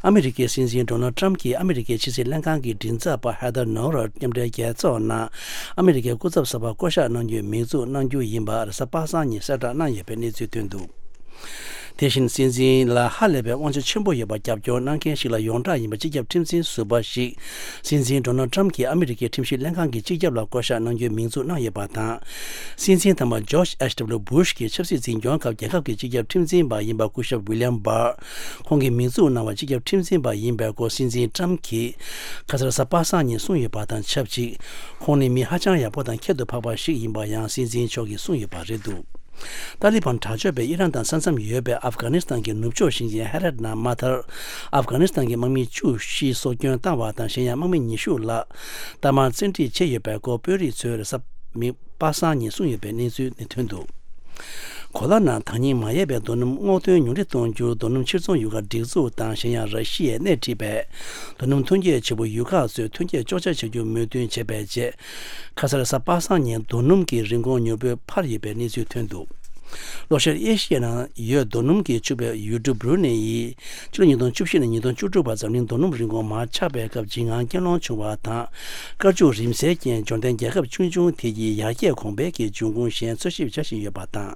ཨ་མི་རི་ཀའི་སྲིད་འཛིན་ཌོ་ནལ་ཏྲམ་གྱིས་ཨ་མི་རི་ཀའི་ཕྱི་སྲིད་ལྷན་ཁང་གི་མགྲིན་ཚབ་པ་ཧེ་ཐར་ནོ་ར་མཉམ་འབྲེལ་རྒྱལ་ཚོགས་ནང་ཨ་མི་རི་ཀའི་སྐུ་ཚབ་གསར་པ་བསྐོ་གཞག་གནང་རྒྱུའི་མིང་འཛུགས་གནང་རྒྱུ་ཡིན་པ་གཟའ་པ་སངས་ཉིན་གསལ་བསྒྲགས་གནང་ཡོད་པའི་གནས་ཚུལ་ཐོན་འདུག། དེ་བཞིན་སྲིད་འཛིན་ལ་ཧ་ལས་པའི་དབང་ཆ་ཆེན་པོ་ཡོད་པ་རྒྱབ་སྐྱོར་གནང་མཁན་ཞིག་ལ་ཡོངས་གྲགས་ཡིན་པ་སྤྱི་ཁྱབ་ཁྲིམས་འཛིན་ཟུར་པ་ཞིག་སྲིད་འཛིན་ཌོ་ནལ་ཏྲམ་གྱིས་ཨ་མི་རི་ཀའི་ཁྲིམས་ཞིབ་ལྷན་ཁང་གི་སྤྱི་ཁྱབ་ལ་བསྐོ་གཞག་གནང་རྒྱུའི་མིང་འཛུགས་གནང་ཡོད་པ་དང་། སྲིད་འཛིན་དང་པ་ཇོརྗ་ཨེཆ་ཌབ་ལུ་བྷུ་ཤ་གིས་ཆབ་སྲིད་འཛིན་སྐྱོང་སྐབས་རྒྱལ་ཁབ་ཀྱི་སྤྱི་ཁྱབ་ཁྲིམས་འཛིན་པ་ཡིན་པ་སྐུ་ཞབས་ཝི་ལི་ཡམ་བྷར། ཁོང་གིས་མིང་འཛུགས་གནང་བ་སྤྱི་ཁྱབ་ཁྲིམས་འཛིན་པ་ཡིན་པའི་སྐོར་སྲིད་འཛིན་ཏྲམ་གྱིས་ཁ་སང་གཟའ་པ་སངས་ཉིན་གསུངས་ཡོད་པ་དང་ཆབས་ཅིག་ཁོང་ནི་མི་ཧ་ཅང་ཡག་པོ་དང་ཁྱད་དུ་འཕགས་པ་ཞིག་ཡིན་པ་ཡང་སྲིད་འཛིན་མཆོག་གིས་གསུངས་ཡོད་པ་རེད་འདུག། ཏཱ་ལི་བན་དྲག་སྤྱོད་པས་ཨི་རན་དང་ས་མཚམས་ཡོད་པའི་ཨབ་གྷ་ནི་སི་ཐན་གྱི་ནུབ་ཕྱོགས་ཞིང་ཆེན་ཧེ་རད་ནང་མ་མཐར་ཨབ་གྷ་ནི་སི་ཐན་གྱི་དམག་མི་བཅུ་བཞི་སྲོག་སྐྱོན་བཏང་བ་དང་། གཞན་ཡང་དམག་མི་ཉི་ཤུ་ལྷག་གཏའ་མར་བཙན་ཁྲིད་བྱས་ཡོད་པའི་སྐོར་དཔོན་རིགས་ཚོས་རེས་གཟའ་མིག་པ་སངས་ཉིན་གསུངས་ཡོད་པའི་གནས་ཚུལ་ནི་ཐོན་འདུག། གོ་ལ་ནང་ཐག་ཉེ་མ་ཡལ་བའི་རྡོ་སྣུམ་སྔོག་འདོན་ཉུང་འཕྲི་གཏོང་རྒྱུར་རྡོ་སྣུམ་ཕྱིར་ཚོང་ཡོང་ཁ་སྒྲིག་འཛུགས་དང་། གཞན་ཡང་ར་ཤི་ཡས་སྣེ་ཁྲིད་པས་རྡོ་སྣུམ་ཐོན་སྐྱེད་བྱེད་པོ་ཡུལ་ཁག་ཚོས་ཐོན་སྐྱེད་གཅོག་ཆ་བྱ་རྒྱུར་མོས་མཐུན་བྱས་པའི་རྗེས། ཁ་སང་གཟའ་པ་སངས་ཉིན་རྡོ་སྣུམ་གྱི་རིན་གོང་མྱུར་པོས་འཕར་ཡོད་པའི་གནས་ཚུལ་ཐོན་འདུག། ལྷོ་ཤར་ཨེ་ཤི་ཡའི་ནང་ཡོད་རྡོ་སྣུམ་གྱིས་ཕྱུག་པའི་ཡུལ་གྲུ་བྷུ་རུ་ནེ་ཡིས་ཕྱི་ལོ་ཉིས་སྟོང་བཅུ་བཞི་ནས་ཉིས་སྟོང་བཅུ་དྲུག་བར་འཛམ་གླིང་རྡོ་སྣུམ་རིན་གོང་མར་ཆག་པའི་སྐབས་འཇིགས་དངངས་སྐྱོན་སློང་བྱུང་བ་དང་། དཀར་ཕྱུགས་རིམས་སེལ་རྐྱེན་འབྱོར་ལྡན་རྒྱལ་ཁབ་ཆུང་ཆུང་དེ་ཡིས་ཡར་རྒྱས་གོང་འཕེལ་གྱི་འབྱུང་ཁུངས་གཞན་འཚོལ་ཞིབ་བྱ་བཞིན་ཡོད་པ་དང་།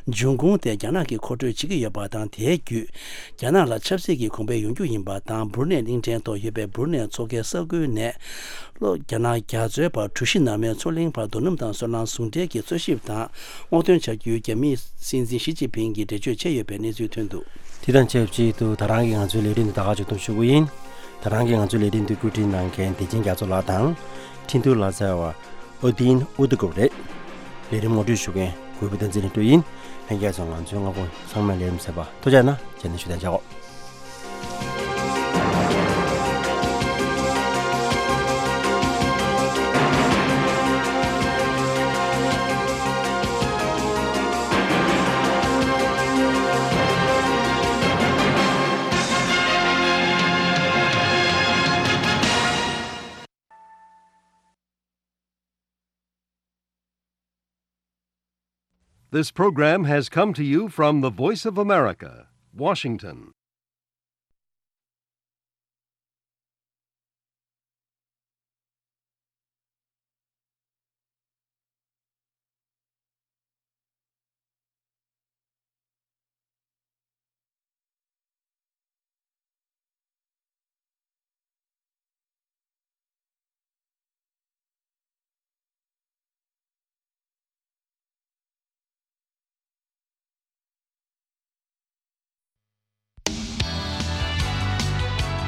འབྱུང་ཁུངས་དེ་རྒྱ་ནག་གིས་མཁོ་སྤྲོད་བྱེད་ཀྱི་ཡོད་པ་དང་། དེའི་བརྒྱུད་རྒྱ་ནག་ལ་ཆབ་སྲིད་ཀྱི་གོང་འཕེལ་ཡོང་རྒྱུ་ཡིན་པ་དང་། བྷུ་རུ་ནེ་གླིང་ཕྲན་ཐོག་ཡོད་པའི་བྷུ་རུ་ནེ་མཚོ་ཁའི་ས་ཁུལ་ནས། ལྷོ་རྒྱ་ནག་རྒྱ་མཚོའི་བར་གྲུ་བཞི་ནར་མའི་མཚོ་གླིང་བར་རྡོ་སྣུམ་དང་སོལ་རླངས་ཟུང་འབྲེལ་གྱི་འཚོལ་ཞིབ་དང་སྔོག་འདོན་བྱ་རྒྱུའི་རྒྱ་མིའི་སྲིད་འཛིན་ཞི་ཅིན་ཕིང་གིས་འགྲེལ་བརྗོད་བྱས་ཡོད་པའི་གནས་ཚུལ་ཐོན་འདུག། དེ་དང་ཆབས་ཅིག་ཏུ་ད་རང་གི་ང་ཚོའི་ལས་རིམ་འདི་ད་ག་ཅིག་ཏུ་ཞུ་གི་ཡིན། ད་རང་གི་ང་ཚོའི་ལས་རིམ་འདི་བཀོད་སྒྲིག་གནང་མཁན་བདེ་ཆེན་རྒྱ་མཚོ་ལགས་དང་། འཕྲིན་ཐུང་ལ་འཚོལ་བ། ཨོ་དིན་ཨུ་ཏི་ཀུ་རེད། ལས་རིམ་ངོ་སྤྲོད་ཞུ་མཁན་གུས་པ་བསྟན་འཛིན་ལྷུན་གྲུབ་ཡིན། ལྷན་རྒྱས་ཚོ་ང་ཚོའི་སྔ་པོ་ཚང་མས་ལས་རིམ་གསན་པ་ཐུགས་རྗེ་གནང་། རྗེས་ནས་ཞུ་དན་བྱའོ། This program has come to you from the Voice of America, Washington.